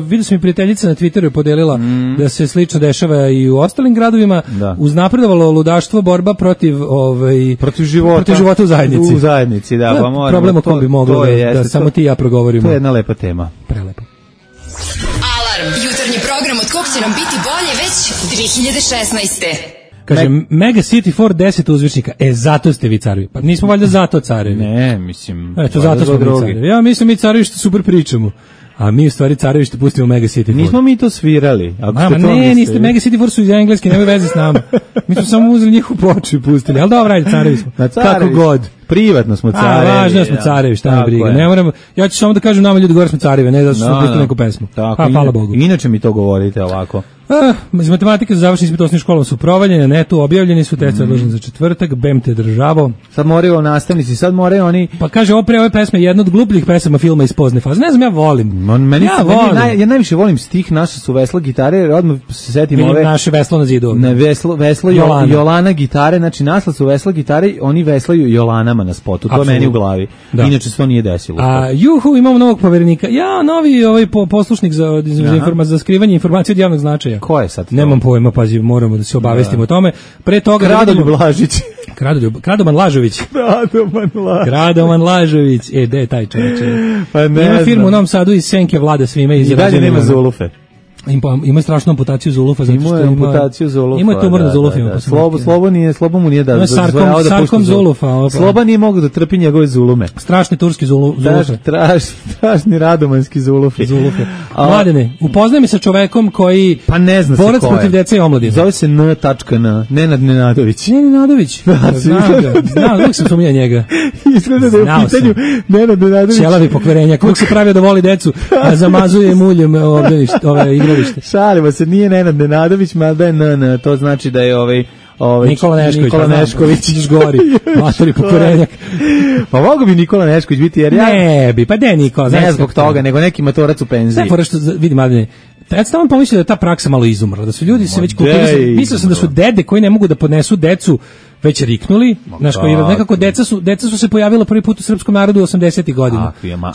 vidio sam i prijateljica na Twitteru je podelila mm. da se slično dešava i u ostalim gradovima. Da. Uznapredovalo ludaštvo, borba protiv ovaj protiv života, protiv života u zajednici. U zajednici, da, pa moramo. Problem o kom bi moglo da, jeste, da samo ti i ja progovorimo. To je jedna lepa tema. Prelepo. Jutarnji program od kog će nam biti bolje već dve hiljade šesnaeste. Kaže, Me- Mega City Ford deset uzvičnika. E, zato ste vi carevi. Pa nismo valjda zato carevi. Ne, mislim... Eto, zato smo mi carevi. Ja mislim mi carevi što super pričamo. A mi u stvari carevi što pustimo Mega City Ford. Nismo mi to svirali. Ako Mama, ne, mislili. Niste. Mega City Ford su iz engleski, nemoj veze s nama. Mi smo samo uzeli njihovu ploču i pustili. Ali dobro, ajde, carevi smo. Kako god. Privatno smo carevi. A, važno smo carevi, šta me briga. Ne moram, ja ću samo da kažem nama ljudi gore smo carevi, ne zato što no, smo pustili neku pesmu. Tako, pa, hvala Bogu. Inače mi to govorite ovako. Ah, iz matematike za završeni ispit osnovnim školom su provaljeni, na netu objavljeni su, test odložen mm. za četvrtak, bem te državo. Sad moraju nastavnici, sad moraju oni... Pa kaže, opre ove pesme, jedna od glupljih pesama filma iz pozne faze. Ne znam, ja volim. On, meni, ja, meni, volim. Naj, ja najviše volim stih naše su vesla gitare, jer odmah se setim Vidim ove... naše veslo na zidu. Ne, veslo, veslo Jolana. Jolana gitare, znači naslov su vesla gitare, oni veslaju Jolanama na spotu, to meni u glavi. Da. Inače se to nije desilo. A juhu, imamo novog poverenika. Ja, novi ovaj po, poslušnik za, za, informa, za skrivanje informacije od javnog značaja. Ko je sad to? Nemam pojma, pazi, moramo da se obavestimo da. o tome. Pre toga Kradoljub Lažić. Kradoljub, Kradoman Lažović. Kradoman Lažović. Kradoman Lažović. E, de taj čovječe. Pa ne Ima firmu u Novom Sadu iz Senke Vlada svime iz i dalje nema Zulufe. Ima, ima strašnu amputaciju zulufa zato što ima amputaciju zulufa. Ima tumor na zulufima. Da, da. Slobo, slobo nije, slobo mu nije da sarkom, da sarkom zulufa. Sloba nije mogu da trpi njegove zulume. Strašni turski zulu, zulufe. Traž, tražni radomanski zulufi. Zulufe. Mladene, upoznaj me sa čovekom koji pa ne zna se borac protiv dece i omladine. Zove se N. N. Nenad Nenadović. Nenadović. Da, znam ga. Znam, uvijek sam sumnija njega. Izgleda da je u pitanju Nenad Nenadović. Ćelavi pokverenja. Kog se pravio da voli decu, a zamazuje muljem ovdje ove igralište. Šalimo se, nije Nenad Nenadović, mada je N N, to znači da je ovaj Ovaj Nikola Nešković, Nikola Nešković gori. Matori pokvarenjak. Pa mogu bi Nikola Nešković biti jer ja ne bi, pa de Nikola, ne znači zbog toga, nego neki matorac u penziji. Sve što vidi mladine. Ja sam pomislio da je ta praksa malo izumrla, da su ljudi se već kupili. Mislio sam da su dede koji ne mogu da podnesu decu već riknuli, znaš, koji nekako deca su, deca su se pojavila prvi put u srpskom narodu u osamdesetih godina.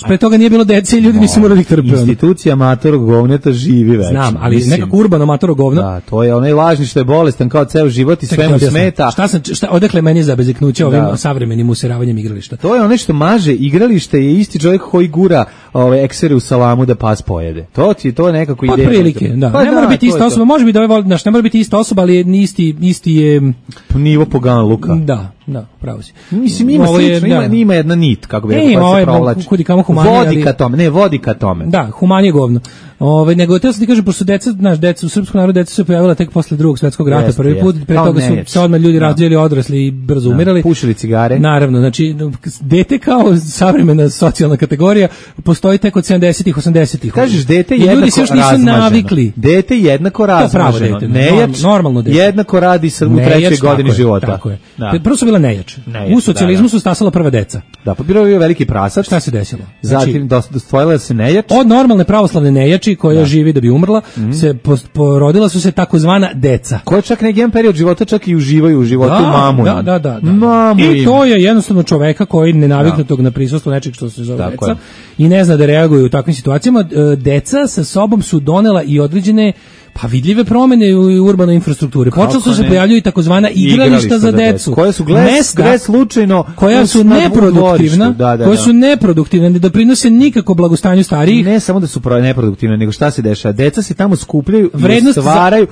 Pre toga nije bilo dece i ljudi nisu morali ih trpeti. Institucija amatorog govneta živi već. Znam, ali mislim, nekako urbano amatorog govna. Da, to je onaj lažni što je bolestan kao ceo život i sve mu smeta. Šta sam, šta, odakle meni za beziknuće ovim da. savremenim useravanjem igrališta? To je onaj što maže igralište, je isti čovjek koji gura ove eksere u salamu da pas pojede. To ti to je nekako ideja. Otprilike, da. Pa ne da, mora biti ista osoba, može biti da ovaj, znaš, ne mora biti ista osoba, ali je isti isti je nivo pogan luka. Da, da, pravo si. Mislim ima slično, ima, ima jedna nit kako bi rekao, koja se provlači. Kudi kamo humanije, vodi ka tome, ne vodi ka tome. Da, humanije govno. Ove, nego te sam ti kažem, pošto deca, znaš, deca u srpskom narodu deca su se pojavila tek posle Drugog svjetskog rata, jest, prvi put, pre toga su se odmah ljudi rađali, odrasli i brzo umirali. Pušili cigare. Naravno, znači, dete kao savremena socijalna kategorija postoji tek od sedamdesetih, osamdesetih. Kažeš, dete jednako ljudi se još nisu navikli. Dete jednako razmaženo. Nejač, normalno dete. Jednako radi sa u trećoj godini života. Tako je. Prvo su bila nejač. U socijalizmu su stasala prva deca. Da, pa bio je veliki prasac. Šta se desilo? Zatim dostojila se nejač. Od normalne pravoslavne nejači koja da. živi da bi umrla, mm-hmm. se porodila su se takozvana deca. Koja čak neki jedan period života čak i uživaju u životu da, mamu. Da, da, da. da. Mamu I to je jednostavno čoveka koji nenaviknutog na prisustvo nečeg što se zove deca je. I ne zna da reaguje u takvim situacijama. Deca sa sobom su donela i određene pa vidljive promene u urbanoj infrastrukturi. Počelo su se pojavljuju i takozvana igrališta za decu. Koje su gles slučajno koja su neproduktivna, da, da, koje su neproduktivne, ne doprinose nikako blagostanju starijih. Ne samo da su neproduktivne, nego šta se dešava? Deca se tamo skupljaju i stvaraju,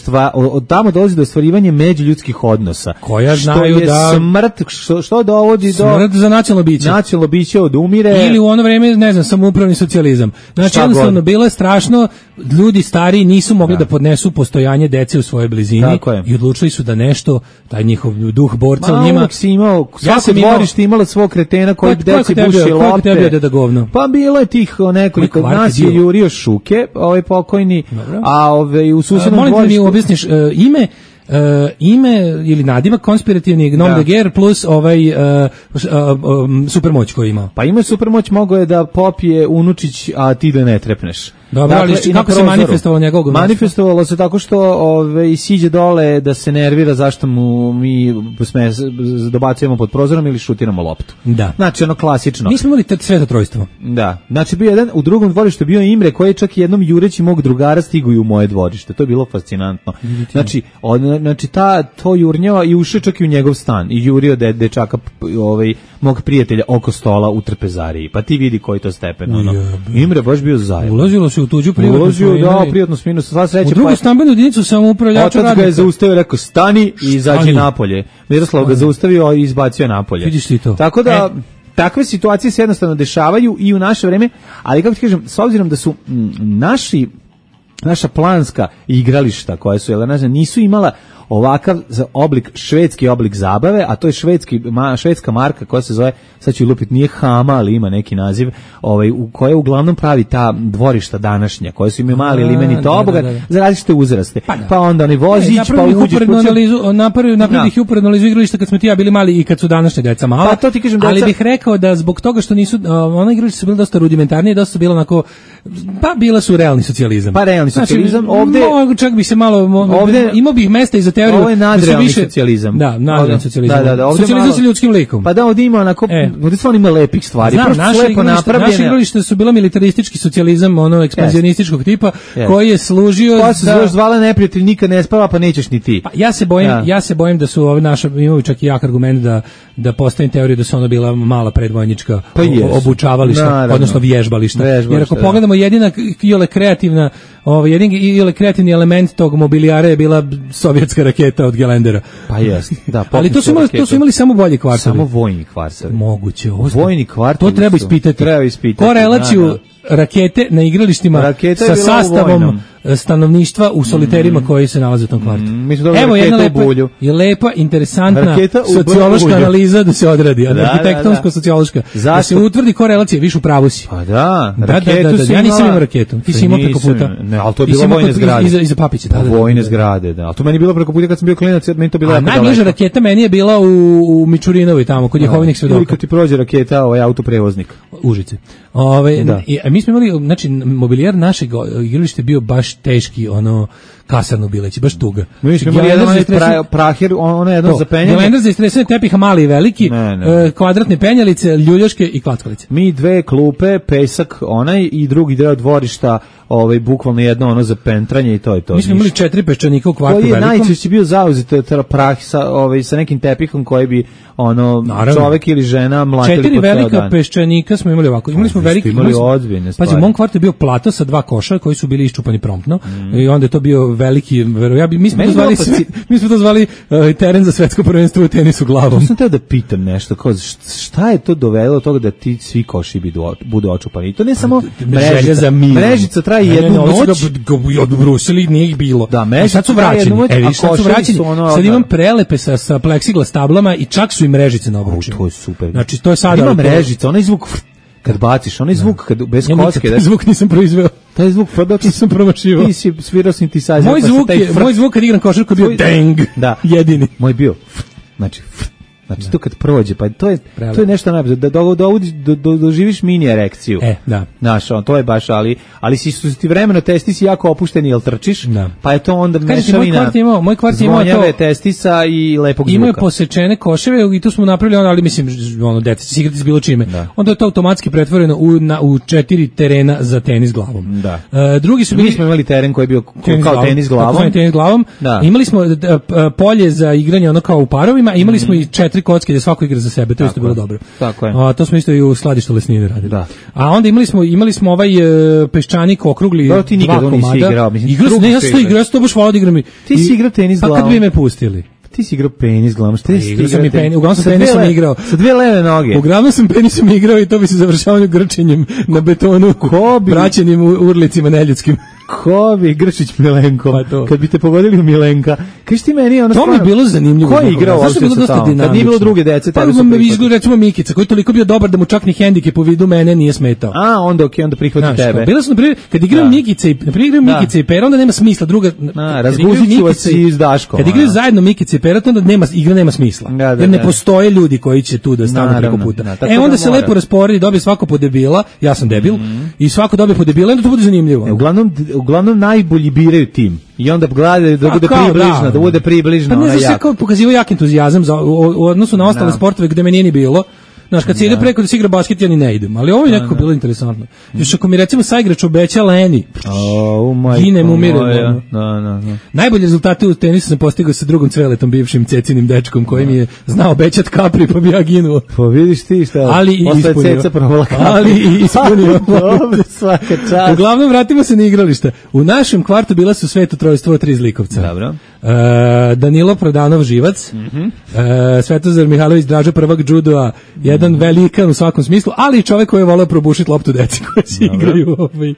za... od tamo dolazi do ostvarivanja međuljudskih odnosa. Koja znaju što je da smrt, što, što dovodi smrt do smrt za nacionalno biće. Nacionalno biće odumire. Ili u ono vreme, ne znam, samoupravni socijalizam. Znači, jednostavno, bilo je strašno, ljudi stariji nisu mogli da podnesu postojanje dece u svojoj blizini i odlučili su da nešto, taj njihov duh borca u njima. Si imao, svako dvorište imalo svog kretena koji deci buši lopte. Pa bilo je tih nekoliko, nas je Jurio Šuke, ovaj pokojni, a ovaj u susednom dvorištu. Molim da mi objasniš uh, ime, Uh, ime ili nadimak konspirativni Gnom de Guerre plus ovaj uh, uh, um, supermoć koju ima. Pa ima supermoć, mogo je da popije unučić, a ti da ne trepneš. Dobro, dakle, ali kako se manifestovalo njegovog manifestovalo se tako što ove, siđe dole da se nervira zašto mu mi sme, dobacujemo pod prozorom ili šutiramo loptu. Da. Znači ono klasično. Mi smo imali sveto trojstvo. Da. Znači bio jedan, u drugom dvorištu bio Imre koji je čak jednom jureći mog drugara stiguju u moje dvorište. To je bilo fascinantno. Znači, od, znači ta, to jurnjava i ušao čak i u njegov stan i jurio de, dečaka ovaj, mog prijatelja oko stola u trpezariji. Pa ti vidi koji to stepen. Ono. Imre baš bio zajedno. Ulazilo se u tuđu privatnu Ulazio, da, privatnu sminu, sva sreća. U drugu pa, stambenu jedinicu samoupravljača radnika. Otac ga je zaustavio, rekao, stani i izađi napolje. Miroslav ga zaustavio i izbacio napolje. Vidiš ti to. Tako da, e. takve situacije se jednostavno dešavaju i u naše vreme, ali kako ti kažem, s obzirom da su m, naši, naša planska igrališta koja su, jel, ne, nisu imala ovakav oblik, švedski oblik zabave, a to je švedski, ma, švedska marka koja se zove, sad ću lupiti, nije Hama, ali ima neki naziv, ovaj, u koje uglavnom pravi ta dvorišta današnja, koje su imaju mali limeni tobogan, da, da, da. za različite uzraste. Pa, pa onda oni vozić, e, pa uđeš. Napravili ih uporednu analizu igrališta kad smo ti ja bili mali i kad su današnje deca mala, pa, to ti kažem, ali deca... bih rekao da zbog toga što nisu, ona igrališta su bili dosta rudimentarnije, dosta bilo onako, pa bila su realni socijalizam. Pa realni socijalizam, znači, ovde... Mogu čak bi se malo, ovde... imao bih mesta i za teoriju. Ovo je nadrealni više, socijalizam. Da, nadrealni socijalizam. Da, da, da, socijalizam malo, sa ljudskim likom. Pa da, ovdje ima onako, e. ovdje stvarno ima lepih stvari. Znam, naše igralište, naše igralište su bila militaristički socijalizam, ono ekspanzionističkog tipa, yes. koji je služio pa se da... zvala neprijatelj, nikad ne spava, pa nećeš ni ti. Pa ja se bojim, ja. ja se bojim da su ovi naša, imaju čak i jak argument da, da postavim teoriju da su ono bila mala predvojnička pa obučavališta, Naravno. odnosno vježbališta. Vježbališta. Jer ako da. pogledamo jedina iole kreativna, ovaj jedini iole kreativni element tog mobilijara je bila sovjetska raketa od Gelendera. Pa jest. Da, ali to su imali, to su imali samo bolji kvartovi. Samo vojni kvartovi. Moguće. Vojni kvartovi. To treba ispitati. Treba ispitati. Korelaciju da, da. rakete na igralištima Raketa sa sastavom stanovništva u soliterima mm. koji se nalaze u tom kvartu. Mm, Evo jedna lepa, je lepa, interesantna sociološka analiza da se odradi, da, arhitektonsko-sociološka, da, da. da se utvrdi korelacija, viš u pravu si. Pa da, da, da, da, da, da. Ja nisam imao raketu, ti si imao preko puta. Ne, ali to je bilo vojne zgrade. Iza, iza papića. Da, da, vojne zgrade, da. Ali to meni je bilo preko puta kad sam bio klinac, meni to bilo jako daleko. Najbliža raketa meni je bila u, u Mičurinovoj tamo, kod Jehovinih svedoka. Ili kad ti prođe raketa, ovaj autoprevoznik. Užice. Ove, da. I, mi smo imali, znači, mobilijar našeg igrališta bio baš teški, ono, kasarno bileći, baš tuga. Mi smo imali jedan pra, prahir, ono jedno za penjanje. Gelendar za istresanje tepiha, mali i veliki, ne, ne. E, kvadratne penjalice, ljuljaške i klackalice. Mi dve klupe, pesak, onaj i drugi deo dvorišta, ovaj, bukvalno jedno ono za pentranje i to je to. Mi smo imali četiri peščanika u kvartu velikom. Koji je najčešće bio zauzet prah sa, ovaj, sa nekim tepihom koji bi ono, Naravno. čovek ili žena mlatili četiri velika peščanika smo imali ovako. Imali smo veliki, imali ozbiljne stvari. Pazi, u mom kvartu je bio plato sa dva koša koji su bili iščupani promptno mm. i onda je to bio veliki, ja bi, mi smo to zvali, sve, mi smo to zvali uh, teren za svetsko prvenstvo u tenisu glavom. Ja sam teo da pitam nešto, kao, šta je to dovelo od toga da ti svi koši budu očupani? I to ne samo mrežica, mrežica traje ne, jednu ne, noć. Ga odbrusili, nije ih bilo. Da, mrežica sad su vraćeni, noć, e, sad su vraćeni, ono, sad imam prelepe sa, sa pleksiglas tablama i čak su i mrežice na obručima. To je super. Znači, to je sad... Ima mrežica, onaj zvuk... Kad baciš, onaj zvuk kad bez ja kocke, da zvuk nisam proizveo. Taj zvuk pa dok sam promašivao. Ti si svirao synthesizer. Moj zvuk pa je, fr... moj zvuk kad igram košarku bio dang. Da, jedini. Moj bio. Znači, znači da. To kad prođe, pa to je Pravo. To je nešto najbolje da do, do, do, do, doživiš mini erekciju. E, da. Znaš, on to je baš, ali ali si su ti vremeno testi si jako opušteni, jel trčiš? Da. Pa je to onda mešavina. Moj kvart imao, moj kvart imao to testisa i lepog zvuka. Imao posečene koševe i tu smo napravili ono, ali mislim ono deca se igrati s bilo čime. Da. Onda je to automatski pretvoreno u na u četiri terena za tenis glavom. Da. E, drugi su bili mi smo imali teren koji je bio tenis kao glavom, tenis glavom. Tenis glavom. Da. Imali smo da, polje za igranje ono kao u parovima, imali mm. smo i četiri kocke da svako igra za sebe, to je isto bilo dobro. Tako je. A to smo isto i u skladištu Lesnine radili. Da. A onda imali smo imali smo ovaj e, peščanik okrugli da, ti dva komada. Igrao, mislim, igrao ne, ja sam to igrao, ja sam to baš volao da igram. Ti si igrao tenis glavom. Pa kad bi me pustili? Ti si igrao penis glavom, šta ti igrao? Sam i penis, uglavnom sam penisom igrao. Sa dve leve noge. Uglavnom sam penisom igrao i to bi se završavalo grčenjem na betonu, praćenim urlicima neljudskim. Ko bi Grčić Milenko, pa kad bi te pogodili u Milenka, kaži ti meni ono to mi je bilo zanimljivo. Ko je igrao uopšte sa tamo? Kad nije bilo druge dece, tebe su prihvatili. Pa recimo Mikica, koji je toliko bio dobar da mu čak ni hendikep u vidu mene nije smetao. A, onda okej, onda prihvati tebe. Bilo su, naprimjer, kad igraju Mikica i, naprimjer, igraju Mikica i Pera, onda nema smisla. Druga, razguzit ću vas i s Daškom. Kad igraju zajedno Mikica i Pera, onda nema, igra nema smisla. Jer ne postoje ljudi koji će tu da stanu preko puta. E, onda se lepo rasporedi, dobije svako po debila, ja sam debil, i svako dobije po debila, onda to bude zanimljivo. Uglavnom, uglavnom najbolji biraju tim i onda gledaju da bude približna, da. da bude približna. Pa ne znam, sve kao pokazivao jak entuzijazam za, u, u odnosu na ostale no. sportove gde me nije ni bilo. Znaš, kad se ide preko da se igra basket, ja ni ne idem. Ali ovo je nekako bilo interesantno. Još ako mi recimo saigrač obeća Leni, oh, ginem, umirem. Da, da, da. Najbolje rezultate u tenisu sam postigao sa drugom Cveletom, bivšim cecinim dečkom, koji mi je znao obećat kapri, pa bi ja ginuo. Pa vidiš ti šta, ali i ispunio. Ali i ispunio. Dobro, svaka čast. Uglavnom, vratimo se na igrališta. U našem kvartu bila su sveto trojstvo tri zlikovca. Dobro. Uh, Danilo Prodanov Živac, mm-hmm. uh, Svetozar Mihajlović Draža prvak džudoa, jedan mm-hmm. velikan u svakom smislu, ali i čovjek koji je voleo probušiti loptu deci koji se igraju ovaj,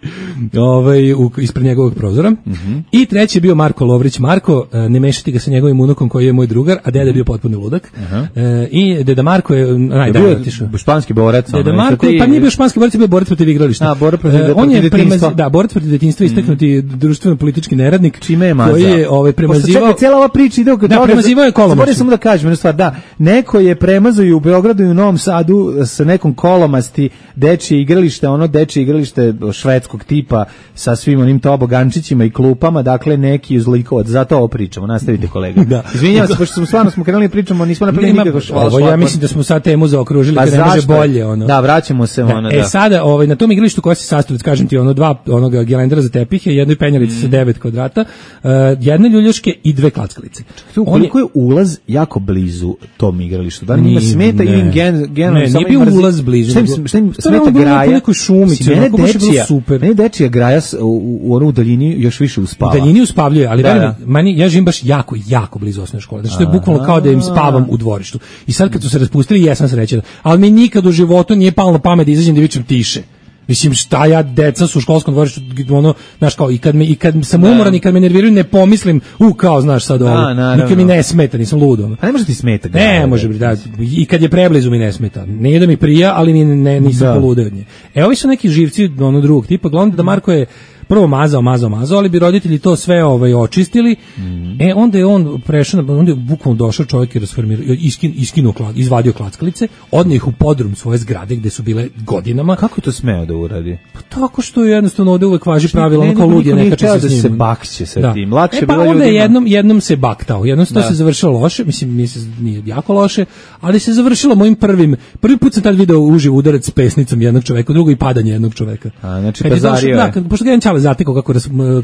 ovaj, u, ispred njegovog prozora. Mm-hmm. I treći je bio Marko Lovrić. Marko, uh, ne mešati ga sa njegovim unukom koji je moj drugar, a deda je bio potpuno ludak. Uh-huh. Uh, I deda Marko je najdalje otišao. Španski borac. Deda Marko, ti... pa nije bio španski borac, je bio borac protiv igrališta. A, borac protiv, uh, on je prema, da, borac protiv detinjstva, istaknuti mm. društveno-politički neradnik. Čime je koji je ovaj, prema premazivao. čekaj, cijela ova priča ide oko da, toga. Premazivao je kolomašću. Moram samo da kažem jednu stvar, da, neko je premazao i u Beogradu i u Novom Sadu sa nekom kolomasti dečije igralište, ono dečije igralište švedskog tipa sa svim onim tobogančićima i klupama, dakle neki uzlikovac, zato ovo pričamo, nastavite kolega. Da. Izvinjavam se, pošto smo stvarno smo krenuli pričamo, nismo napravili nikako švala. Ovo ja mislim da smo sad temu zaokružili, pa kad ne može bolje. Ono. Da, vraćamo se. Da. Ono, e da. sada, ovaj, na tom igralištu koja se sastoji, kažem ti, ono dva onoga gelendera za tepihe, jednoj penjalici mm. sa devet kvadrata, uh, jedne ljuljaške i dve klackalice. Koliko je ulaz jako blizu tom igralištu? Da li njima smeta ili gen, gen, ne, nije bio ulaz blizu. Šta im, šta im smeta graja? U nekoj šumici, mene onako baš je bilo super. Mene dečija graja u, u onu daljini još više uspava. U daljini uspavljuje, ali da, da. Meni, ja živim baš jako, jako blizu osnovne škole. Znači to je bukvalno kao da im spavam u dvorištu. I sad kad su se raspustili, jesam srećan. Ali mi nikad u životu nije palo na pamet da izađem da vičem tiše. Mislim, šta ja, deca su u školskom dvorištu, ono, znaš, kao, i kad, me, i kad sam umoran i kad me nerviraju, ne pomislim, u, kao, znaš, sad ovo, nikad mi ne smeta, nisam ludo. A ne može ti smeta? Ne, može, da, i kad je preblizu mi ne smeta. Nije da mi prija, ali mi ne, nisam poludeo od nje. E, ovi su neki živci, ono, drugog tipa, glavno da Marko je prvo mazao, mazao, mazao, ali bi roditelji to sve ovaj očistili. Mm. E onda je on prešao, onda je bukvalno došao čovjek i rasformirao, iskin, iskinuo, izvadio klackalice, odneo ih u podrum svoje zgrade gde su bile godinama. Kako je to smeo da uradi? Pa tako što je jednostavno ovde uvek važi pravilo, ono kao lud je neka časa da se bakće sa da. tim. Lakše e, pa bilo onda ljudima. jednom, jednom se baktao, jednom se to se završilo loše, mislim, mislim nije jako loše, ali se završilo mojim prvim, prvi put sam tad video uživo udarac s pesnicom jednog čoveka, drugo i padanje jednog čoveka. A, znači pazario je. Da, pošto ga jedan Ćale zatekao kako,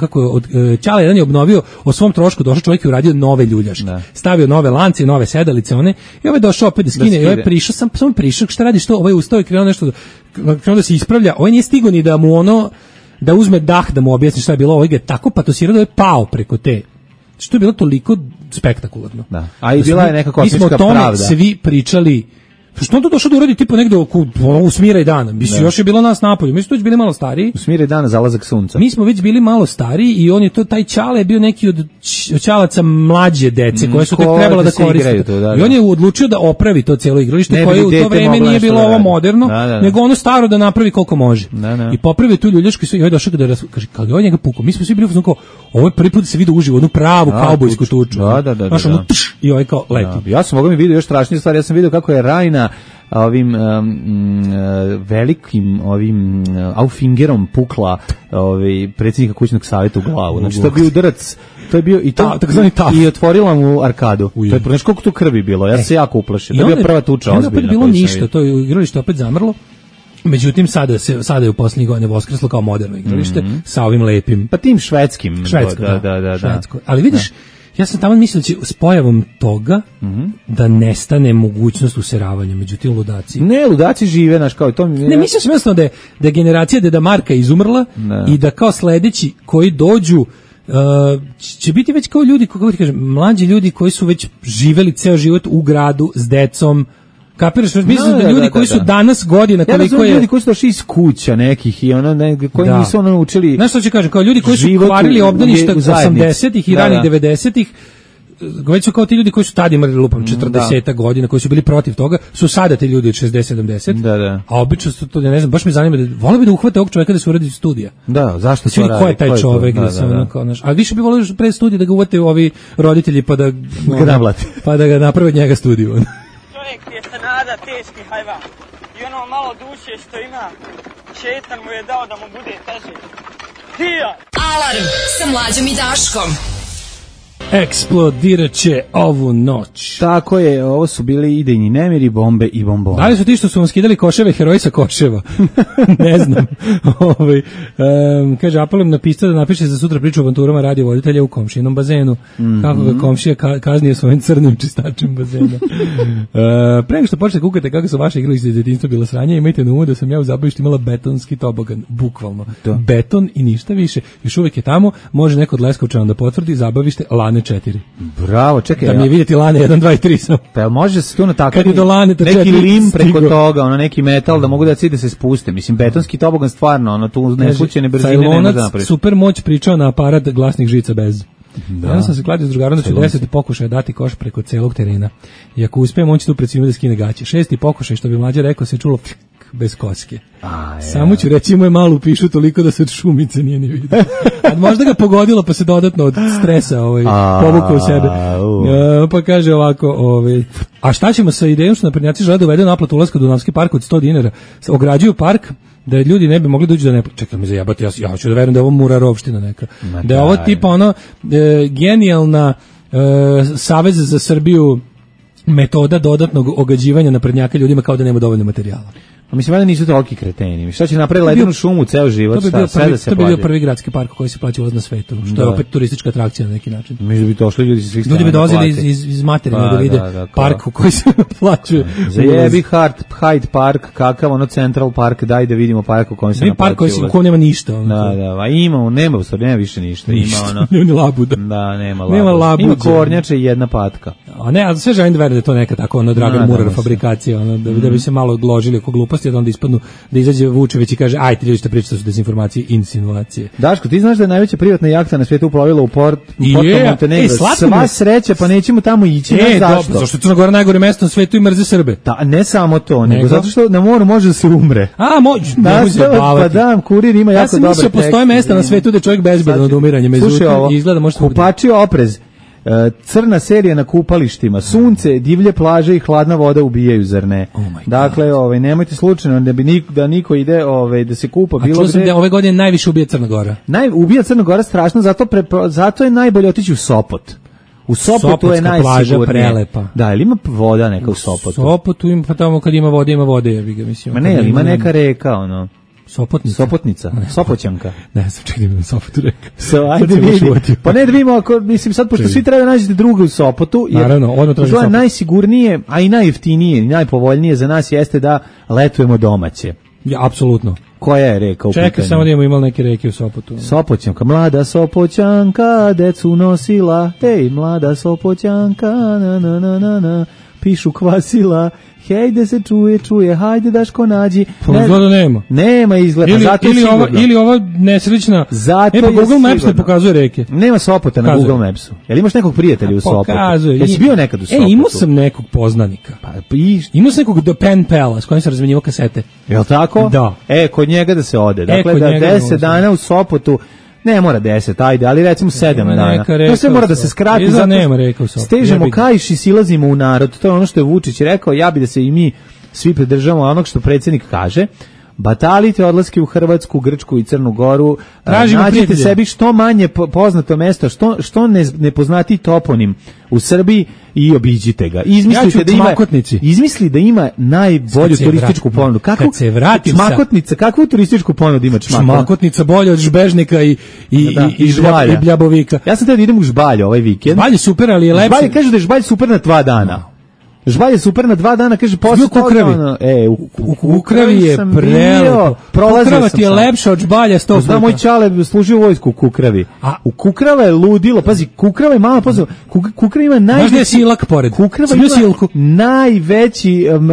kako od, Ćale jedan je obnovio o svom trošku, došao čovjek i uradio nove ljuljaške. Da. Stavio nove lance, nove sedalice, one, i ovaj došao opet da skine, da skine. I ovaj prišao, sam, samo prišao, šta radi, što, ovaj ustao i krenuo nešto, krenuo da se ispravlja, ovaj nije stigo ni da mu ono, da uzme dah, da mu objasni šta je bilo, ovaj ga je tako patosirao da je pao preko te. Što je bilo toliko spektakularno. Da. A i bila je neka kosmička pravda. Mi smo o tome svi pričali. Što on to došao da uradi tipa negde oko u Smiraj dana? Mislim, još je bilo nas napolju. Mi smo već bili malo stariji. U Smiraj dana, zalazak sunca. Mi smo već bili malo stariji i on je to, taj Ćale je bio neki od Ćalaca mlađe dece mm, koje su tek trebala da koriste. To, da, da. I on je odlučio da opravi to cijelo igralište koje u to vreme nije bilo ovo moderno, da, da, da. nego ono staro da napravi koliko može. Da, da. I popravi tu ljuljašku i sve. I ovaj došao da raz... kaže, kad je on njega pukao, mi smo svi bili kao, ovo je prvi put da se vidi uživo, onu pravu kaubojsku tuču. Da, da, da. Znaš, ono, tš, i ovaj kao leti. Ja sam mogao mi vidio još strašnije stvari, ja sam vidio kako je Rajna ovim um, uh, velikim ovim uh, Aufingerom pukla ovaj predsjednika kućnog savjeta u glavu. Znači to je bio udarac, to je bio i to Ta, takozvani taf. I otvorila mu arkadu. Uj. To je znači koliko tu krvi bilo. Ja e. se jako uplašio. To je bila prva tuča ozbiljna. Opet bilo ništa, to je igralište opet zamrlo. Međutim, sada se sada je u posljednjih godina voskreslo kao moderno igralište mm-hmm. sa ovim lepim. Pa tim švedskim. Švedsko, da, da, da. Švedsko. Ali vidiš, da. Ja sam tamo mislio da će s pojavom toga mm-hmm. da nestane mogućnost useravanja, međutim ludaci. Ne, ludaci žive, naš kao to. Ne, mislim sam jednostavno da je, da je generacija Deda Marka izumrla ne. I da kao sledeći koji dođu uh, će biti već kao ljudi, kako ti kažem, mlađi ljudi koji su već živeli ceo život u gradu s decom. Kapiraš, mislim no, da, da ljudi da, koji su da. danas godina koliko ja je ljudi koji su došli iz kuća nekih i ono ne, koji da. nisu ono naučili. Znaš što ću kažem, kao ljudi koji su kvarili obdaništa osamdesetih i da, ranih devedesetih, već su kao ti ljudi koji su tada imali lupam četrdeset godina, koji su bili protiv toga, su sada ti ljudi od šezdeset sedamdeset. Da, da. A obično su to, ne znam, baš me zanima da voleo bi da uhvate ovog čovjeka da se uradi studija. Da, zašto se radi? Ko je taj čovjek da, da, da. Ono, kao, naš, a više bi voleo pre studija da ga uvate ovi roditelji pa da ga pa da ga naprave od njega studiju. Čovjek je sanada teški hajvan i ono malo duše što ima, šetan mu je dao da mu bude teže. Hija! Alarm sa Mlađom i Daškom. Eksplodirat će ovu noć. Tako je, ovo su bili idejni nemiri, bombe i bombone. Da li su ti što su vam skidali koševe, heroji sa koševa? Ne znam. Ovaj, um, kaže, apelujem na pista da napiše za sutra priču o avanturama radio voditelja u komšinom bazenu. Mm-hmm. Kako ga komšija ka- kaznije svojim crnim čistačem bazena. uh, pre nego što počnete kukate kako su vaše igralište iz djetinjstva bila sranja, imajte na umu da sam ja u zabavištu imala betonski tobogan. Bukvalno. Da. Beton i ništa više. Još uvijek je tamo, može neko od Leskovčana da potvrdi, zabavište Lane četiri. Bravo, čekaj. Da mi je vidjeti Lane jedan, dva i tri sam. Pa može se tu natakati neki četiri, lim preko stigo. Toga, ono neki metal da mogu da cide se spuste. Mislim, betonski tobogan stvarno, ono tu neslučajne brzine ne može napraviti. Super moć pričao na aparat glasnih žica bez. Da. Ja sam se kladio s drugarom da ću deset pokušaja dati koš preko celog terena. I ako uspijem, on će tu pred svima da skine gaće. Šesti pokušaj, što bi Mlađa rekao, se čulo bez koske. A, Samo ću reći, imao je malu pišu toliko da se od šumice nije ni vidio. A možda ga pogodilo pa se dodatno od stresa ovaj, povukao u sebe. E, pa kaže ovako, ovaj, a šta ćemo sa idejom što naprednjaci žele da uvedu naplatu ulaska u Dunavski park od sto dinara? Ograđuju park da ljudi ne bi mogli doći da ne... Čekaj me zajebati, ja, ja hoću da verujem da je ovo Murarovština neka. Ma da je ovo tipa ono e, genijalna e, Savez za Srbiju metoda dodatnog ogađivanja naprednjaka ljudima kao da nema dovoljno materijala. A mislim, valjda nisu toliki kreteni. Šta će napraviti ledenu šumu ceo život? To bi šta, bio prvi, da se to bi bio prvi gradski park koji se plaća ulaz na svetu, što da. je opet turistička atrakcija na neki način. Mislim da bi došli ljudi iz svih strana. Ljudi bi dolazili iz, iz, iz materina pa, da vide da, da, park u koji se plaćuje. Zajebi Hyde Park, kakav ono Central Park, daj da vidimo park u kojem se naplaćuje. Park koji se, u kojem nema ništa. Ono, da, da, a ima, nema, u stvari nema više ništa. ništa. Ima ono. Nema ni labuda. Da, nema labuda. Nema labuda. Ima kornjača i jedna patka. A ne, a sve želim da verujem da je to neka tako ono Dragan Murar fabrikacija, ono da, da bi se malo odložili oko gluposti, da onda ispadnu da izađe Vučević i kaže ajte ljudi što pričate su dezinformacije, insinuacije. Daško, ti znaš da je najveća privatna jahta na svijetu uplovila u port Porto yeah. Montenegro. E, sva sreća, pa nećemo tamo ići. E, zašto? Do, zašto je Crna Gora najgore mesto na svijetu i mrze Srbe? Da, ne samo to, nego, nego zato što na moru može da se umre. A, može, da, pa da, kurir ima jako dobar tekst. Ja sam mislio, postoje mesta na svijetu gde čovjek bezbedan od umiranja, međutim izgleda može... Kupačio oprez. Crna serija na kupalištima, sunce, divlje plaže i hladna voda ubijaju, zar ne? Oh dakle, ovaj, nemojte slučajno da bi niko, da niko ide ovaj, da se kupa. A bilo čuo sam da ove godine najviše ubija Crna Gora. Naj, ubija Crna Gora strašno, zato, pre, zato je najbolje otići u Sopot. U Sopotu Sopotska je najsigurnije. Prelepa. Da, ili ima voda neka u Sopotu? U Sopotu ima, pa tamo kad ima vode, ima vode, ja bih ga mislim. Ma ne, ima, ima neka reka, ono. Sopotnica. Sopotnica, ne, Sopoćanka. Ne, sam čekaj da mi Sopotu reka. So, ajde vidi. Pa ne da vidimo, ako, mislim sad, pošto svi treba nađete druga u Sopotu, jer naravno, odmah tražim to je Sopot. Najsigurnije, a i najjeftinije, i najpovoljnije za nas jeste da letujemo domaće. Ja, apsolutno. Koja je reka u pitanju? Čekaj, samo da imamo imali neke reke u Sopotu. Sopoćanka, mlada Sopoćanka, decu nosila, ej, mlada Sopoćanka, na, na, na, na, na, pišu kvasila, hej, da se čuje, čuje, hajde Daško nađi. Pa izgleda nema. Nema izgleda, ili, zato ili sigurno. Ova, ili ova nesrećna, zato e pa Google Maps sigurno. ne pokazuje reke. Nema Sopota na Google Mapsu. Jel imaš nekog prijatelja u Sopotu? Pokazuje. Jesi bio nekad u Sopotu? E, imao sam nekog poznanika. Pa, i... Imao sam nekog do pen pala s kojim sam razmenjivao kasete. Jel tako? Da. E, kod njega da se ode. Dakle, e, da njega deset dana u Sopotu, ne mora deset, ajde, ali recimo sedam dana. To sve mora da se skrati, zato nema reka u Sopotu. Stežemo kaiš i silazimo u narod. To je ono što je Vučić rekao, ja bi da se i mi svi pridržavamo onog što predsjednik kaže. Batalite odlaske u Hrvatsku, Grčku i Crnu Goru. Tražimo nađite prijatelje. sebi što manje poznato mesto, što, što ne, nepoznati toponim u Srbiji i obiđite ga. Izmislite ja da ima, izmisli da ima najbolju turističku ponudu. Kako, kad se vratim Čmakotnica, kakvu turističku ponudu ima Čmakotnica? Čmakotnica bolja od Žbežnika i, i, da, i, i, žbalja. i Bljabovika. Ja sam teo da idem u Žbalje ovaj vikend. Žbalj je super, ali je lepše. Žbalje kaže da je Žbalj super na dva dana. Žbalj je super na dva dana, kaže posle Kukravi. Ono, e, u, u, u Kukravi je prelepo. Kukrava ti je lepša od Žbalja sto puta. Znam, moj čale služio u vojsku u Kukravi. A u Kukrava je ludilo, pazi, Kukrava je malo pozor. Kukrava ima najveći... Znaš da je silak pored? Kukrava ima silku. najveći um,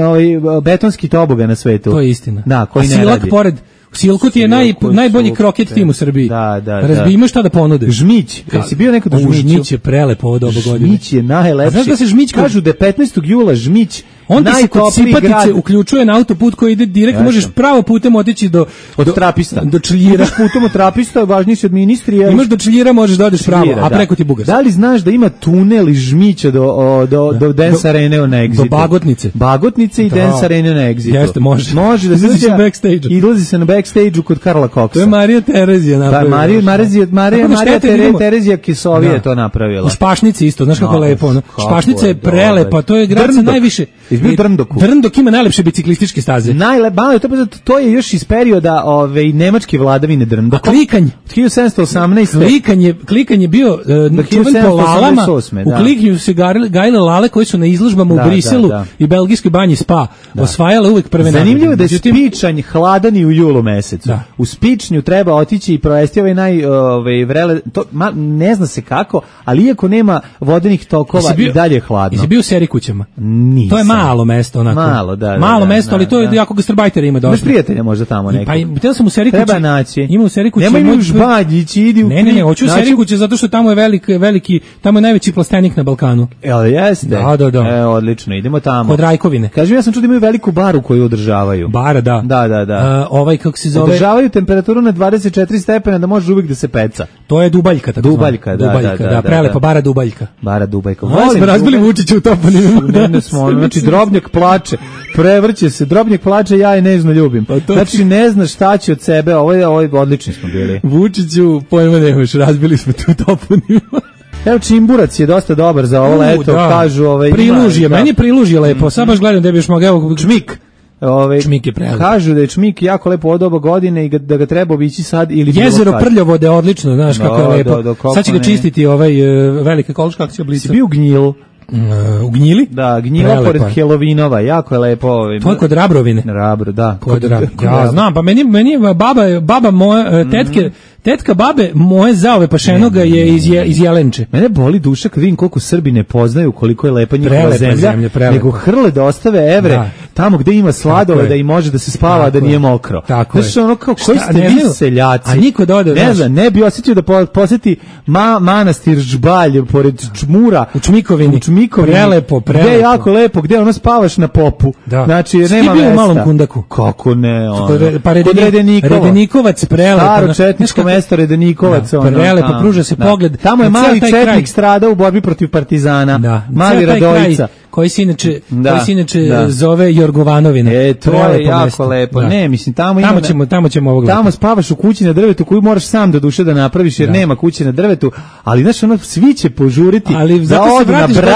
betonski toboga na svetu. To je istina. Da, koji a ne silak radi. pored... Silku ti je naj, najbolji kroket tim u Srbiji. Da, da, Razbi, imaš šta da ponude. Žmić. Jesi bio nekad u Žmiću? Žmić je prelepo ovo doba godine. Žmić je najlepši. A znaš da se Žmić... Kažu da je petnaestog jula Žmić onda se kod Sipatice uključuje na autoput koji ide direktno, možeš pravo putem otići do... Od Trapista. Do Čeljira. Ideš putem od Trapista, važniji si od ministrija. Imaš do Čeljira, možeš da odeš pravo, a preko ti Bugarska. Da li znaš da ima tunel iz Žmića do, do, do Dance Arene na Exitu? Do Bagotnice. Bagotnice i Dance Arene na Exitu. Jeste, može. Može da se backstage. I izlazi se na backstage-u kod Karla Koksa. To je Marija Terezija napravila. Da, Marija, Marija, Marija, Marija Terezija Kisovija je to napravila. U Špašnici isto, znaš kako lepo. Špašnica je prelepa, to je grad sa najviše... Izbio Drndoku. Drndok ima najlepše biciklističke staze. Najlepše, to, to je još iz perioda ove nemačke vladavine Drndoka. A klikanj. hiljadu sedamsto osamnaeste. Klikanje, klikanje bio uh, čuven po lalama. U klikanju se gajile lale koji su na izložbama da, u Briselu da, da. i belgijskoj banji Spa. Da. Osvajale uvek prve nagrade. Zanimljivo je da je Spičanj hladan i u julu mesecu. Da. U Spičnju treba otići i provesti ovaj naj ovaj vrele, to ma, ne zna se kako, ali iako nema vodenih tokova bio, i dalje je hladno. Jesi bio u Serikućama? Nisam. To je mali malo mesto onako. Malo, da, da, malo da, mesto, da, ali to je da. jako gastarbajtera ima dosta. Imaš prijatelja možda tamo nekog. Pa htio sam u seriji kuće. Treba naći. Ima u seriji kuće. Nemoj mi u Žbaljić, idi u Ne, ne, ne, hoću u znači- seriji kuće zato što tamo je veliki, veliki, tamo je najveći plastenik na Balkanu. Jel jeste? Da, da, da. E, odlično, idemo tamo. Kod Rajkovine. Kažem, ja sam čuo da imaju veliku baru koju održavaju. Bara, da. Da, da, da. Uh, ovaj, kako se zove... Održavaju temperaturu na dvadeset četiri stepena da može uvijek da se peca. To je Dubaljka, tako Dubaljka, da, Dubaljka, da, da, da, prelepa da. bara Dubaljka. Bara Dubajka. Ovo smo razbili Vučića u toponimima. Ne, ne smo, ono, znači Drobnjak plače, prevrće se, Drobnjak plače, ja je nežno ljubim. Pa to- Znači ne znaš šta će od sebe, ovo je, ovo je odlični smo bili. Vučiću, pojma nemaš, razbili smo tu toponimima. Evo Čimburac je dosta dobar za ovo U, leto, da. kažu ovaj ima- Prilužje, da. meni je prilužje lepo, sad baš gledam da bi još mogao... Evo, Čmik. Ove, Čmik je prelep. Kažu da je Čmik jako lepo od oba godine i ga- da ga treba obići sad ili bilo Jezero kad. Prljavode, odlično, znaš kako je Da, lepo. da, da, kako Sad će ga ne. čistiti ovaj uh, velika ekološka akcija Blica. Si bio u Gnjilu? Uh, u Gnjili? Da, Gnjila Prelepo pored je. Helovinova, jako je lepo. Ovaj, To je kod Rabrovine. Rabro, da. Kod Rabro. kod Ja Rabro. znam, pa meni, meni je baba, baba moje, uh, tetke, tetka babe moje zaove pašenoga je iz, je, iz Jelenče. Mene boli duša kad vidim koliko Srbi ne poznaju koliko je lepa njihova Prelepa zemlja, zemlja, prelepa. nego hrle da ostave evre Da. tamo gde ima Tako sladole je. da i može da se spava, Tako da nije je. mokro. Tako Znaš, je. ono kao, koji Šta, ste ne vi znaju? seljaci? A niko da ode, ne znaš. znam, ne bi osjetio da po, posjeti ma, manastir Žbalj pored Čmura. U Čmikovini. U Čmikovini. Prelepo, prelepo. Gde je jako lepo, gde ono spavaš na popu. Da. Znači, Si ti nema bio u mesta. Malom Kundaku? Kako ne, ono. Kod re- pa Kod Redeni- Redenikovo. Redenikovac, prelepo. Staro Znaš četničko kako- mesto Redenikovac. Da, ono, prelepo, tamo. pruža se Da. pogled Tamo je na mali ceo taj kraj. četnik stradao u borbi protiv partizana. Da, Mali ceo taj Radojica. kraj koji se inače, Da, koji se inače da. zove Jorgovanovina. E, to je Prelepo jako mesto. lepo. Da. Ne, mislim, tamo ima... Tamo ćemo, tamo ćemo ovog Tamo leta. spavaš u kući na drvetu koju moraš sam do duše da napraviš jer Da. nema kuće na drvetu, ali znaš ono svi će požuriti Ali da zato se odu na vratiš Brač,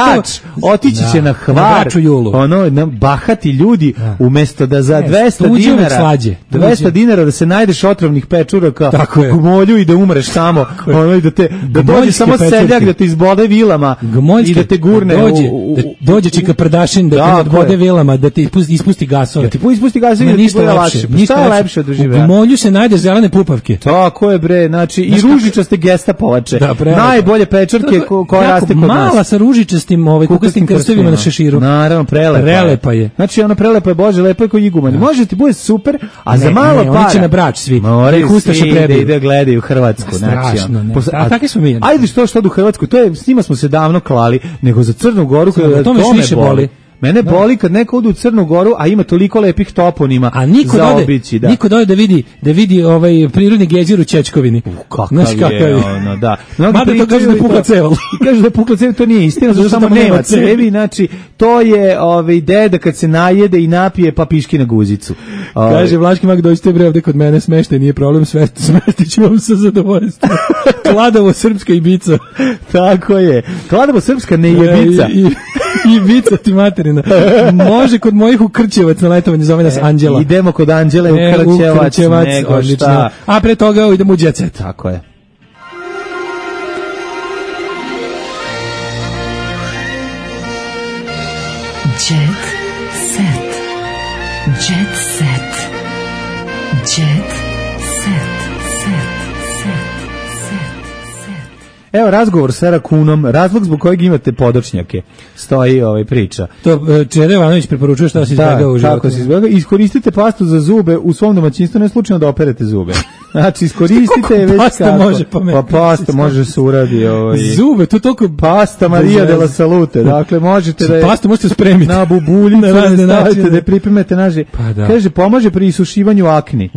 gotovo- otići Da, će na na Hvar, Brač u julu. ono na bahati ljudi umesto da za Ne, dvesta tuđe uvek dinara slađe. Tuđe. dvesta dinara da se najdeš otrovnih pečuraka Tako je. u Gmolju i da umreš tamo, ono i da te da dođe Gmoljske samo pečurke. seljak da te izbode vilama Gmoljske, i da te gurne dođe, u, u, da dođe Čika Prdašin da te Tako nadbode je. vilama, da ti ispusti, ispusti gasove. Da ti ispusti gasove Ma i da ti ništa bude lepše, lakše. Pa ništa šta je lepše od U doživljaja? Gmolju se najde zelene pupavke. Tako je bre, znači i ružičaste gestapovače. Da, prelepo. Najbolje pečurke ko, koja Jako raste kod nas. mala sa ružičastim ovaj kukastim krstovima na šeširu. Naravno, prelepa. Prelepa je. Znači ona prelepa je, bože, lepo je kao iguman. Može ti bude super, a za Ne, malo ne, para. oni će na Brač svi. Moraju Da ih ustaše svi da prebiju. ide gledaju Hrvatsku. Znači, Strašno, ne. posle- A takvi smo mi. Ajde što što u Hrvatsku, to je s njima smo se davno klali, nego za Crnu Goru Samo, koja to me još više boli. Mene Da. boli kad neko ode u Crnu Goru, a ima toliko lepih toponima A niko za dode, obići, da. niko dode da vidi, da vidi ovaj prirodni gejzir u Čečkovini. Kakav Znaš kakav je, je. ono, da. Mnogi Mada to pričaju kažu da je i pukla to- ceval. I kažu da je pukla cev, to nije istina, zato što Zato tamo što nema nema cevi. cevi, znači, to je ovaj, deda kad se najede i napije, pa piški na guzicu. Ovaj, Kaže Vlaški mag, dođite bre ovde kod mene, smeštaj, nije problem, sve smeštit ću vam sa zadovoljstvom. Kladovo, Srpska Ibica. tako je. Kladovo srpska ne jebica. I, i, Ibica ti materina. Može kod mojih u Krćevac na letovanje, zove nas Anđela. Idemo kod Anđele u E, Krćevac, Krćevac, nego odlično. šta. A pre toga idemo u Jet Set. Tako je. Jet set. Jet set. Jet set. Set. Set. Set. Evo razgovor sa Rakunom, razlog zbog kojeg imate podočnjake. Stoji ovaj priča. To e, Čede Ivanović preporučuje šta se izbjegao u Da, životu. kako se izbjegao. Iskoristite pastu za zube u svom domaćinstvu, ne slučajno da operete zube. Znači, iskoristite je već pasta kako. može pametno? Pa pasta može se uradi. Ovaj. Zube, to toliko Pasta Maria de la Salute. Dakle, možete da je Pasta možete spremiti. na bubuljicu Na razne da stavite, načine. da je pripremete naži. Pa da. Kaže, pomaže pri isušivanju akni.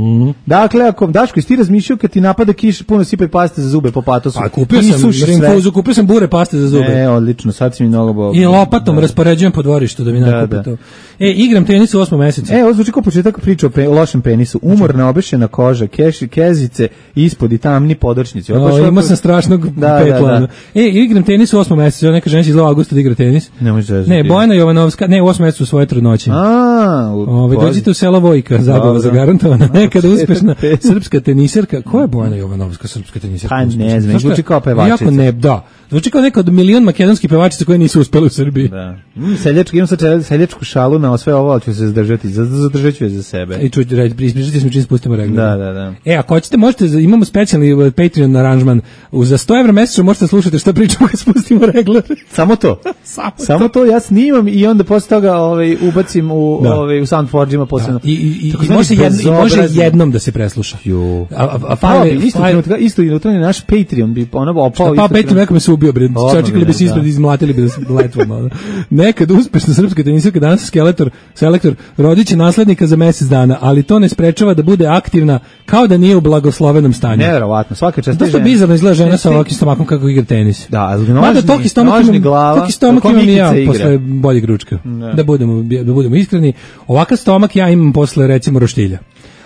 Dakle, ako, Daško, jesi ti razmišljao kad ti napada kiš, puno sipaj paste za zube po patosu? A kupio sam Isuši sve. rinfuzu, kupio sam bure paste za zube. E, odlično, sad si mi mnogo bo... I lopatom raspoređujem po dvorištu da mi nakupi da. to. E, igram tenis u osmom mesecu. E, ovo zvuči kao početak priče o pe, lošem penisu. Umorna, obešena koža, keši, kezice, ispod i tamni podočnici. Ovo O, baš imao ovako- sam strašnog Da, petla. da, da. E, igram tenis u osmom mesecu. Neka žena će iz avgusta da igra tenis. Ne može zezati. Ne, Bojana Jovanovska, ne, u osmom mesecu svoje trudnoće. A, u- Ove, pozi- dođite u selo Vojka, zabava Dobro. zagarantovana. Nekada uspešna Pet, pet. srpska teniserka. Ko je Bojana Jovanovska, srpska teniserka? Pa ne uspešna? znam, Zašto je- zvuči kao pevačica. Jako ne, da. Zvuči kao neka od milion makedonskih pevačica koje nisu uspele u Srbiji. Da. Mm, seljački, imam sad čel- seljačku šalu na sve ovo, ali ću se zadržati. Zadržat ću je za sebe. I čući, reći, ispričati smo čim spustimo regler. Da, da, da. E, a ako hoćete, možete, imamo specijalni Patreon aranžman. Za sto evra mesečno možete slušati što pričamo kad spustimo regler. Samo to. Samo, Samo to. to ja snimam i onda posle toga ovaj, ubacim u, Da. ovaj, u Soundforge-ima posebno. I, i, i, Tako i zvani može, jedno, i može bezobrazni- jednom da se presluša. Jo. A, a, a Pao fajle, bi, isto, fajle- trenutka, isto i unutra je naš Patreon bi ono opao. Pa isto Patreon trenutka. nekome se ubio, bre. Odmah Čekali bi se bi, ispred, da. izmlatili bi da se letvom. ono. Nekad uspešna srpska tenisirka, danas skeletor, selektor, rodiće naslednika za mesec dana, ali to ne sprečava da bude aktivna kao da nije u blagoslovenom stanju. Neverovatno, svaka čast. Dosta bizarno izgleda žena sa ovakvim stomakom kako igra tenis. Da, ali Mada nožni, toki stomak nožni imam, glava. toki stomak kako imam i ja Mikica igra. posle boljeg ručka. Da. Da budemo, da budemo iskreni. Ovakav stomak ja imam posle recimo roštilja.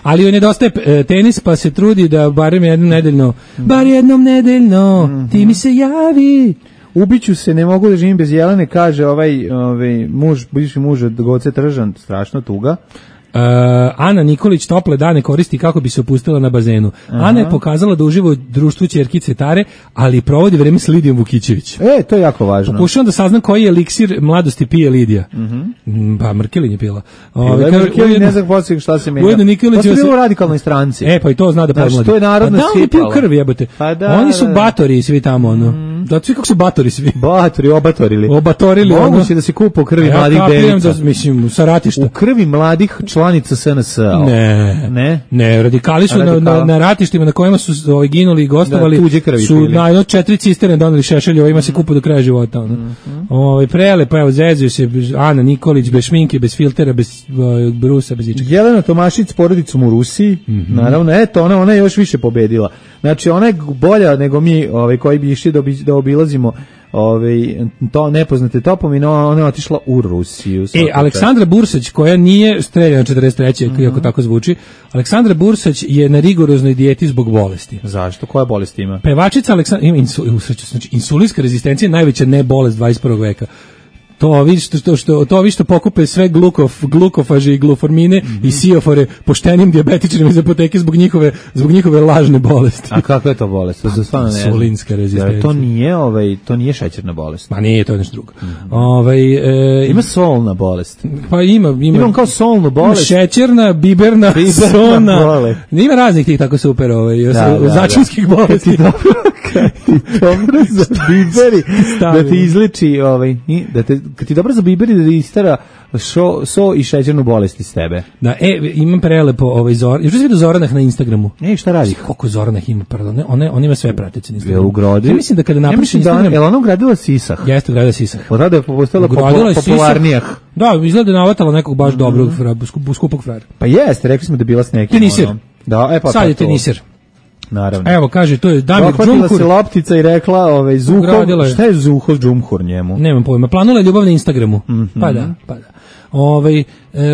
Ali joj nedostaje e, tenis, pa se trudi da barem jednom nedeljno, bar jednom nedeljno, ti mi se javi. Ubiću se, ne mogu da živim bez Jelene, kaže ovaj, ovaj muž, bivši muž od Goce Tržan, strašno tuga. Uh, Ana Nikolić tople dane koristi kako bi se opustila na bazenu. Aha. Ana je pokazala da uživa u društvu ćerkice Tare, ali provodi vreme s Lidijom Vukićević. E, to je jako važno. Pokušavam da saznam koji je eliksir mladosti pije Lidija. Mhm. Mm, Pa Mrkelin je pila. Ovaj Ovaj, kaže, Mrkelin ujedno- ne znam poslije šta se menja. ujedno Nikolić To je su se- bilo u radikalnoj stranci. E, pa i to zna da Znači, pomladi. to je narodno Pa da, oni piju sipalo. krv, jebote. Pa da, Oni su da, da. batori svi tamo, ono. Da, svi kako su batori svi. Batori, obatorili. Obatorili, ono. Moguće da se kupa u krvi A ja mladih kapiram devica. da, mislim, sa ratišta. U krvi mladih članica S N S. Ne. Ne? Ne, radikali su na, Radikala. na, na ratištima na kojima su ovaj, ginuli i gostovali, Da, tuđe krvi su pili. na jedno četiri cisterne doneli šešelje, ovima se kupu do kraja života. Ono. Ovaj, prele, pa evo, zezuju se Ana Nikolić, bez šminke, bez filtera, bez uh, brusa, bez ičega. Jelena Tomašić s porodicom u Rusiji, naravno, eto, ona, ona je još više pobedila. Znači, ona je bolja nego mi, ovaj, koji bi išli da, obi, da obilazimo ovaj, to nepoznate topomine, ona je otišla u Rusiju. E, svaka Aleksandra Bursać, koja nije streljana četrdeset treće Mhm. iako tako zvuči, Aleksandra Bursać je na rigoroznoj dijeti zbog bolesti. čast. Zašto? Koja bolest ima? Pevačica Aleksandra, ima insu, usreću, znači, insulinska rezistencija je najveća ne bolest dvadeset prvog veka. To vi što, što, što, to vi što pokupe sve glukof, glukofaže i gluformine i siofore poštenim dijabetičarima iz apoteke zbog njihove, zbog njihove lažne bolesti. A kakva je to bolest? To stvarno ne znam. Insulinska rezistencija. Jer to nije, ovaj, to nije šećerna bolest. Ma nije, to je nešto drugo. Ovaj, e, Ima solna bolest. pa ima, ima. Imam kao solnu Ima bolest. šećerna, biberna, Biberna sona. bolest. Ima raznih tih tako super ovaj, Da, da, da. začinskih bolesti. Dobro za biberi, Stavimo. da ti izliči, ovaj, i da te, kad ti dobro za biberi, da ti istara šo, so i šećernu bolest iz tebe. Da, e, imam prelepo ovaj Zor. Još vidio Zoranah na Instagramu. E, šta radi? Koliko Zoranah ima, pardon. Ona ona ima sve pratice na Je Instagramu. ugrodi? Ja mislim da kada Ja napiše mislim da ona, Instagram, je li ona ugradila sisah? jeste ugradila sisah. Odreda je postala Ugradila je popu- sisah. popularnijah. Da, izgleda da je navatala nekog baš dobrog, fra- sku- skupog frajera. Pa jeste, rekli smo da je bila s nekim. Tenisir. ono. Da, e pa Sad pa je to. tenisir. Naravno. Evo, kaže, to je Damir Dohvatila Džumhur. se loptica i rekla, ovaj, Zuhov, Ugradila je. šta je Zuhov Džumhur njemu? Nemam pojma. Planula je ljubav na Instagramu. Pa da, pa da. Ovaj, e,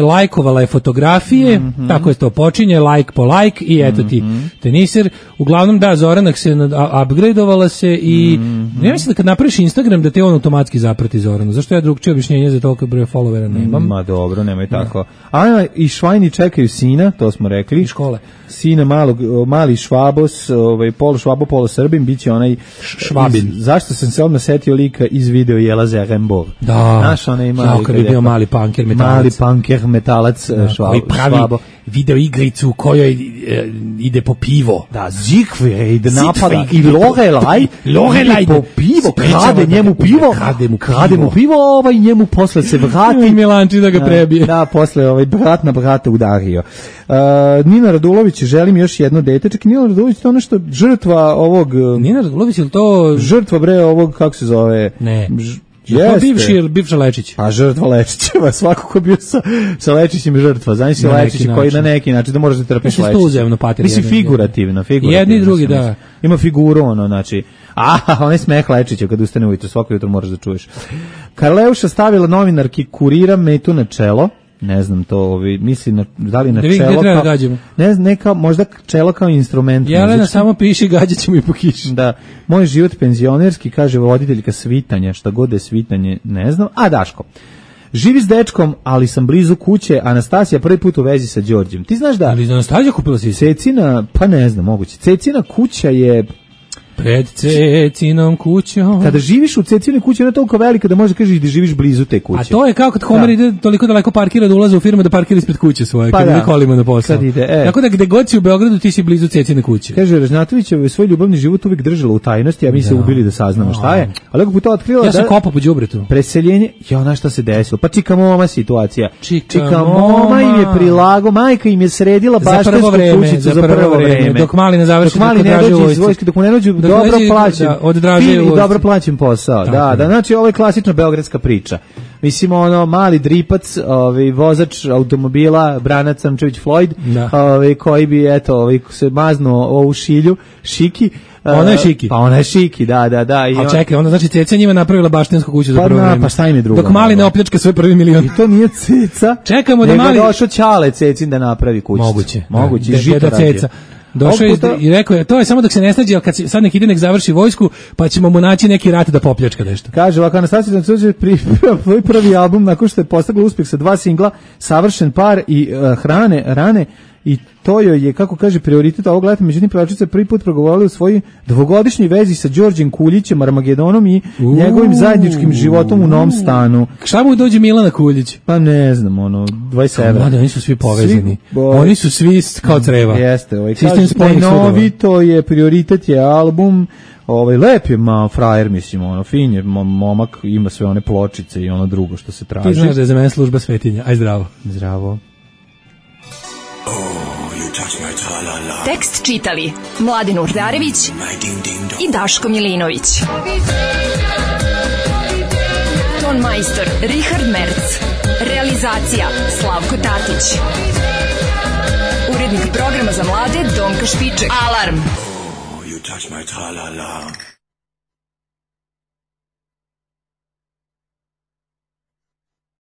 lajkovala je fotografije, tako je to počinje, like po like i eto ti tenisir. Uglavnom da, Zoranak se nad- a- upgradeovala se i ja mislim da kad napraviš Instagram da te on automatski zaprati Zoranu. Zašto ja drugčije objašnjenje za toliko broja followera nemam? Ma dobro, nemoj tako. Ana i Švajni čekaju sina, to smo rekli. Škole. Sina malog, mali Švabos, ovaj, polo Švabo, polo Srbin, bit će onaj... Švabin. Iz, zašto sam se odmah setio lika iz video Jela Zerembov? Da. Znaš, onaj mali... Jao, kad bi bio mali punker metalac. Mali punker metalac, švab, Koji pravi Švabo. video igricu u kojoj e, ide po pivo. Da, Siegfried napada Siegfried. i Lorelaj, Lorelaj ide po pivo, krade njemu pivo, krade mu krade mu pivo, ovaj njemu posle se vrati. I Milanči da ga prebije. Da, posle ovaj brat na brata udario. Uh, Nina Radulović, želim još jedno dete. Čekaj, Nina Radulović, to je nešto žrtva ovog... Nina Radulović, ili to... Žrtva, bre, ovog, kako se zove? Ne. Ž, Je to jeste. bivši ili bivša Lečić? A žrtva Lečićeva, svako ko je bio sa, sa Lečićem je žrtva. Znaš si Na neki Lečić koji na način. neki način da moraš da trpiš Mislim, Lečića. to uzajamno patiri Mislim, jedan, figurativno, figurativno. Jedni i drugi, sam da. mislio. Ima figuru, ono, znači, a, onaj smeh Lečića kad ustane ujutro, svako jutro moraš da čuješ. Karleuša stavila novinarki Kurira metu na čelo. Ne znam to, ovi, misli na, da li na Da vidim čelo gde treba kao, da gađamo. ne znam, neka, možda čelo kao instrument. Jelena muzički. samo piši, gađat ćemo i po kiši. Da, moj život penzionerski, kaže voditeljka svitanja, šta god je svitanje, ne znam. A Daško, živi s dečkom, ali sam blizu kuće, Anastasija prvi put u vezi sa Đorđem. Ti znaš da... Ali za Anastasija kupila si se? Cecina, pa ne znam, moguće. Cecina kuća je... Pred Cecinom kućom. Kada živiš u Cecinoj kući, ona je toliko velika da može kažeš da živiš blizu te kuće. A to je kao kad Homer da. ide toliko daleko parkira da ulazi u firmu da parkira ispred kuće svoje, pa kad da. ide kolima na posao. Kad ide, e. Tako da gde god si u Beogradu ti si blizu Cecine kuće. Kaže, Ražnatović je svoj ljubavni život uvijek držala u tajnosti, a mi da. se ubili da saznamo šta je. Ali ako bi to otkrila ja da... Ja sam kopao po đubretu. Preseljenje, ja ona šta se desilo. Pa čika moma situacija. Čika, čika moma im je prilago, majka im je sredila baštarsku kućicu za prvo vreme. Dok mali ne završi, dok mali ne dođe iz vojske, dok mu ne dođe dobro plaćen. Fin i dobro plaćen posao. Tako da, da, znači ovo je klasična beogradska priča. Mislim, ono, mali dripac, ovaj, vozač automobila, Branac Samčević Floyd, ovaj, koji bi, eto, ovaj, se maznuo ovu šilju, šiki. Ona je šiki. Pa ona je šiki, da, da, da. I a čekaj, onda znači Ceca njima napravila baštinsku kuću za prvo pa, vreme. Pa šta im je drugo? Dok mali ne opljačka svoj prvi milion. I to nije Ceca. Čekamo da mali... Nego došao Ćale Cecin da napravi kućicu. Moguće. Moguće. Da, žito Ceca. Došao je i rekao je, to je samo dok se ne snađe, ali kad se, sad nek ide nek završi vojsku, pa ćemo mu naći neki rat da popljačka nešto. Kaže, ovako, Anastasija Dancović priprema svoj prvi album nakon što je postigla uspjeh sa dva singla, Savršen par i uh, Hrane, Rane, i to joj je, kako kaže, prioritet ovog leta. Međutim, pevačica prvi put progovorila o svojoj dvogodišnjoj vezi sa Đorđem Kuljićem, Armagedonom i Uuu. njegovim zajedničkim životom u novom stanu. Šta mu dođe Milana Kuljić? Pa ne znam, ono, dvadeset evra. Mlade, oni su svi povezani. Svi, bo... Oni su svi kao creva. Jeste, ovaj, kaže, novi, to je, prioritet je album, ovaj, lep je ma, frajer, mislim, ono, fin je, momak, ima sve one pločice i ono drugo što se traži. Ti znaš da je za mene služba svetinja. Aj, zdravo. Zdravo. Tekst čitali Mladin Urdarević i Daško Milinović. Ton majstor Richard Merc. Realizacija Slavko Tatić. Urednik programa za mlade Donka Špiček. Alarm! Oh, you touch my tra-la-la.